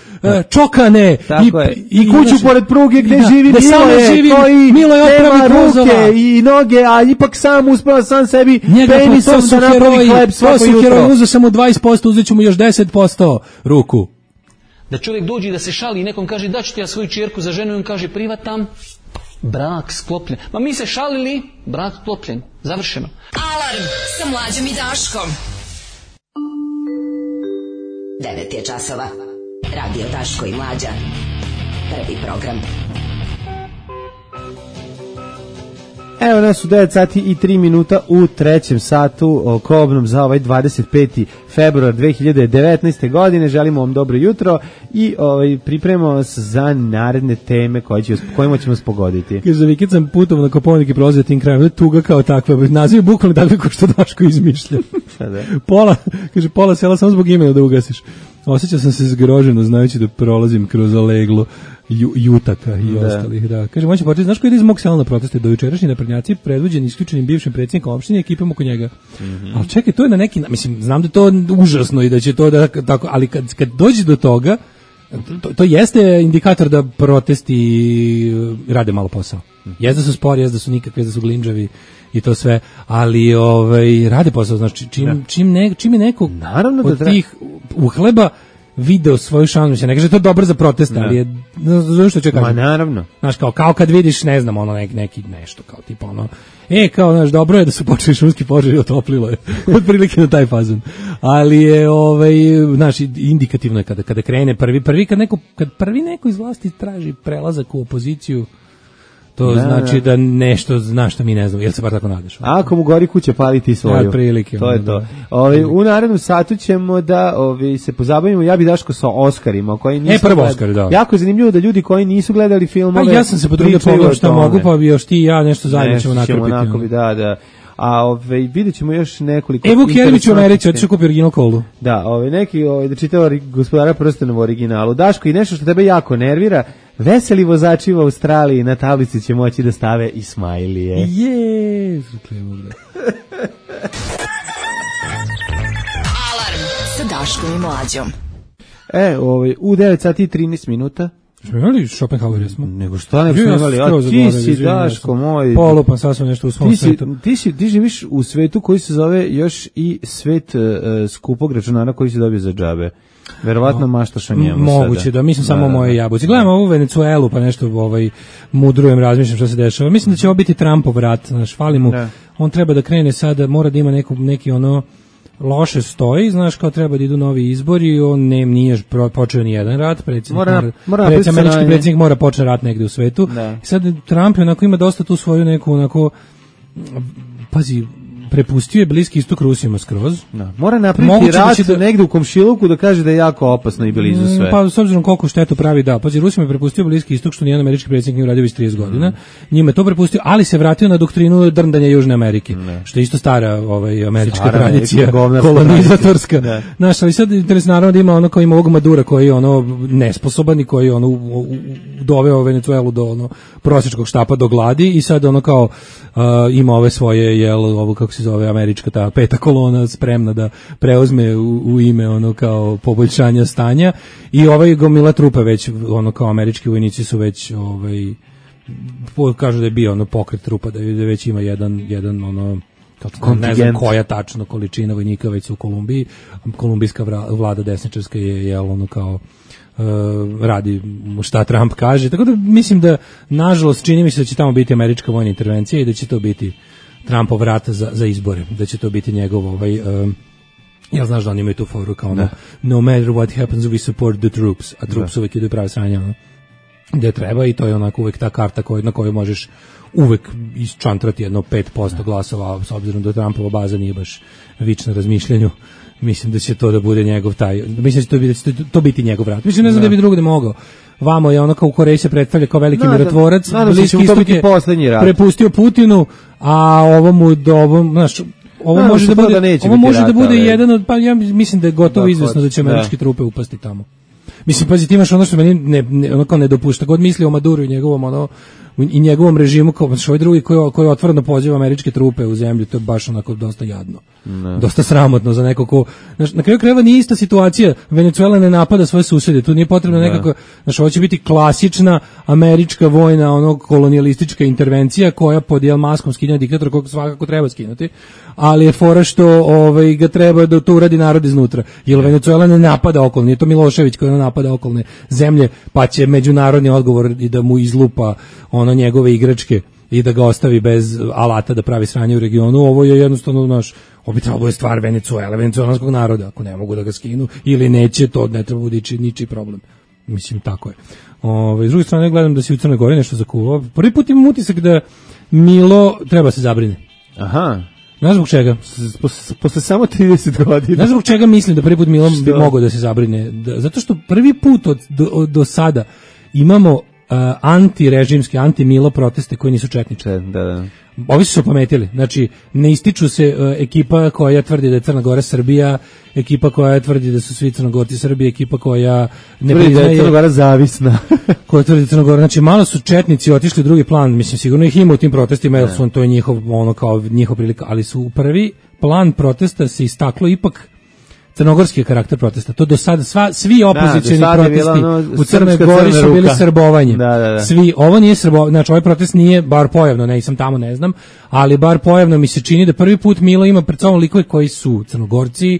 Čokane i, i kuću pored pruge gde živi Miloje, koji nema ruke i noge, a ipak sam uspeo sam sebi penisom da napravi hleb svako jutro. Heroj, uzeo sam mu dvadeset posto, uzet ću mu još deset posto ruku. Da čovjek dođe i da se šali i nekom kaže da ću ti ja svoju čerku za ženu i on kaže privatam, brak sklopljen. Ma mi se šalili, brak sklopljen, završeno. Alarm sa Mlađom i Daškom. devet je časova. Radio Daško i Mlađa. Prvi program. Evo nas u devet sati i tri minuta u trećem satu kobnom za ovaj dvadeset peti februar dve hiljade devetnaeste. godine. Želimo vam dobro jutro i ovaj, pripremamo vas za naredne teme koje će, kojima ćemo vas pogoditi. Kaže, vikend sam putovo na Koponik i prolazio tim krajem, tuga kao takva, naziv bukvalno takve ko što Daško izmišlja. pola, kaže, pola sela samo zbog imena da ugasiš. Osjećao sam se zgroženo znajući da prolazim kroz leglo ju, Jutaka i da. ostalih. Da. Kaže, moći početi, znaš ko ide iz mog sela na proteste? Do jučerašnji naprednjaci predvođeni isključenim bivšim predsjednikom opštine i ekipom oko njega. Mm -hmm. Ali čekaj, to je na neki, mislim, znam da je to užasno i da će to da, tako, ali kad, kad dođe do toga, To, to jeste indikator da protesti rade malo posao. Jeste da su spori, jeste da su nikakve, da su glinđavi i to sve, ali ovaj, rade posao. Znači, čim, čim, ne, čim je neko Naravno od da tih uhleba video svoju šansu, ne kaže to je dobro za protest, ali je, znaš što ću kažem? Ma naravno. Znaš, kao, kao kad vidiš, ne znam, ono, neki, neki nešto, kao tipa ono, e, kao, znaš, dobro je da su počeli šumski požari, otoplilo je, od prilike na taj fazon. Ali je, ovaj, znaš, indikativno je kada, kada krene prvi, prvi, kad neko, kad prvi neko iz vlasti traži prelazak u opoziciju, to da, znači da nešto zna što mi ne znamo, jel se bar tako nadaš? Ako mu gori kuća, pali ti svoju. Ja, prilike. To je to. Da. Ovi, u narednom satu ćemo da ovi, se pozabavimo, ja bi Daško sa Oscarima. Koji nisu e, prvo Oscar, da. Jako je zanimljivo da ljudi koji nisu gledali filmove... Pa ja sam se potrudio pogledati šta mogu, pa bi još ti i ja nešto zajedno ćemo nakrpiti. Nakrpiti, da, da. A ove, vidjet ćemo još nekoliko... Evo Kjerić u Americi, otišao kupi original kolu. Da, ove, neki ove, da čitao Gospodara prstenova u originalu. Daško, i nešto što tebe jako nervira, veseli vozači u Australiji na tablici će moći da stave i smajlije. Jezu, Alarm sa Daškom i Mlađom. E, ove, u devet sati i trinaest minuta. Smo imali Schopenhauer, jesmo? Nego šta ne smo imali, a ti si, Daško moj... Polupan sasvim nešto u svom ti si, svetu. Ti, si, ti živiš u svetu koji se zove još i svet uh, skupog računara koji se dobio za džabe. Verovatno maštaš o njemu sada. Moguće, da, mislim samo o moje jabuci. Gledam ovu Venecuelu, pa nešto ovaj, mudrujem, razmišljam što se dešava. Mislim da će ovo biti Trumpov rat, znaš, fali mu. Ne. On treba da krene sada, mora da ima neku, neki ono... loše stoji, znaš, kao treba da idu novi izbori, on ne, nije počeo ni jedan rat, predsjednik, mora, mora, mora predsjednik, američki predsjednik mora početi rat negde u svetu. Da. I sad Trump je onako ima dosta tu svoju neku onako, pazi, prepustio je Bliski istok Rusima skroz. Da. Mora napraviti rat da negde u komšiluku da kaže da je jako opasno i blizu sve. Pa s obzirom koliko štetu pravi, da. Pazi, Rusima je prepustio Bliski istok što nijedan američki predsjednik nije uradio već trideset godina. Mm. Njima je to prepustio, ali se vratio na doktrinu drndanja Južne Amerike. Ne. Što je isto stara ovaj, američka stara tradicija, Amerika, kolonizatorska. Znaš, ali sad interesno naravno da ima ono kao ima ovog Madura koji je ono nesposoban i koji je ono u, u, doveo Venecuelu do ono prosječkog štapa do gladi i sad ono kao uh, ima ove svoje, jel, ovo kako se zove američka ta peta kolona spremna da preuzme u, u ime ono kao poboljšanja stanja i ovaj gomila trupa već ono kao američki vojnici su već ovaj kažu da je bio ono pokret trupa da je već ima jedan jedan ono kako ne znam koja tačno količina vojnika već u Kolumbiji. Kolumbijska vlada desničarska je jel ono kao Uh, radi šta Trump kaže, tako da mislim da nažalost čini mi se da će tamo biti američka vojna intervencija i da će to biti Trumpov rat za, za izbore, da će to biti njegov ovaj, um, ja znaš da oni imaju tu foru kao ono, no matter what happens we support the troops, a troops uvek idu prave sranje ono, gde treba i to je onako uvek ta karta koj, na kojoj možeš uvek isčantrati jedno pet posto glasova, s obzirom da Trumpova baza nije baš vična razmišljanju. Mislim da će to da bude njegov taj, mislim da će to biti, da će to biti njegov rat. Mislim ne znam da bi drugo da mogao. Vamo je ono kao u Koreji se predstavlja kao veliki da, mirotvorac, da, da, Bliski istok je prepustio Putinu, a ovo mu do ovom, znaš, ovo da, može da bude, da ovo može da bude rata, jedan od, pa ja mislim da je gotovo da, izvesno da će američke da. trupe upasti tamo. Mislim, pazi, ti imaš ono što meni ne, ne, ono kao ne dopušta, god misli o Maduru i njegovom ono i njegovom režimu kao što ovaj drugi koji koji otvoreno poziva američke trupe u zemlju, to je baš onako dosta jadno. Ne. Dosta sramotno za neko ko, znaš, na kraju krajeva nije ista situacija. Venecuela ne napada svoje susede, tu nije potrebno ne. nekako, znaš, ovo će biti klasična američka vojna, ono kolonijalistička intervencija koja pod jel maskom skidanja diktatora kog svakako treba skinuti, ali je fora što ovaj ga treba da to uradi narod iznutra. Jer Venecuela ne napada okolne, nije to Milošević koji napada okolne zemlje, pa će međunarodni odgovor i da mu izlupa ono njegove igračke i da ga ostavi bez alata da pravi sranje u regionu. Ovo je jednostavno naš obitavno je stvar Venecuele, venecuelanskog naroda, ako ne mogu da ga skinu ili neće, to ne treba budići ničiji problem. Mislim, tako je. Ove, s druge strane, gledam da si u Crnoj Gori nešto zakuvao. Prvi put imam utisak da Milo treba se zabrine. Aha. Znaš zbog čega? Posle, posle samo trideset godina. Znaš zbog čega mislim da prvi put Milo bi mogao da se zabrine? Da, zato što prvi put od, do, od, do sada imamo Uh, antirežimske, anti-Milo proteste koji nisu četnički. Da, da. Ovi su se opametili. Znači, ne ističu se uh, ekipa koja tvrdi da je Crna Gora Srbija, ekipa koja tvrdi da su svi Crnogorci Srbije, ekipa koja ne tvrdi priznaje... da je Crna Gora zavisna. koja tvrdi da je Crna Gora. Znači, malo su četnici otišli u drugi plan. Mislim, sigurno ih ima u tim protestima, jer su on, to je njihov, ono kao njihov prilika, ali su u prvi plan protesta se istaklo ipak crnogorski karakter protesta. To do sada sva svi opozicioni da, protesti ono, u Crnoj Gori su bili srbovanje. Da, da, da. Svi, ovo nije srbovanje, znači ovaj protest nije bar pojavno, ne sam tamo, ne znam, ali bar pojavno mi se čini da prvi put Milo ima pred sobom likove koji su Crnogorci,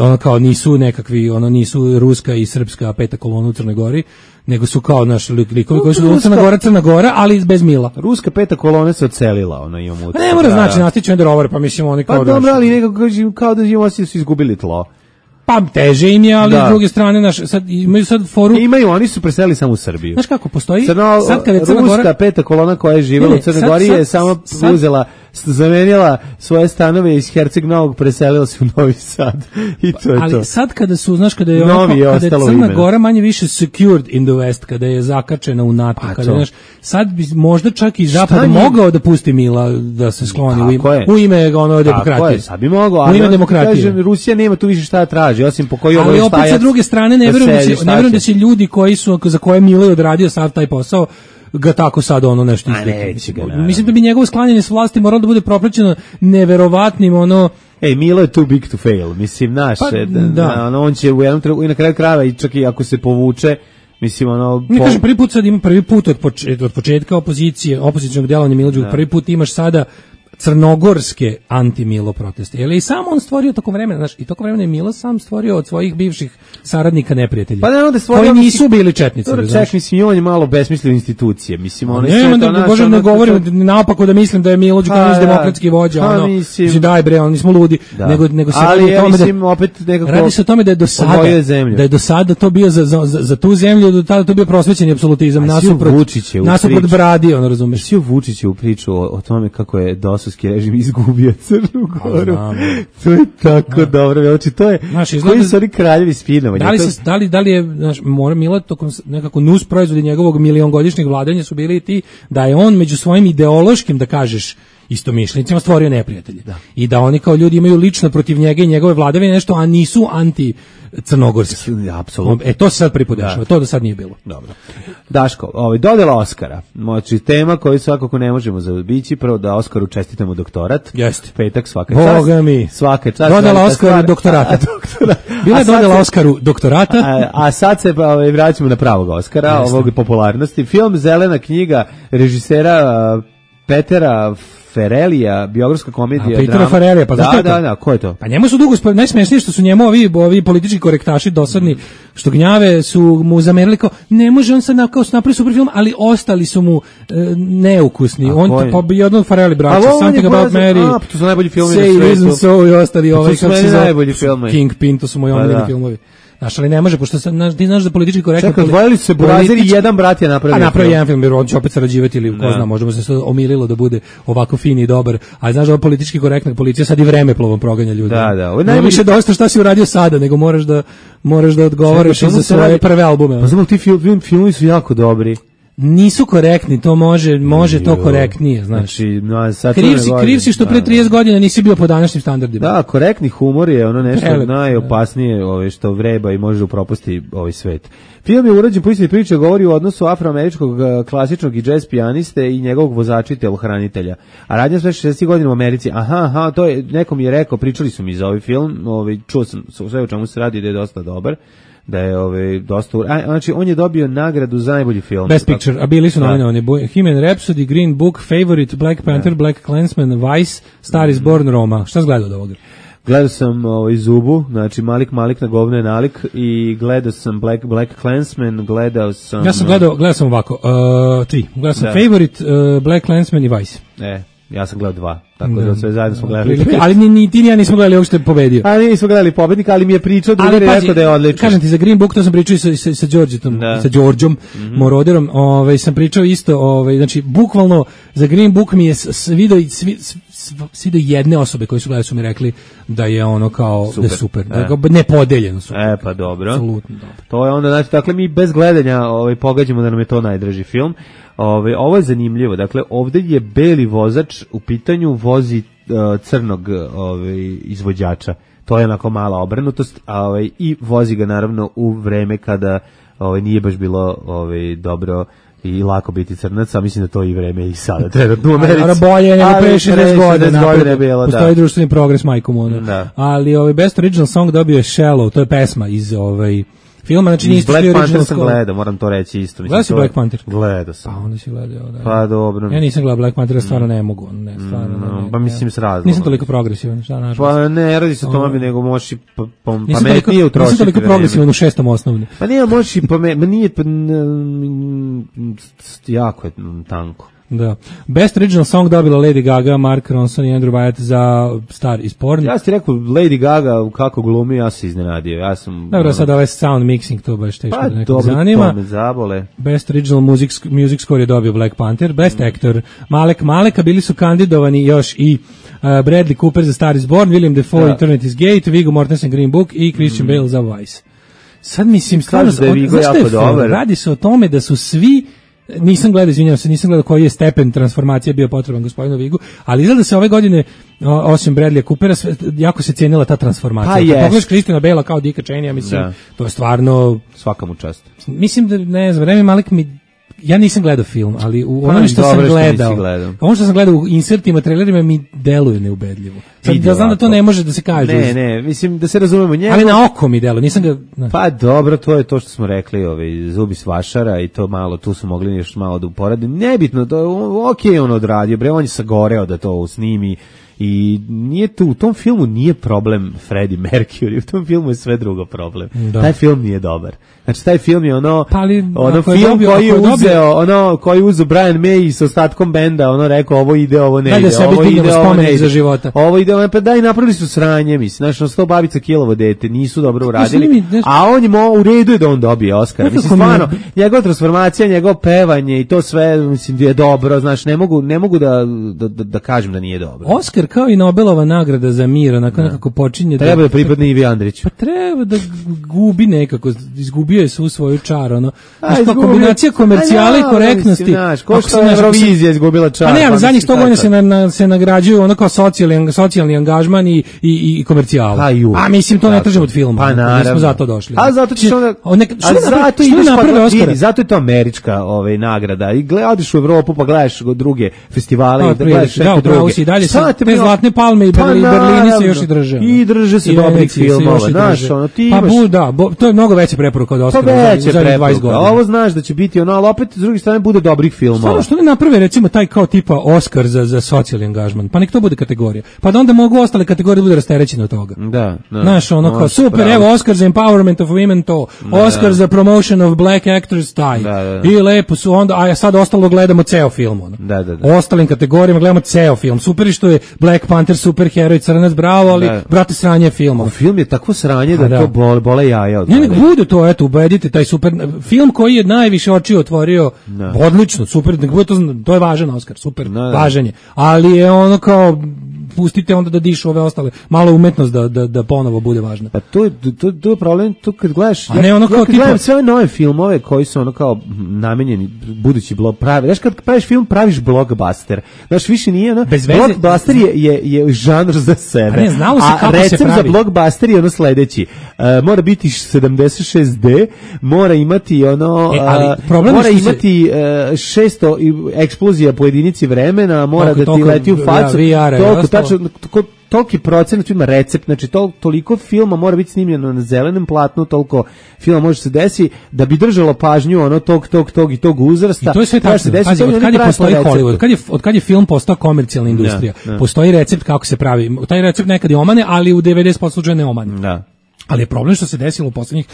ono kao nisu nekakvi, ono nisu ruska i srpska peta kolona u Crnoj Gori, nego su kao naši likovi koji su Crna Gora, Crna Gora, ali bez Mila. Ruska peta kolona se odselila, ona ima mutra. Ne mora znači nastići onda rover, pa mislim oni kao pa dobro, ali nekako kao da im osjećaju su izgubili tlo. Pa teže im je, ali da. S druge strane naš sad imaju sad foru. Imaju, oni su preselili samo u Srbiju. Znaš kako postoji? Crno, sad kad je Crna Ruska Gora peta kolona koja je živela u Crnoj Gori je samo sad, uzela, zamenila svoje stanove iz Herceg Novog, preselila se u Novi Sad. I to je ali to. Ali sad kada su, znaš, kada je, onako, je kada je Crna imena. Gora manje više secured in the West, kada je zakačena u NATO, pa kada znaš, sad bi možda čak i Zapad je? mogao da pusti Mila da se skloni u ime, u ime ono demokratije. Je, sad bi mogao, ali u ime demokratije. Kažem, Rusija nema tu više šta traži, osim po koji ovo ali opet sa druge strane ne verujem da će, ne verujem da će ljudi koji su za koje Milo je odradio sav taj posao ga tako sad ono nešto izvike. Mislim da bi njegovo sklanjanje s vlasti moralo da bude propraćeno neverovatnim ono. Ej, Milo je too big to fail, mislim, naš, pa, da, da. Ono, on će u jednom trenutku i na kraju krajeva i čak i ako se povuče, mislim, ono... Mi po... kažem, prvi put sad ima prvi put od, početka, od početka opozicije, opozicionog djelovanja Milo Đukanovića, prvi put imaš sada crnogorske anti-Milo proteste. Jer je i sam on stvorio tokom vremena, znaš, i tokom vremena je Milo sam stvorio od svojih bivših saradnika neprijatelja. Pa ne, onda stvorio... Koji nisu bili četnici. Dobro, ček, mislim, on je malo besmislio institucije. Mislim, ono... Ne, onda, da, bože, ne govorim naopako da mislim da je Milo Đukanović demokratski vođa, ha, ono, mislim, daj bre, oni smo ludi, da. nego, nego se ali, radi o tome mislim, da... opet nekako radi se o tome da je do sada, da je do sada to bio za, za, za tu zemlju, do tada to bio prosvećeni apsolutizam, nasuprot, nasuprot Bradi, ono, razumeš. Sio Vučić je u priču o, o tome kako je dosovski režim izgubio Crnu Goru. To je tako dobro. Znači, to je, znaš, koji su oni kraljevi spinovanja. Da li, se, da li, da li je, znaš, mora Milo, tokom nekako nus proizvodi njegovog miliongodišnjeg vladanja su bili i ti, da je on među svojim ideološkim, da kažeš, istomišljenicima stvorio neprijatelje. Da. I da oni kao ljudi imaju lično protiv njega i njegove vladavine nešto, a nisu anti crnogorski. Apsolutno. E to se sad pripodešava, to do sad nije bilo. Dobro. Daško, ovaj, dodela Oskara. Moći tema koju svakako ne možemo zaobići, prvo da Oskaru čestitamo doktorat. Jeste. Petak svaka čast. Boga mi. Svaka čast. Dodela Oskaru doktorata. doktorat. Bila je dodela se, Oskaru doktorata. A, a sad se ovaj, vraćamo na pravog Oskara, Jeste. ovog popularnosti. Film Zelena knjiga režisera uh, Petera Ferelija, biografska komedija. A Petera Ferelija, pa da, da, da, ko je to? Pa njemu su dugo, najsmešnije što su njemu ovi, ovi politički korektaši dosadni, što gnjave su mu zamerili kao, ne može on sad na, kao napravi super film, ali ostali su mu e, neukusni. A on to, pa jednog Fereli braća, Something About Mary, a, to su najbolji filmovi na svijetu. Reason So i ostali ovaj, kako se zove, najbolji filmovi. Kingpin, to su moji omiljeni filmovi. Znaš, ali ne može, pošto sam, ti znaš da politički korektno... Čekaj, odvojili su se Burazir i jedan brat je napravio. A napravio jedan film, jer on će opet sarađivati ili ko zna, možda mu se sve omililo da bude ovako fin i dobar. Ali znaš da ovo politički korektna policija sad i vremeplovom proganja ljudi. Da, da. Ovo je najbolji... više dosta šta si uradio sada, nego moraš da, moraš da odgovoriš za svoje radi... prve albume. Pa znam, ti film, filmovi su jako dobri. Nisu korektni, to može, može to korektnije, znaš. Znači, no, sad kriv si, kriv si što pre trideset godina nisi bio po današnjim standardima. Da, korektni humor je ono nešto Prelep, najopasnije ove, što vreba i može upropasti ovaj svet. Film je urađen po istoj priči, govori o odnosu afroameričkog klasičnog i džez pijaniste i njegovog vozača i telohranitelja. A radnja sve šezdesetih godina u Americi. Aha, aha, to je, nekom je rekao, pričali su mi za ovaj film, ovaj, čuo sam sve o čemu se radi da je dosta dobar. Da je ovaj dosta, a, znači on je dobio nagradu za najbolji film. Best Picture, a bili su nominovani Bohemian Rhapsody, Green Book, Favorite, Black Panther, da. Black Klansman, Vice, Star is Born, Roma. Šta si gledao od ovoga? Gledao sam ovaj Zubu, znači Malik Malik na govno je nalik i gledao sam Black Black Klansman, gledao sam Ja sam gledao, gledao sam ovako, uh, tri. Gledao sam da. Favorite, uh, Black Klansman i Vice. E. Ja sam gledao dva, tako da, da sve zajedno smo gledali. Ali ni, ni ti ni ja nismo gledali ovog što je pobedio. Ali nismo gledali pobednika, ali mi je pričao da je rekao da je odličan. Kažem ti, za Green Book to sam pričao i sa, sa, sa Đorđetom, da. sa Đorđom mm-hmm. Moroderom, ovaj, sam pričao isto, ovaj, znači, bukvalno za Green Book mi je svidio svi, svi do jedne osobe koji su gledali su mi rekli da je ono kao super. Da je super, e. da je nepodeljeno super. E, pa dobro. Apsolutno dobro. To je onda, znači, dakle, mi bez gledanja ovaj, pogađamo da nam je to najdraži film. Ove, ovo je zanimljivo, dakle ovdje je beli vozač u pitanju vozi uh, crnog ove, izvođača, to je onako mala obrnutost, a, ove, i vozi ga naravno u vreme kada ove, nije baš bilo ove, dobro i lako biti crnac, a mislim da to i vreme i sada trenutno u Americi. Ali bolje nego pre šezdeset godina. Bilo, postoji da. društveni progres, majkom ono. Da. Ali ovaj Best Original Song dobio je Shallow, to je pesma iz ovaj filma, znači niste Black original Panther sam score. gledao, moram to reći isto. Gledao si Black Panther? Gledao sam. Pa onda si gledao, da. Pa dobro. Ja nisam gledao Black Panther, stvarno ne mogu, ne, stvarno no, ne, ne. Pa mislim s razlogom. Nisam toliko progresivan, šta nažalost. Pa ne, radi se o tome, nego možeš i pa, pa, pametnije utrošiti. Nisam toliko progresivan u šestom osnovni. Pa nije, možeš i pametnije, nije, pa, jako je tanko. Da. Best Original Song dobila Lady Gaga, Mark Ronson i Andrew Wyatt za Star is Born. Ja ti rekao, Lady Gaga kako glumi, ja se iznenadio. Ja sam... Dobro, sad ovaj sound mixing, to baš teško pa, da nekog zanima. Pa, to me zabole. Best Original Music, music Score je dobio Black Panther. Best mm. Actor Malek Maleka, bili su kandidovani još i uh, Bradley Cooper za Star is Born, William Dafoe, da. Eternity's Gate, Viggo Mortensen, Green Book i Christian mm. Bale za Vice. Sad mislim, stvarno, da je Viggo jako dobar. Radi se o tome da su svi nisam gledao, izvinjavam se, nisam gledao koji je stepen transformacije bio potreban gospodinu Vigu, ali izgleda da se ove godine, osim Bradleya Coopera, jako se cijenila ta transformacija. Pa Kad pogledaš Christiana Bale kao Dicka Cheney, mislim, da. To je stvarno... Svaka mu čast. Mislim da, ne znam, Rami Malek mi... Ja nisam gledao film, ali u onome što sam gledao, ono što sam gledao u insertima, trailerima mi deluje neubedljivo. Sad da znam da to ne može da se kaže. Ne, ne, mislim da se razumemo njega. Ali na oko mi deluje, nisam ga... Ne. Pa dobro, to je to što smo rekli, ovaj, zubi s vašara i to malo, tu su mogli još malo da uporede. Nebitno, to ok, on odradio, bre, on je sagoreo da to snimi. I nije tu, u tom filmu nije problem Freddie Mercury, u tom filmu je sve drugo problem. Da. Taj film nije dobar. Znači taj film je ono, pa ali, ono film je dobio, koji je uzeo, dobio... ono koji je uzeo Brian May s ostatkom benda, ono rekao ovo ide, ovo ne ide, ovo ide, ovo ne ide. Za života. Ovo ide, ovo, pa daj, napravili su sranje, mislim, znači na sto babica kilovo dete, nisu dobro uradili, mi, ne... a on je mo, u redu je da on dobije Oscar. Mislim, stvarno, njegova transformacija, njegovo pevanje i to sve, mislim, je dobro, znači ne mogu, ne mogu da, da, da, da kažem da nije dobro. Oscar kao i Nobelova nagrada za mir, onako nekako počinje treba da pripadne Ivi Andriću. Pa treba da gubi nekako, izgubio je svu svoju čar, ono. Znaš, pa kombinacija komercijale i korektnosti. Znaš, ko što je Eurovizija izgubila čar. Pa ne, ali zadnjih sto godina se, na, se nagrađuju ono kao socijalni, socijalni angažman i, i, i komercijala. Pa ju. A mislim, to ne tražimo od filma. Pa naravno. Mi smo zato došli. A zato ćeš onda... A zato ideš pa zato je to američka ovaj, nagrada. I gledaš u Evropu pa gledaš druge festivale i gledaš neke druge. Zlatne palme i pa Berlini se još i drže. I drže se dobrih filmova, znaš, ono ti imaš... Pa bu, da, bo, to je mnogo veća preporuka od Oscara za zadnjih dvadeset godina. Ovo znaš da će biti ono, ali opet s druge strane bude dobrih filmova. Stvarno, što ne naprave recimo taj kao tipa Oscar za, za socijalni angažman, pa nek to bude kategorija. Pa da onda mogu ostale kategorije bude rasterećene od toga. Da, da. Znaš, ono kao, super, pravi. Evo Oscar za empowerment of women to, da, Oscar da. za promotion of black actors taj. Da, da, da. I lepo su onda, a sad ostalo gledamo ceo film. Ono. Da, da, da. Ostalim kategorijama gledamo ceo film. Super je što je Black Panther super heroj, crnac, bravo, ali da. Brate sranje filma. O, film je takvo sranje da, da. to bole, bole jaja od. Ne, nek bude to, eto, ubedite taj super film koji je najviše očiju otvorio. Da. Odlično, super, nek bude to, to je važan Oskar, super, da, da. Važan je. Ali je ono kao pustite onda da dišu ove ostale, malo umetnost da da da ponovo bude važna. Pa to je to, to je problem, to kad gledaš, a ne ono kao ja tipa sve ove nove filmove koji su ono kao namenjeni budući blog pravi. Znaš kad praviš film, praviš blockbuster. Znaš više nije ono, blockbuster je je je žanr za sebe. A, ne, znalo se kako se pravi. Za blockbuster je ono sledeći. Uh, mora biti sedamdeset šest de, mora imati ono e, ali, uh, mora imati se... uh, šesto eksplozija po jedinici vremena, mora toko, da ti leti u facu. Ja, toliko tačno toliki procenat ima recept, znači tol, toliko filma mora biti snimljeno na zelenom platnu, toliko filma može se desi da bi držalo pažnju ono tog, tog, tog i tog uzrasta. I to je sve tačno. Pazi, od kad je postoji Hollywood, od kad je, od kad je film postao komercijalna industrija, da, da. Postoji recept kako se pravi. Taj recept nekad je omane, ali u devedeset posto slučaja ne omane. Da. Ali je problem što se desilo u poslednjih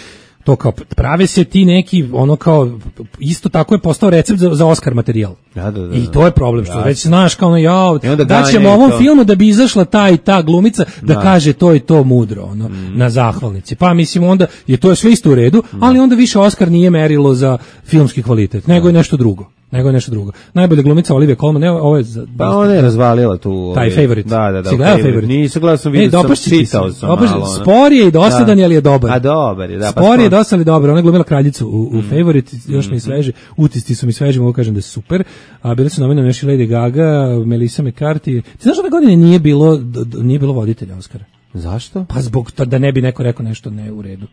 to kao prave se ti neki ono kao isto tako je postao recept za, za Oscar materijal. Da, da, da, I to je problem što da, već znaš kao ono ja da ćemo ovom to. filmu da bi izašla ta i ta glumica da, da. kaže to i to mudro ono mm. na zahvalnici. Pa mislim onda je to je sve isto u redu, mm. ali onda više Oscar nije merilo za filmski kvalitet, nego je nešto drugo. Nego je nešto drugo. Najbolja glumica Olivia Colman, ne, ovo je za, pa ona je razvalila tu taj Favorite. Da, da, da. Si gledao Favorite? Nisam gledao, sam vidio, sam čitao sam malo. Spor je i dosadan, ali je dobar. A dobar je, da. Spor je dosadan i dobar. Ona je glumila kraljicu u, u Favorite, još mi sveže. Utisci su mi sveži, mogu kažem da je super. A bili su nominirani još i Lady Gaga, Melissa McCarthy. Ti znaš ove godine nije bilo nije bilo voditelja Oscara? Zašto? Pa zbog to da ne bi neko rekao nešto ne u redu.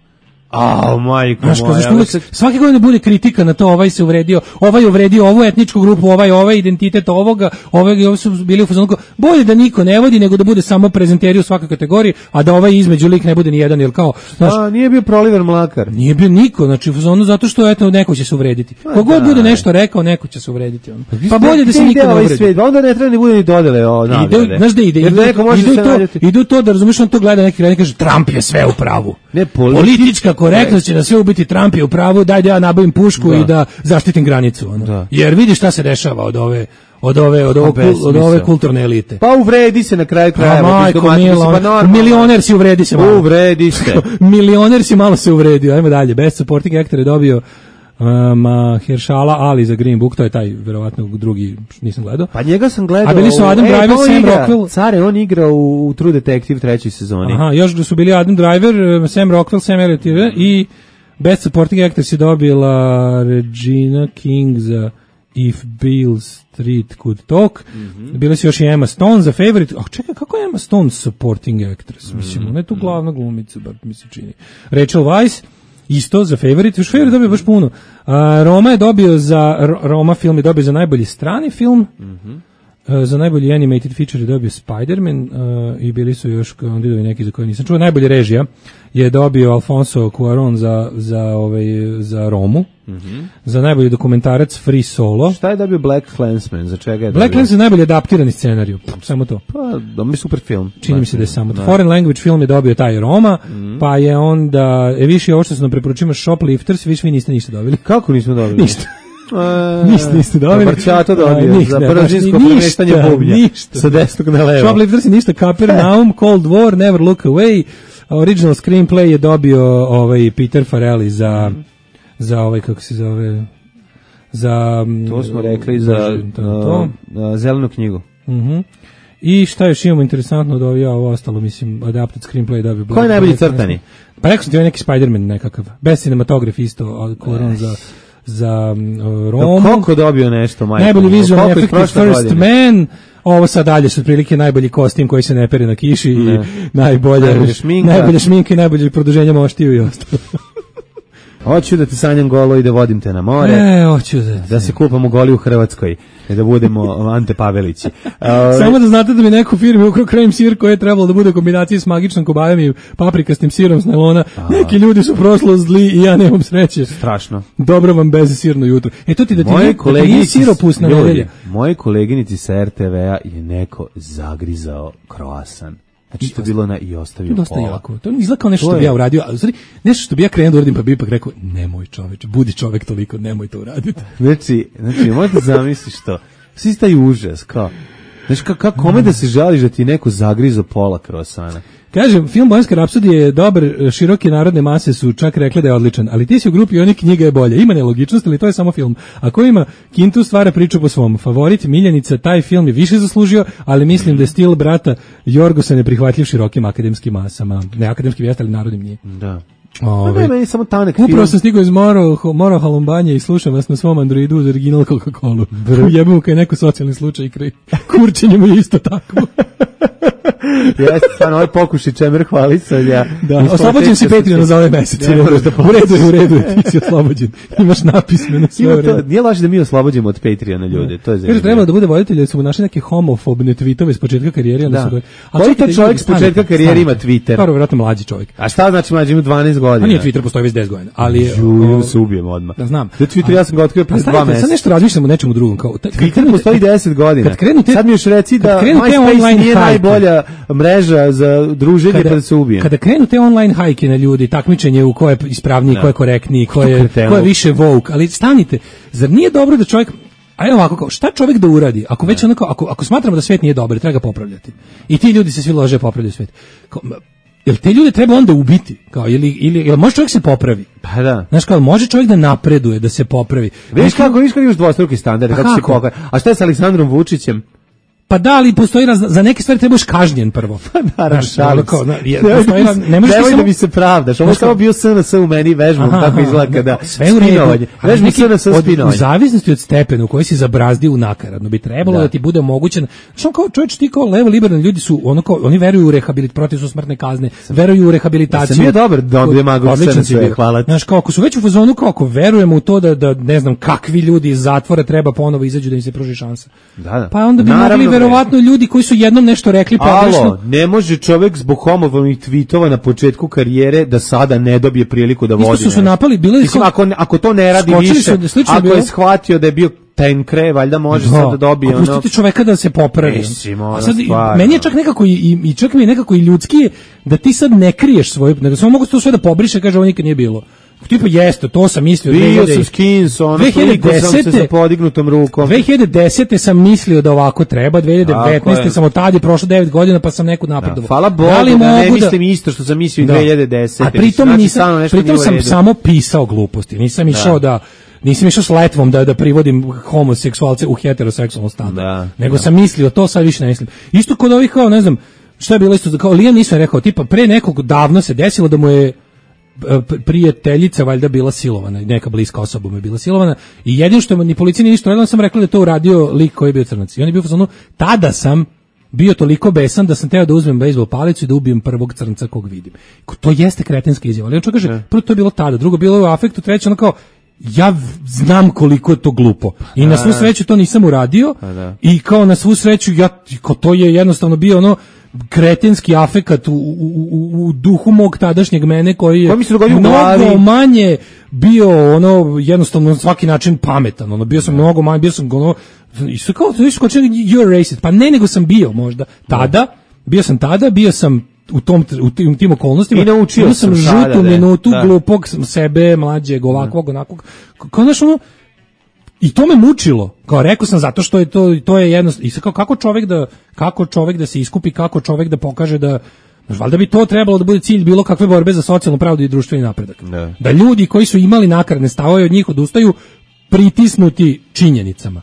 A, majko znaš, moja. Uvijek, svake godine bude kritika na to, ovaj se uvredio, ovaj uvredio ovu etničku grupu, ovaj ovaj identitet ovoga, ovaj, ovaj su bili u fazonu, bolje da niko ne vodi, nego da bude samo prezenteri u svakoj kategoriji, a da ovaj između lik ne bude ni jedan, jer kao, znaš, a, nije bio Proliver Mlakar. Nije bio niko, znači u fazonu zato što eto neko će se uvrediti. Kogod bude nešto rekao, neko će se uvrediti. On. Pa bolje da se niko ne uvredi. Svijet, onda ne treba ni bude ni dodele o nagrade. Znaš da ide, ide, ide to, ide to da razumiješ, on to gleda neki kraj i kaže Trump je sve u pravu. Ne, politička korektnost će da sve ubiti, Trump je u pravu, daj da ja nabavim pušku da. I da zaštitim granicu. Ono. Da. Jer vidi šta se dešava od ove od ove od, ovog, od ove kulturne elite. Pa uvredi se na kraju krajeva. Pa majko mila, pa milioner si uvredi se malo. Uvredi se. Milioner si malo se uvredio. Ajmo dalje. Best supporting actor je dobio Um, Heršala Ali za Green Book, to je taj verovatno drugi, nisam gledao. Pa njega sam gledao. A bili su Adam Driver, e, Sam igra, Rockwell. Care, on igra u, u True Detective trećoj sezoni. Aha, još su bili Adam Driver, Sam Rockwell, Sam Elliott i Best Supporting Actress je dobila Regina King za If Beale Street Could Talk. Mm-hmm. Bile su još i Emma Stone za Favorite. Ah, čekaj, kako je Emma Stone supporting actress? Mm-hmm. Mislim, ona je tu glavna glumica, bar mi se čini. Rachel Weisz isto za Favorite, još Favorite dobio baš puno. A, Roma je dobio za, Roma film je dobio za najbolji strani film, mm-hmm. a, za najbolji animated feature je dobio Spider-Man a, i bili su još kandidovi neki za koje nisam čuo. Najbolji režija je dobio Alfonso Cuarón za, za, ovaj, za Romu, mm-hmm. za najbolji dokumentarac Free Solo. Šta je dobio Black Klansman, za čega je dobio? Black Klansman je najbolji adaptirani scenariju, samo to. Pa, da mi super film. Čini mi se da je samo to. Foreign language film je dobio taj Roma, mm-hmm. pa je onda, e, više ovo što se nam preporučimo Shoplifters, više vi niste ništa dobili. Kako nismo dobili? Ništa. Ništa niste dobili. Barčato dobio, ništa, za brazilsko premeštanje bublja. Ništa. Sa desnog na levo. Shoplifters je ništa, Capernaum, Cold War, Never Look Away. Original screenplay je dobio ovaj Peter Farrelly za mm. za ovaj kako se zove za to smo rekli za to, to. Uh, zelenu knjigu. Mhm. Uh-huh. I šta još imamo interesantno od ovih, ovo ostalo, mislim, adapted screenplay dobio. Koji je najbolji crtani? Pa rekao sam ti neki Spider-Man nekakav. Best cinematograf isto, Cuarón za za uh, Romu. Koliko dobio nešto, majko? Najbolji visual efekt First godine. Man. Ovo sad dalje su otprilike najbolji kostim koji se ne pere na kiši ne. I najbolja najbolja šminka. Najbolja šminka i najbolje produženje moštiju i ostalo. Hoću da te sanjam golo i da vodim te na more. E, hoću da. Da se kupamo goli u Hrvatskoj i da budemo Ante Pavelići. Uh, Samo da znate da mi neku firmi ukrao krem sir koji je trebalo da bude u kombinaciji s magičnom kobajom i paprikastim sirom s najlona. A, neki ljudi su prošlo zli i ja nemam sreće. Strašno. Dobro vam bez sirno jutro. E to ti da ti nije, da ti nije siropusna nedelja. Moje koleginici sa er te ve a je neko zagrizao kroasan. Znači to je bilo na i ostavio dosta pola. Jako. To izgleda kao nešto što bi ja uradio, ali stvari, nešto što bi ja krenuo da uradim, pa bi ipak rekao, nemoj čoveče, budi čovek toliko, nemoj to uraditi. Znači, znači možda zamisliš to. Svi taj užas, kao, znači kako kome da se žališ da ti neko zagrizo pola krosana? Kažem, film Bojanska rapsodija je dobar, široke narodne mase su čak rekle da je odličan, ali ti si u grupi onih knjiga je bolje. Ima nelogičnost, ali to je samo film. Ako ima, Kintu stvara priču po svom. Favorit, Miljenica, taj film je više zaslužio, ali mislim da je stil brata Jorgosa neprihvatljiv širokim akademskim masama. Ne akademskim jeste, ali narodnim nije. Da. Ove, ne, samo tanek upravo film. Sam stigao iz Moro, Moro Halombanje i slušam vas na svom Androidu uz original Coca-Cola. Jebamo kaj neko socijalni slučaj kraj. Kurčenje mu je isto tako. Jeste, stvarno, ovaj pokuši čemer hvalisanja. Da, oslobođen si Patreon za ovaj mesec. U redu je, u redu je, ti si oslobođen. Imaš napismeno sve u redu. Nije laži da mi oslobođemo od Patreona ljude, to je zanimljivo. Kaže, trebalo da bude voditelj, da su mu našli neke homofobne tweetove s početka karijere. Da. Su... Koji to čovjek s početka karijere ima Twitter? Prvo, vjerojatno mlađi čovjek. A šta znači mlađi, ima dvanaest godina? A nije, Twitter postoji već deset godina. Ali, Ju, se ubijemo odmah. Da znam. Da Twitter ja sam ga otkrio pre dva meseca. Sad nešto razmišljamo o nečemu drugom. Kao, Twitter postoji deset godina. Kad krenute, sad mi još reci da MySpace nije najbolja mreža za druženje kada, pa da se ubije. Kada krenu te online hajke na ljudi, takmičenje u ko je ispravniji, ko je korektniji, ko je, ko je više woke, ali stanite, zar nije dobro da čovjek, a evo ovako, kao, šta čovjek da uradi, ako već onako, ako, ako smatramo da svijet nije dobar, treba ga popravljati. I ti ljudi se svi lože popravljaju svijet. Kao, jel te ljude treba onda ubiti? Kao, ili, ili, jel može čovjek se popravi? Pa da. Znaš kao, može čovjek da napreduje, da se popravi. Viš kako, viš kako imaš dvostruki standard, kako se pokaže. A šta je s Aleksandrom Vučićem? Pa da, ali postoji raz, za neke stvari trebaš kažnjen prvo. Pa naravno, šalim se. Na, je, postoji raz, ne možeš Nemoj samo... da mi se pravdaš, ovo je samo bio S N S u meni vežbom, kako izgleda kada sve u redu. Vežbom S N S spinovanje. U zavisnosti od stepena u koji si zabrazdio u nakaradno, bi trebalo da, da ti bude omogućen, što kao čovječ, ti kao levo liberalni ljudi su, ono kao, oni veruju u rehabilit, protiv su smrtne kazne, veruju u rehabilitaciju. Sam bio dobar da on demagog S N S, hvala. Znaš, kao ako su već u fazonu, kao ako verujemo u to da, da ne znam kakvi ljudi iz zatvora treba ponovo izađu da im se pruži šansa. Da, da. Pa onda bi mogli verovatno ljudi koji su jednom nešto rekli pogrešno. Alo, ne može čovjek zbog homofonih tweetova na početku karijere da sada ne dobije priliku da vodi. Isto su se napali, bile Mislim, ako, ako to ne radi više, su, ako bilo... je shvatio da je bio tenkre, valjda može da, sad da dobije. A pustite ono... čoveka da se popravi. Mislim, a sad, meni je čak nekako i, i čak mi je nekako i ljudski da ti sad ne kriješ svoje, nego samo mogu to sve da pobriše, kaže ovo nikad nije bilo. Tipa jeste, to sam mislio. Bio sam skins, ono sliku sam se sa podignutom rukom. dve hiljade desete sam mislio da ovako treba, dve hiljade devetnaeste sam od tada je prošlo devet godina pa sam neku napredovao. Da, hvala Bogu da, da ne mislim isto što sam mislio da. dve hiljade desete. A pritom, znači, nisam, pritom sam samo pisao gluposti, nisam išao da, da nisam išao s letvom da, da privodim homoseksualce u heteroseksualno stanje, da, nego da. sam mislio, to sad više ne mislim. Isto kod ovih kao, ne znam, šta je bilo isto, kao Liam nisam rekao, tipa pre nekog davno se desilo da mu je prijateljica valjda bila silovana, neka bliska osoba mu je bila silovana i jedino što ni policija ni ništa radila, sam rekla da je to uradio lik koji je bio crnac. I on je bio u fazonu, tada sam bio toliko besan da sam teo da uzmem bejzbol palicu i da ubijem prvog crnca kog vidim. To jeste kretenska izjava, ali on čo kaže, prvo to je bilo tada, drugo bilo je u afektu, treće ono kao, ja znam koliko je to glupo i na svu sreću to nisam uradio i kao na svu sreću ja, kao to je jednostavno bio ono kretenski afekat u, u, u, u duhu mog tadašnjeg mene koji je mnogo manje bio ono jednostavno na svaki način pametan, ono bio sam no. mnogo manje, bio sam ono i sve kao to kao you're racist, pa ne nego sam bio možda tada, bio sam tada, bio sam u tom u tim, tim okolnostima i naučio sam žutu minutu da. glupog sebe, mlađeg, ovakvog, onakvog, kao znaš ono. I to me mučilo. Kao rekao sam zato što je to to je jednostavno i kao kako čovjek da kako čovjek da se iskupi, kako čovjek da pokaže da valjda bi to trebalo da bude cilj bilo kakve borbe za socijalnu pravdu i društveni napredak. Ne. Da ljudi koji su imali nakaradne stavove od njih odustaju pritisnuti činjenicama.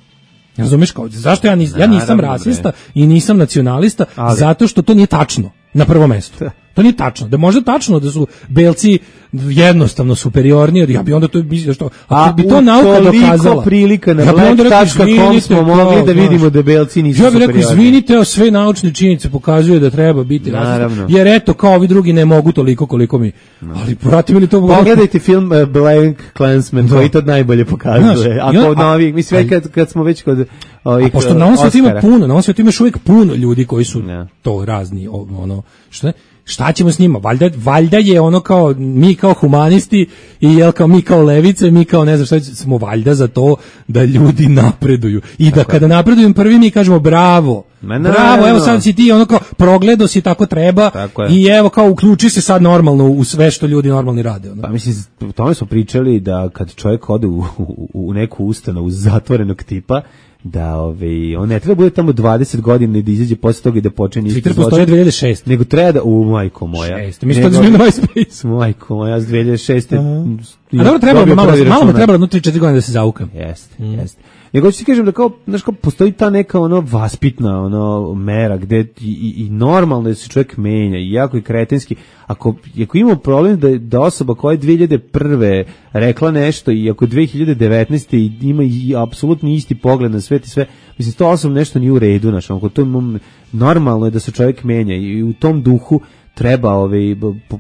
Razumeš kao zašto ja nisam, ja nisam rasista i nisam nacionalista, ali. Zato što to nije tačno na prvom mestu. To nije tačno. Da je možda tačno da su belci jednostavno superiorni, ja bi onda to mislio što ako bi to nauka dokazala. Prilika na black tačka com smo mogli da vidimo da belci nisu superiorni. Ja bih rekao, izvinite, sve naučne činjenice pokazuju da treba biti rasista. Jer eto, kao ovi drugi ne mogu toliko koliko mi. No. Ali pratimo li to? Pogledajte film uh, Black Klansman, koji to najbolje pokazuje. Ako on, novi, mislim, kad, kad smo već kod ovih a pošto na ovom svijetu ima puno, na ovom svijetu imaš uvijek puno ljudi koji su yeah. to razni, ono, što ne? Šta ćemo s njima? Valjda, valjda je ono kao mi kao humanisti i jel kao mi kao levice, mi kao ne znam šta smo valjda za to da ljudi napreduju. I da kada napreduju prvi mi kažemo bravo. Ne, ne, bravo, ne, evo sad si ti ono kao progledo si tako treba tako i evo kao uključi se sad normalno u sve što ljudi normalni rade. Ono. Pa mislim, o tome smo pričali da kad čovjek ode u, u, u neku ustanovu zatvorenog tipa, da ovaj on ne treba bude tamo dvadeset godina i da izađe posle toga i da počne isto zločin dve hiljade šeste nego treba da u majko moja šest mi što smo na MySpace majko moja s dve hiljade šeste a dobro treba malo malo treba jedno tri četiri godine da se zaukam jeste mm. jeste nego ću ti kažem da kao znaš kao postoji ta neka ono vaspitna ono mera gde i, i, i normalno da se čovjek menja i jako i kretenski ako ako imamo problem da da osoba koja je dve hiljade prve rekla nešto i ako dve hiljade devetnaeste ima i apsolutno isti pogled na svet i sve mislim to osobno nešto nije u redu znači ako to normalno je da se čovjek menja i u tom duhu treba ovaj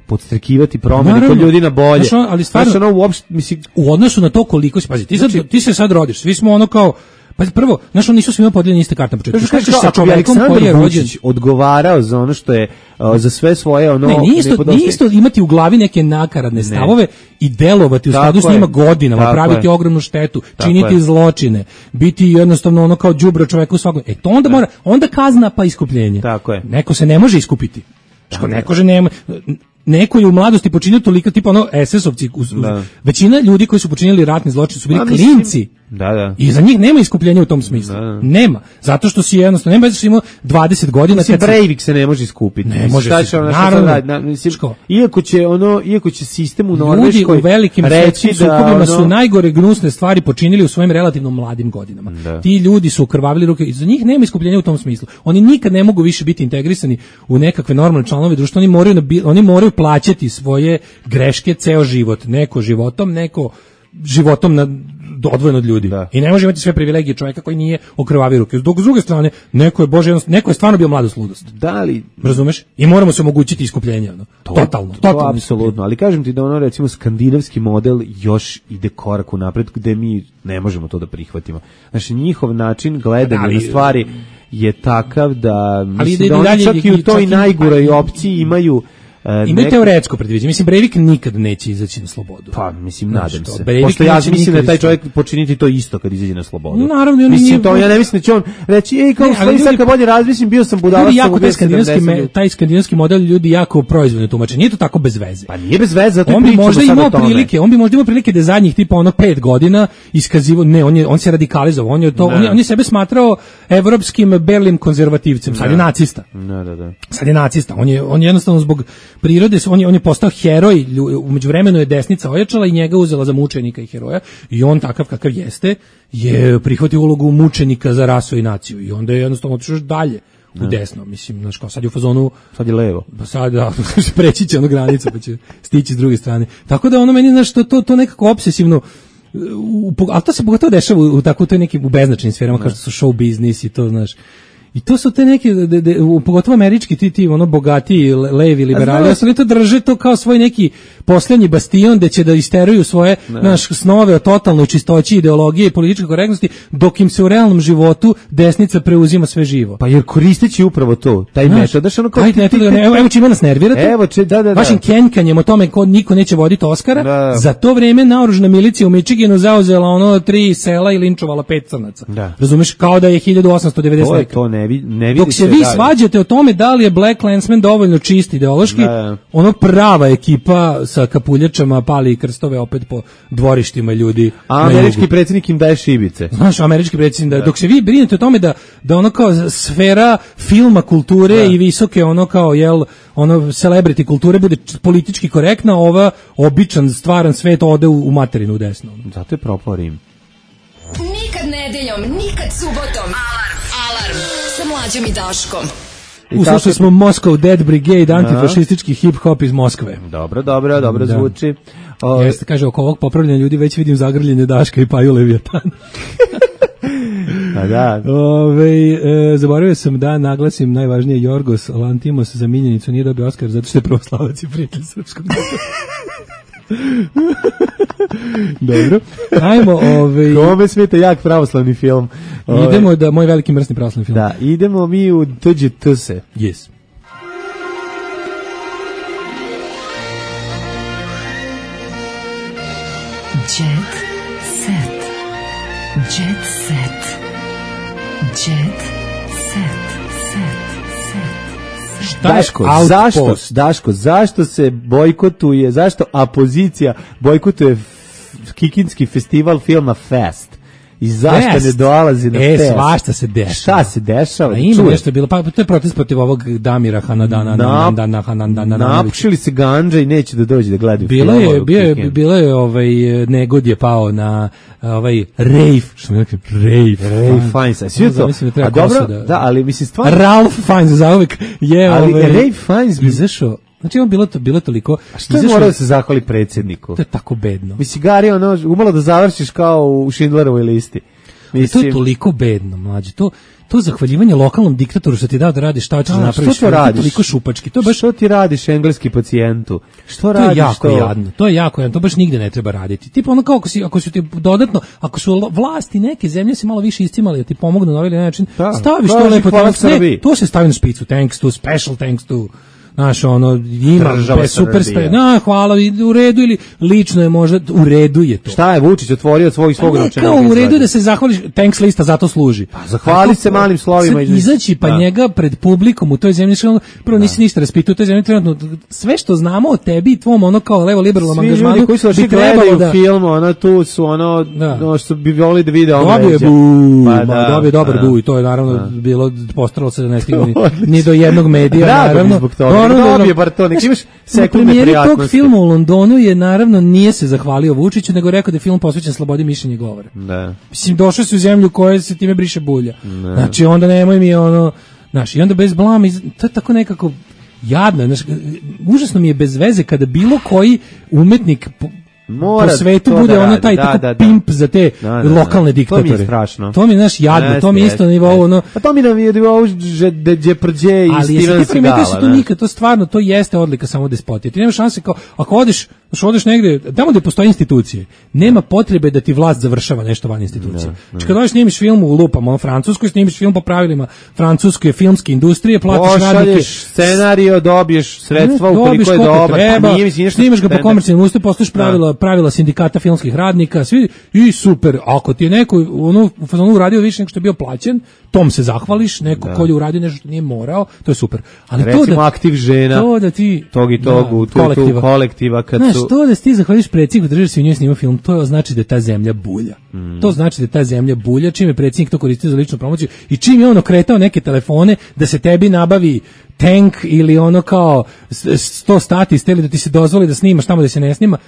podstrekivati promene kod ljudi na bolje. Znaš, ali stvarno, znaš, ono, uopšte, mislim, u odnosu na to koliko si, pazi, ti, sad, ti se sad rodiš, svi smo ono kao, pazi, prvo, znaš, nisu svima podijeljeni iste karte na početku. Znaš, kažeš sa čovekom koji je rođen odgovarao za ono što je, uh, za sve svoje ono... Ne, nije isto, nije isto imati u glavi neke nakaradne stavove ne. I delovati u skladu s njima godinama, tako praviti je. Ogromnu štetu, tako činiti je. Zločine, biti jednostavno ono kao đubre čoveku u svakom... E, to onda mora, onda kazna pa iskupljenje. Tako je. Neko se ne može iskupiti. Što neko že nema neko je u mladosti počinio toliko, tipa ono es esovci, uz, uz, većina ljudi koji su počinili ratni zločin su bili klinci. Da, da. I za njih nema iskupljenja u tom smislu. Da, da. Nema. Zato što si jednostavno, nema zato što ima dvadeset godina. Mislim, Breivik se ne može iskupiti. Ne može se. Ono, naravno. Na, mislim, iako će ono, iako će sistem u Norveškoj ljudi u velikim svetskim sukobima ono... su najgore gnusne stvari počinili u svojim relativno mladim godinama. Da. Ti ljudi su okrvavili ruke i za njih nema iskupljenja u tom smislu. Oni nikad ne mogu više biti integrisani u nekakve normalne članove društva. Oni moraju, oni moraju plaćati svoje greške ceo život. Neko životom, neko životom na odvojeno od ljudi. Da. I ne može imati sve privilegije čovjeka koji nije okrvavio ruke. Dok s druge strane, neko je bože, neko je stvarno bio mladost ludost. Da li, razumeš? I moramo se omogućiti iskupljenje, ono. To, totalno, to, totalno. Apsolutno, ali kažem ti da ono recimo skandinavski model još ide korak u napred gde mi ne možemo to da prihvatimo. Znači njihov način gledanja ali, na stvari je takav da mislim da oni čak i u toj najgoroj opciji imaju imaju neko... teoretsko predviđenje. Mislim, Breivik nikad neće izaći na slobodu. Pa, mislim, nadam se. Pošto ja mislim da taj čovjek počiniti to isto kad izađe na slobodu. Naravno, on mislim, nije... to, ja ne mislim da će on reći, ej, kao ne, ali sad kad bolje razmislim, bio sam budalac. Ljudi jako taj skandinavski, me, taj skandinavski model ljudi jako proizvodno tumače. Nije to tako bez veze. Pa nije bez veze, zato on bi možda imao prilike, on bi možda imao prilike da zadnjih tipa ono pet godina iskazivo, ne, on je on se radikalizovao, on je to, on je, on je sebe smatrao evropskim berlim konzervativcem, sad je nacista. Da, da, da. Sad je nacista. On je on je jednostavno zbog prirode, on je on je postao heroj, u međuvremenu je desnica ojačala i njega uzela za mučenika i heroja i on takav kakav jeste je prihvatio ulogu mučenika za rasu i naciju i onda je jednostavno otišao još dalje u desno, mislim, znaš kao sad je u fazonu, sad je levo, pa sad da, preći će onu granicu pa će stići s druge strane, tako da ono meni, znaš, to, to, to nekako obsesivno, u, ali to se pogotovo dešava u, u tako toj nekim u beznačajnim sferama kao što su show biznis i to, znaš. I to su te neke, de, de, pogotovo američki, ti, ti ono bogati, levi, liberali, ostali to drže to kao svoj neki posljednji bastion gde će da isteruju svoje naš snove o totalnoj čistoći ideologije i političke korektnosti, dok im se u realnom životu desnica preuzima sve živo. Pa jer koristeći upravo to, taj metod, daš ono kao... Taj metod, evo, evo čime nas nervirate, evo će, da, da, da. vašim kenkanjem o tome ko niko neće voditi Oskara, da. Za to vreme naoružana milicija u Michiganu zauzela ono tri sela i linčovala pet crnaca. Da. Razumeš, kao da je hiljadu osamsto devedeset. To je to, ne, vi, ne dok se vi dalje svađate o tome da li je Black Klansman dovoljno čist ideološki, da. Ono prava ekipa sa kapuljačama pali krstove opet po dvorištima ljudi. A američki predsjednik im daje šibice. Znaš, američki predsjednik da, dok se vi brinete o tome da, da ono kao sfera filma, kulture da. I visoke ono kao, jel, ono celebrity kulture bude politički korektna, ova običan, stvaran svet ode u, u materinu u desno. Zato je propao Rim. Nikad nedeljom, nikad subotom. Alarm, alarm, sa Mlađom i Daškom. Uslušali smo Moscow Dead Brigade, antifašistički hip-hop iz Moskve. Dobro, dobro, dobro da. Zvuči. O... Jeste, kaže, oko ovog popravljanja ljudi već vidim zagrljenje Daška i Paju Leviatan. A da. Ove, e, zaboravio sam da naglasim najvažnije, Jorgos Lantimos za miljenicu nije dobio Oskar zato što je pravoslavac i prijatelj srpskog naroda. Dobro. Ajmo, ovaj Kome smeta jak pravoslavni film. Idemo da moj veliki mrsni pravoslavni film. Da, idemo mi u Tuđe Tuse. Yes. Jet set. Jet set. Jet set. Daško, zašto, Daško, zašto se bojkotuje, zašto opozicija bojkotuje f- Kikinski festival filma Fest? I zašto Fest. Ne dolazi na e, Fest? E, svašta se dešava. Šta se dešava? A ima nešto bilo, pa to je protest protiv ovog Damira Hanadana. Nap, napušili se ganđa i neće da dođe da gledaju bilo film. Je, bio je, bilo je, ovaj, negod je pao na ovaj rave, što mi rekao, rave. Rave Fiennes, a svi to? Da a dobro, da, da, ali mislim stvarno... Ralph Fiennes, za uvijek je ali ovaj... Rave Fiennes bi izašao. Znači on bilo to bilo toliko. A što je morao da se zahvali predsjedniku? To je tako bedno. Mislim Gari ono umalo da završiš kao u Schindlerovoj listi. Mislim, to je toliko bedno, mlađe. To to zahvaljivanje lokalnom diktatoru što ti dao da radiš šta hoćeš da napraviš. Što to radiš? Toliko šupački. To baš što ti radiš engleski pacijentu? Što to radiš je jako to? Jadno. To je jako jadno. To baš nigde ne treba raditi. Tipo ono kao ako si ako su ti dodatno, ako su vlasti neke zemlje se malo više iscimali da ti pomognu na ovaj način, da, staviš to lepo tamo. To se stavi na špicu. Thanks to, special thanks to. Znaš, ono, ima be, super spre, na, hvala, u redu ili lično je možda, u redu je to. Šta je Vučić otvorio od svojih svog novčanika? Kao u redu da se zahvališ, thanks lista zato služi. Pa zahvali se malim slovima. Izaći pa da. njega pred publikom u toj zemlji, prvo nisi ništa raspitao u toj zemlji, trenutno, sve što znamo o tebi i tvom, ono kao levo liberalnom angažmanu, ljudi koji su bi trebalo da... film, ono, tu su, ono, da. ono što bi volili da vide ono. Dobio je bu, pa da, dobio dobar da. bu i to je naravno da. bilo, postaralo se da ne stigne ni, ni do jednog medija, naravno. Dobio bar to, nek imaš sekunde prijatnosti. Tog filma u Londonu je naravno nije se zahvalio Vučiću, nego rekao da je film posvećen slobodi mišljenja i govora. Da. Mislim, došao si u zemlju u kojoj se time briše bulja. Ne. Znači, onda nemoj mi ono, znaš, i onda bez blama, to je tako nekako jadno, znaš, užasno mi je bez veze kada bilo koji umetnik po, Mora po svetu bude da ono taj da, tako da, da. pimp za te da, da, lokalne diktatore. To mi je strašno. To mi je, znaš, jadno, yes, to mi je isto na nivou ono... Pa to mi na nivou Đeprđe i Steven Segala. Ali jesi ti primetio se to nikad, to stvarno, to jeste odlika samo despotije. Ti nemaš šanse kao, ako odeš, što odeš negde, tamo gde postoje institucije, nema potrebe da ti vlast završava nešto van institucije. Znači kad odeš snimiš film u lupama, u Francuskoj, snimiš film po pravilima francuske filmske industrije, platiš radnike. Pošalješ scenario, dobiješ sredstva ukoliko je dobar, pa nije mislim nešto. Snimaš ga po komercijalnim uslovima, postojiš pravila, pravila sindikata filmskih radnika, svi i super. Ako ti je neko ono u fazonu uradio više nego što je bio plaćen, tom se zahvališ, neko ko je uradio nešto što nije morao, to je super. Ali recimo to da aktiv žena, to da ti tog i tog, da, u tu, kolektiva. Tu kolektiva kad znaš, su... to da ti zahvališ predsjedniku države se u njoj snima film, to znači da je ta zemlja bulja. Mm. To znači da je ta zemlja bulja, čim je predsjednik to koristio za ličnu promociju i čim je on okretao neke telefone da se tebi nabavi tank ili ono kao sto stati steli da ti se dozvoli da snimaš tamo da se ne snima.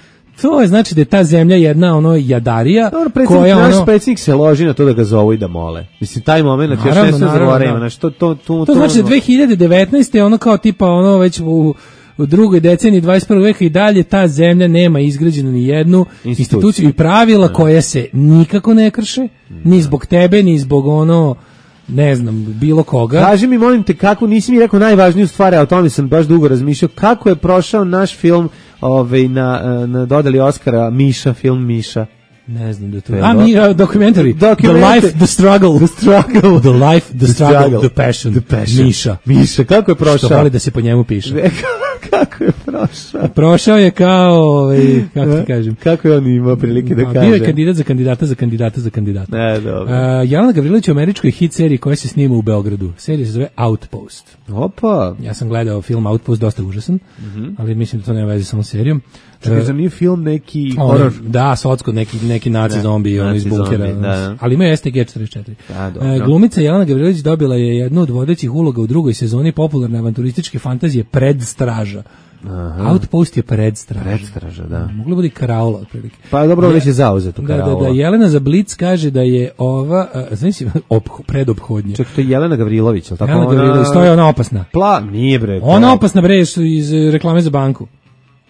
To je znači da je ta zemlja jedna ono jadarija. Dobro, koja naš ono... predsjednik se loži na to da ga zovu i da mole. Mislim, taj moment, još ne se zagovaraju. Znači, to, to, to, to znači da dve hiljade devetnaeste ono kao tipa ono već u, u drugoj deceniji dvadeset prvog veka i dalje ta zemlja nema izgrađenu ni jednu instituciju, instituciju i pravila ne. Koje se nikako ne krše, ni zbog tebe, ni zbog ono ne znam, bilo koga. Kaži mi, molim te, kako, nisi mi rekao najvažniju stvar, a o tome sam baš dugo razmišljao, kako je prošao naš film ovaj, na, na dodali Oskara Miša, film Miša? Ne znam da to je. A, mi, uh, documentary. documentary. The life, the struggle. The struggle. The life, the, the struggle, struggle, the passion. The passion. Miša. Miša, kako je prošao? Što voli da se po njemu piše. Kako je prošao? Prošao je kao, ovaj, kako ti kažem. Kako je on imao prilike da kaže? Bio je kandidat za kandidata za kandidata za kandidata. Ne, dobro. Uh, Jelena Gavrilović u američkoj hit seriji koja se snima u Beogradu. Serija se zove Outpost. Opa. Ja sam gledao film Outpost, dosta užasan, mm-hmm. ali mislim da to nema veze sa ovom serijom. Čekaj, za nije film neki horor? Da, socko, neki, neki naci da, zombi ono iz bunkera. Zombi, da. Ali ima S T G četrdeset četiri. Da, dobro. Glumica Jelena Gavrilović dobila je jednu od vodećih uloga u drugoj sezoni popularne avanturističke fantazije Predstraža. Aha. Outpost je predstraža. Predstraža, da. Moglo bude karaula otprilike. Pa dobro, već je zauzeto karaula. Da, da, da, Jelena za Blic kaže da je ova, znači predophodnje. Čekaj, to je Jelena Gavrilović, al tako Jelena ona? Gavrilović, to je ona opasna. Pla, nije bre. Ona opasna bre iz reklame za banku.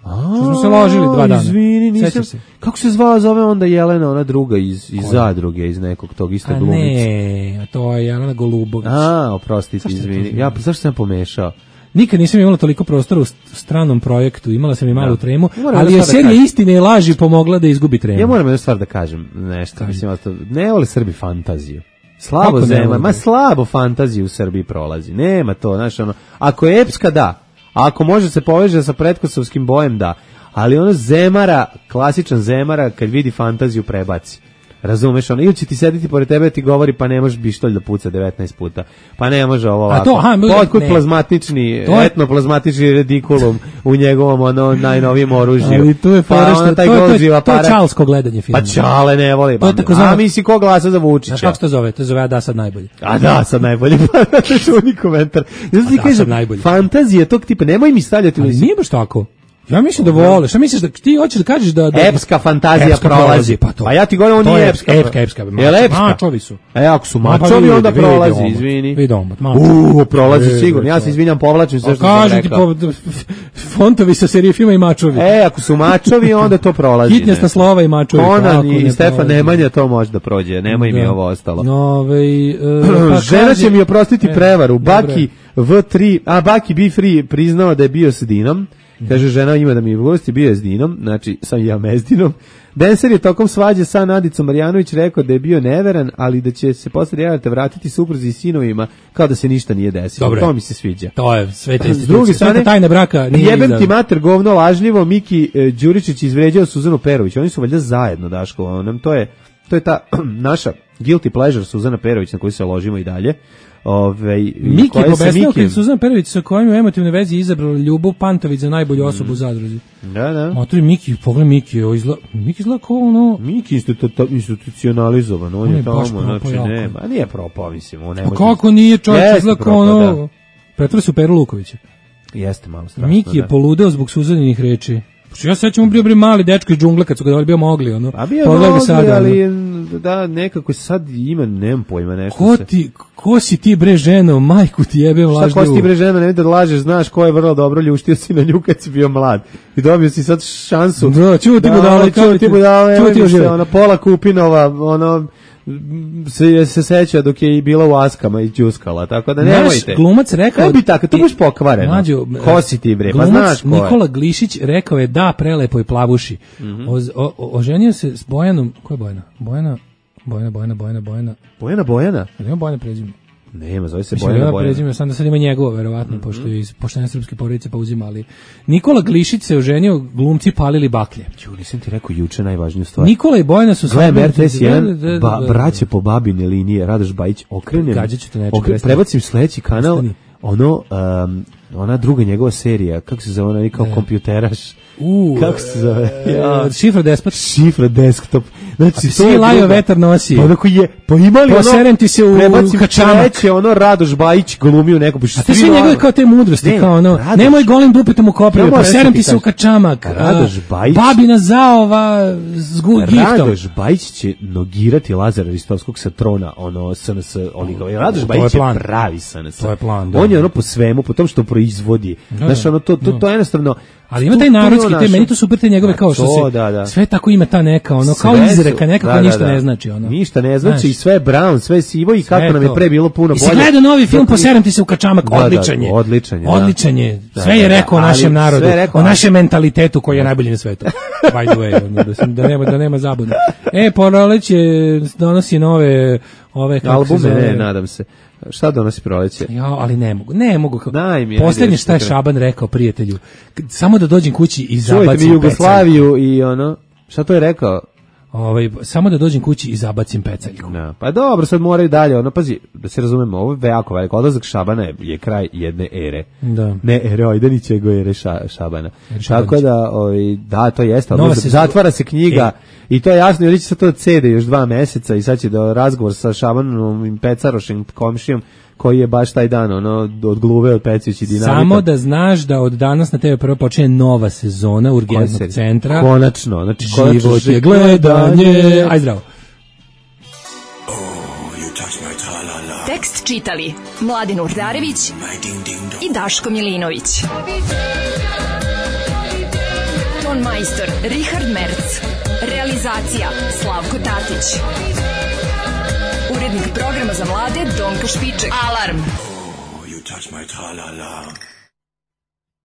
A, smo se ložili dva dana. Izvini, nisam se. Kako se zvala, zove onda Jelena, ona druga iz iz Zadruge, iz nekog tog isto glumice. Ne, a to je Jelena Golubović. A, oprostite, izvini. Ja zašto sam pomešao? Nikad nisam imala toliko prostora u stranom projektu, imala sam i malu da. tremu, ali je serija da istine i laži pomogla da izgubi tremu. Ja moram jednu stvar da kažem, nešto, mislim, ne vole Srbi fantaziju. Slabo zema, ma slabo fantaziju u Srbiji prolazi. Nema to, znaš, ono, ako je epska, da. A ako može se poveže sa pretkosovskim bojem, da. Ali ono zemara, klasičan zemara, kad vidi fantaziju, prebaci. Razumeš, ono, ili će ti sediti pored tebe ti govori pa ne možeš bištolj da puca devetnaest puta. Pa ne može ovo ovako. A to, aha, otkud plazmatični, etnoplazmatični redikulum u njegovom ono najnovijem oružju. Ali tu je pa ono, taj to, to, to, to je čalsko gledanje filma. Pa čale ne voli. To je tako zove, a misli ko glasa za Vučića. Znaš kako se to zove? To zove, a da sad najbolje. A da, sad najbolje. Pa to je čuveni komentar. Znaš ti kažem, fantazije tog tipa, nemoj mi stavljati. Ali nije baš tako. Ja mislim da vole. Šta misliš da ti hoćeš da kažeš da, da epska fantazija epska prolazi? Pa, to. Pa ja ti govorim on nije epska. Epska, epska. Mačovi su. E ako su mačovi pa, onda prolazi, izvini. Vidom, U, prolazi sigurno. Ja se izvinjam, povlačim sve što sam rekao. Kažem ti fontovi sa serije filma i mačovi. E, ako su mačovi onda to prolazi. Hitnjasta slova i mačovi. Conan i Stefan Nemanja to može da prođe. Nemoj mi ovo ostalo. Novej žena će mi oprostiti prevaru. Baki V tri, a Baki B tri priznao da je bio s Dinom. Kaže, žena ima da mi je u gosti, bio je s Dinom, znači sam ja me s Dinom. Denser je tokom svađe sa Nadicom Marjanović rekao da je bio neveran, ali da će se posle realite vratiti supruzi i sinovima kao da se ništa nije desilo. Dobre. To mi se sviđa. To je sveta institucija. Sveta tajna braka nije jebem iza... ti mater govno lažljivo, Miki e, Đuričić izvređao Suzanu Perović. Oni su valjda zajedno, Daško. Nam to je to je ta naša guilty pleasure Suzana Perović na koju se ložimo i dalje. Ove, Miki je pobesnao kad Suzana Perović sa kojim u emotivnoj vezi izabrala Ljubav Pantović za najbolju osobu mm. u zadruzi. Da, da. Motori Miki, pogledaj Miki, izla, Miki izgleda kao ono... Miki institu, institucionalizovan, on, on je tamo, znači nema, nije propao, mislim, on ne može... A kako nije čovjek, izgleda kao ono... Pretvore su Peru Lukovića. Jeste malo strašno, Miki je da. poludeo zbog Suzaninih reči. Ja sećam bio bre mali dečko iz džungle kad su ga bio mogli ono. A bio mogli, sada, ali da nekako sad ima nem pojma nešto. Ko ti ko si ti bre ženo, majku ti jebe lažljivo. Šta ko si ti bre ženo, ne da lažeš, znaš ko je vrlo dobro ljuštio si na nju kad si bio mlad. I dobio si sad šansu. Da, čuti da, budale, čuti budale, čuti se ona Pola Kupinova, ono se se seća dok je i bila u Askama i đuskala, tako da nemojte. Naš glumac rekao, ne bi tako, to baš pokvareno. Mlađo, ko si ti bre, pa znaš ko je. Nikola Glišić rekao je da prelepoj plavuši. Mm-hmm. o, o, oženio se s Bojanom, ko je Bojana? Bojana, Bojana, Bojana, Bojana, Bojana. Bojana, Bojana? Nema Bojana prezime. Nema, zove se Mislim, Bojana, Bojana. Prezime, sam da sad ima njegovo, verovatno, mm-hmm. pošto je iz poštene srpske porodice pa uzimali. Nikola Glišić se oženio, glumci palili baklje. Ču, nisam ti rekao juče najvažniju stvar. Nikola i Bojana su sve R T S jedan, ba, braće po babine linije, Radoš Bajić, okrenem, okre, prebacim sledeći kanal, Ostani. ono, um, ona druga njegova serija, kako se zove, ona kao ne. kompjuteraš, Uh, kako se zove? Ja. Šifra despot. Šifra desktop. Znači, to je lajo vetar nosi. Pa onako je, pa imali ono... Poserem ti se u kačamak. Treće, ono, Radoš Bajić glumio neko. A te sve njegove kao te mudrosti, ne, kao ono, Radoš, nemoj golim dupetom u koprivu, poserem ti se u kačamak. Radoš Bajić. Babina zaova s giftom. Radoš Bajić će nogirati Lazara Ristovskog sa trona, ono, S N S oligova. Radoš Bajić je pravi S N S. To je plan, on je ono po svemu, po tom što proizvodi. Znaš, ono, to, to, to je jednostavno... Ali ima taj narodski, te, meni to super te njegove kao što to, se, da, da. sve tako ima ta neka, ono, sve kao izreka, nekako da, ništa da, da. ne znači, ono. Ništa ne znači, i sve brown, sve sivo i kako nam je pre bilo puno bolje. I si gledao novi film, poserem ti se u kačamak, da, odličan je. Da, odličan je, odličan je. Da. Sve je rekao o našem narodu, o našem mentalitetu koji je najbolji na svetu. By the way, ono, da, sam, da, nema, da nema zabune. E, Proleće donosi nove, ove, kako albume, se zove. Ne, nadam se. Šta donosi Proleće? Ja, ali ne mogu, ne mogu. Poslednje šta je Šaban rekao prijatelju, samo da dođem kući i zabacim pecalju. Čujte mi Jugoslaviju i ono, šta to je rekao? Ovaj, samo da dođem kući i zabacim pecalju. No, pa dobro, sad moraju dalje, ono, pazi, da se razumemo, ovo je jako veliko, odlazak Šabana je, je kraj jedne ere. Da. Ne ere Ojdanića, nego ere ša, Šabana. Ere Tako da, ovaj, da, to jeste, odlazak, se zatvara se knjiga e. i to je jasno, jer će se to cede još dva meseca i sad će da razgovor sa Šabanom i Pecarošem, komšijom, koji je baš taj dan ono od gluve od Pecić i Dinamita. Samo da znaš da od danas na te ve prvo počinje nova sezona Urgentnog centra. Konačno, znači život je gledanje. Aj zdravo. Oh, tekst čitali Mladin Urdarević i Daško Milinović. Ton majstor Richard Merc. Realizacija Slavko Tatić. Urednik programa za mlade Donka Špiček. Alarm! Oh, you touch my tra-la-la.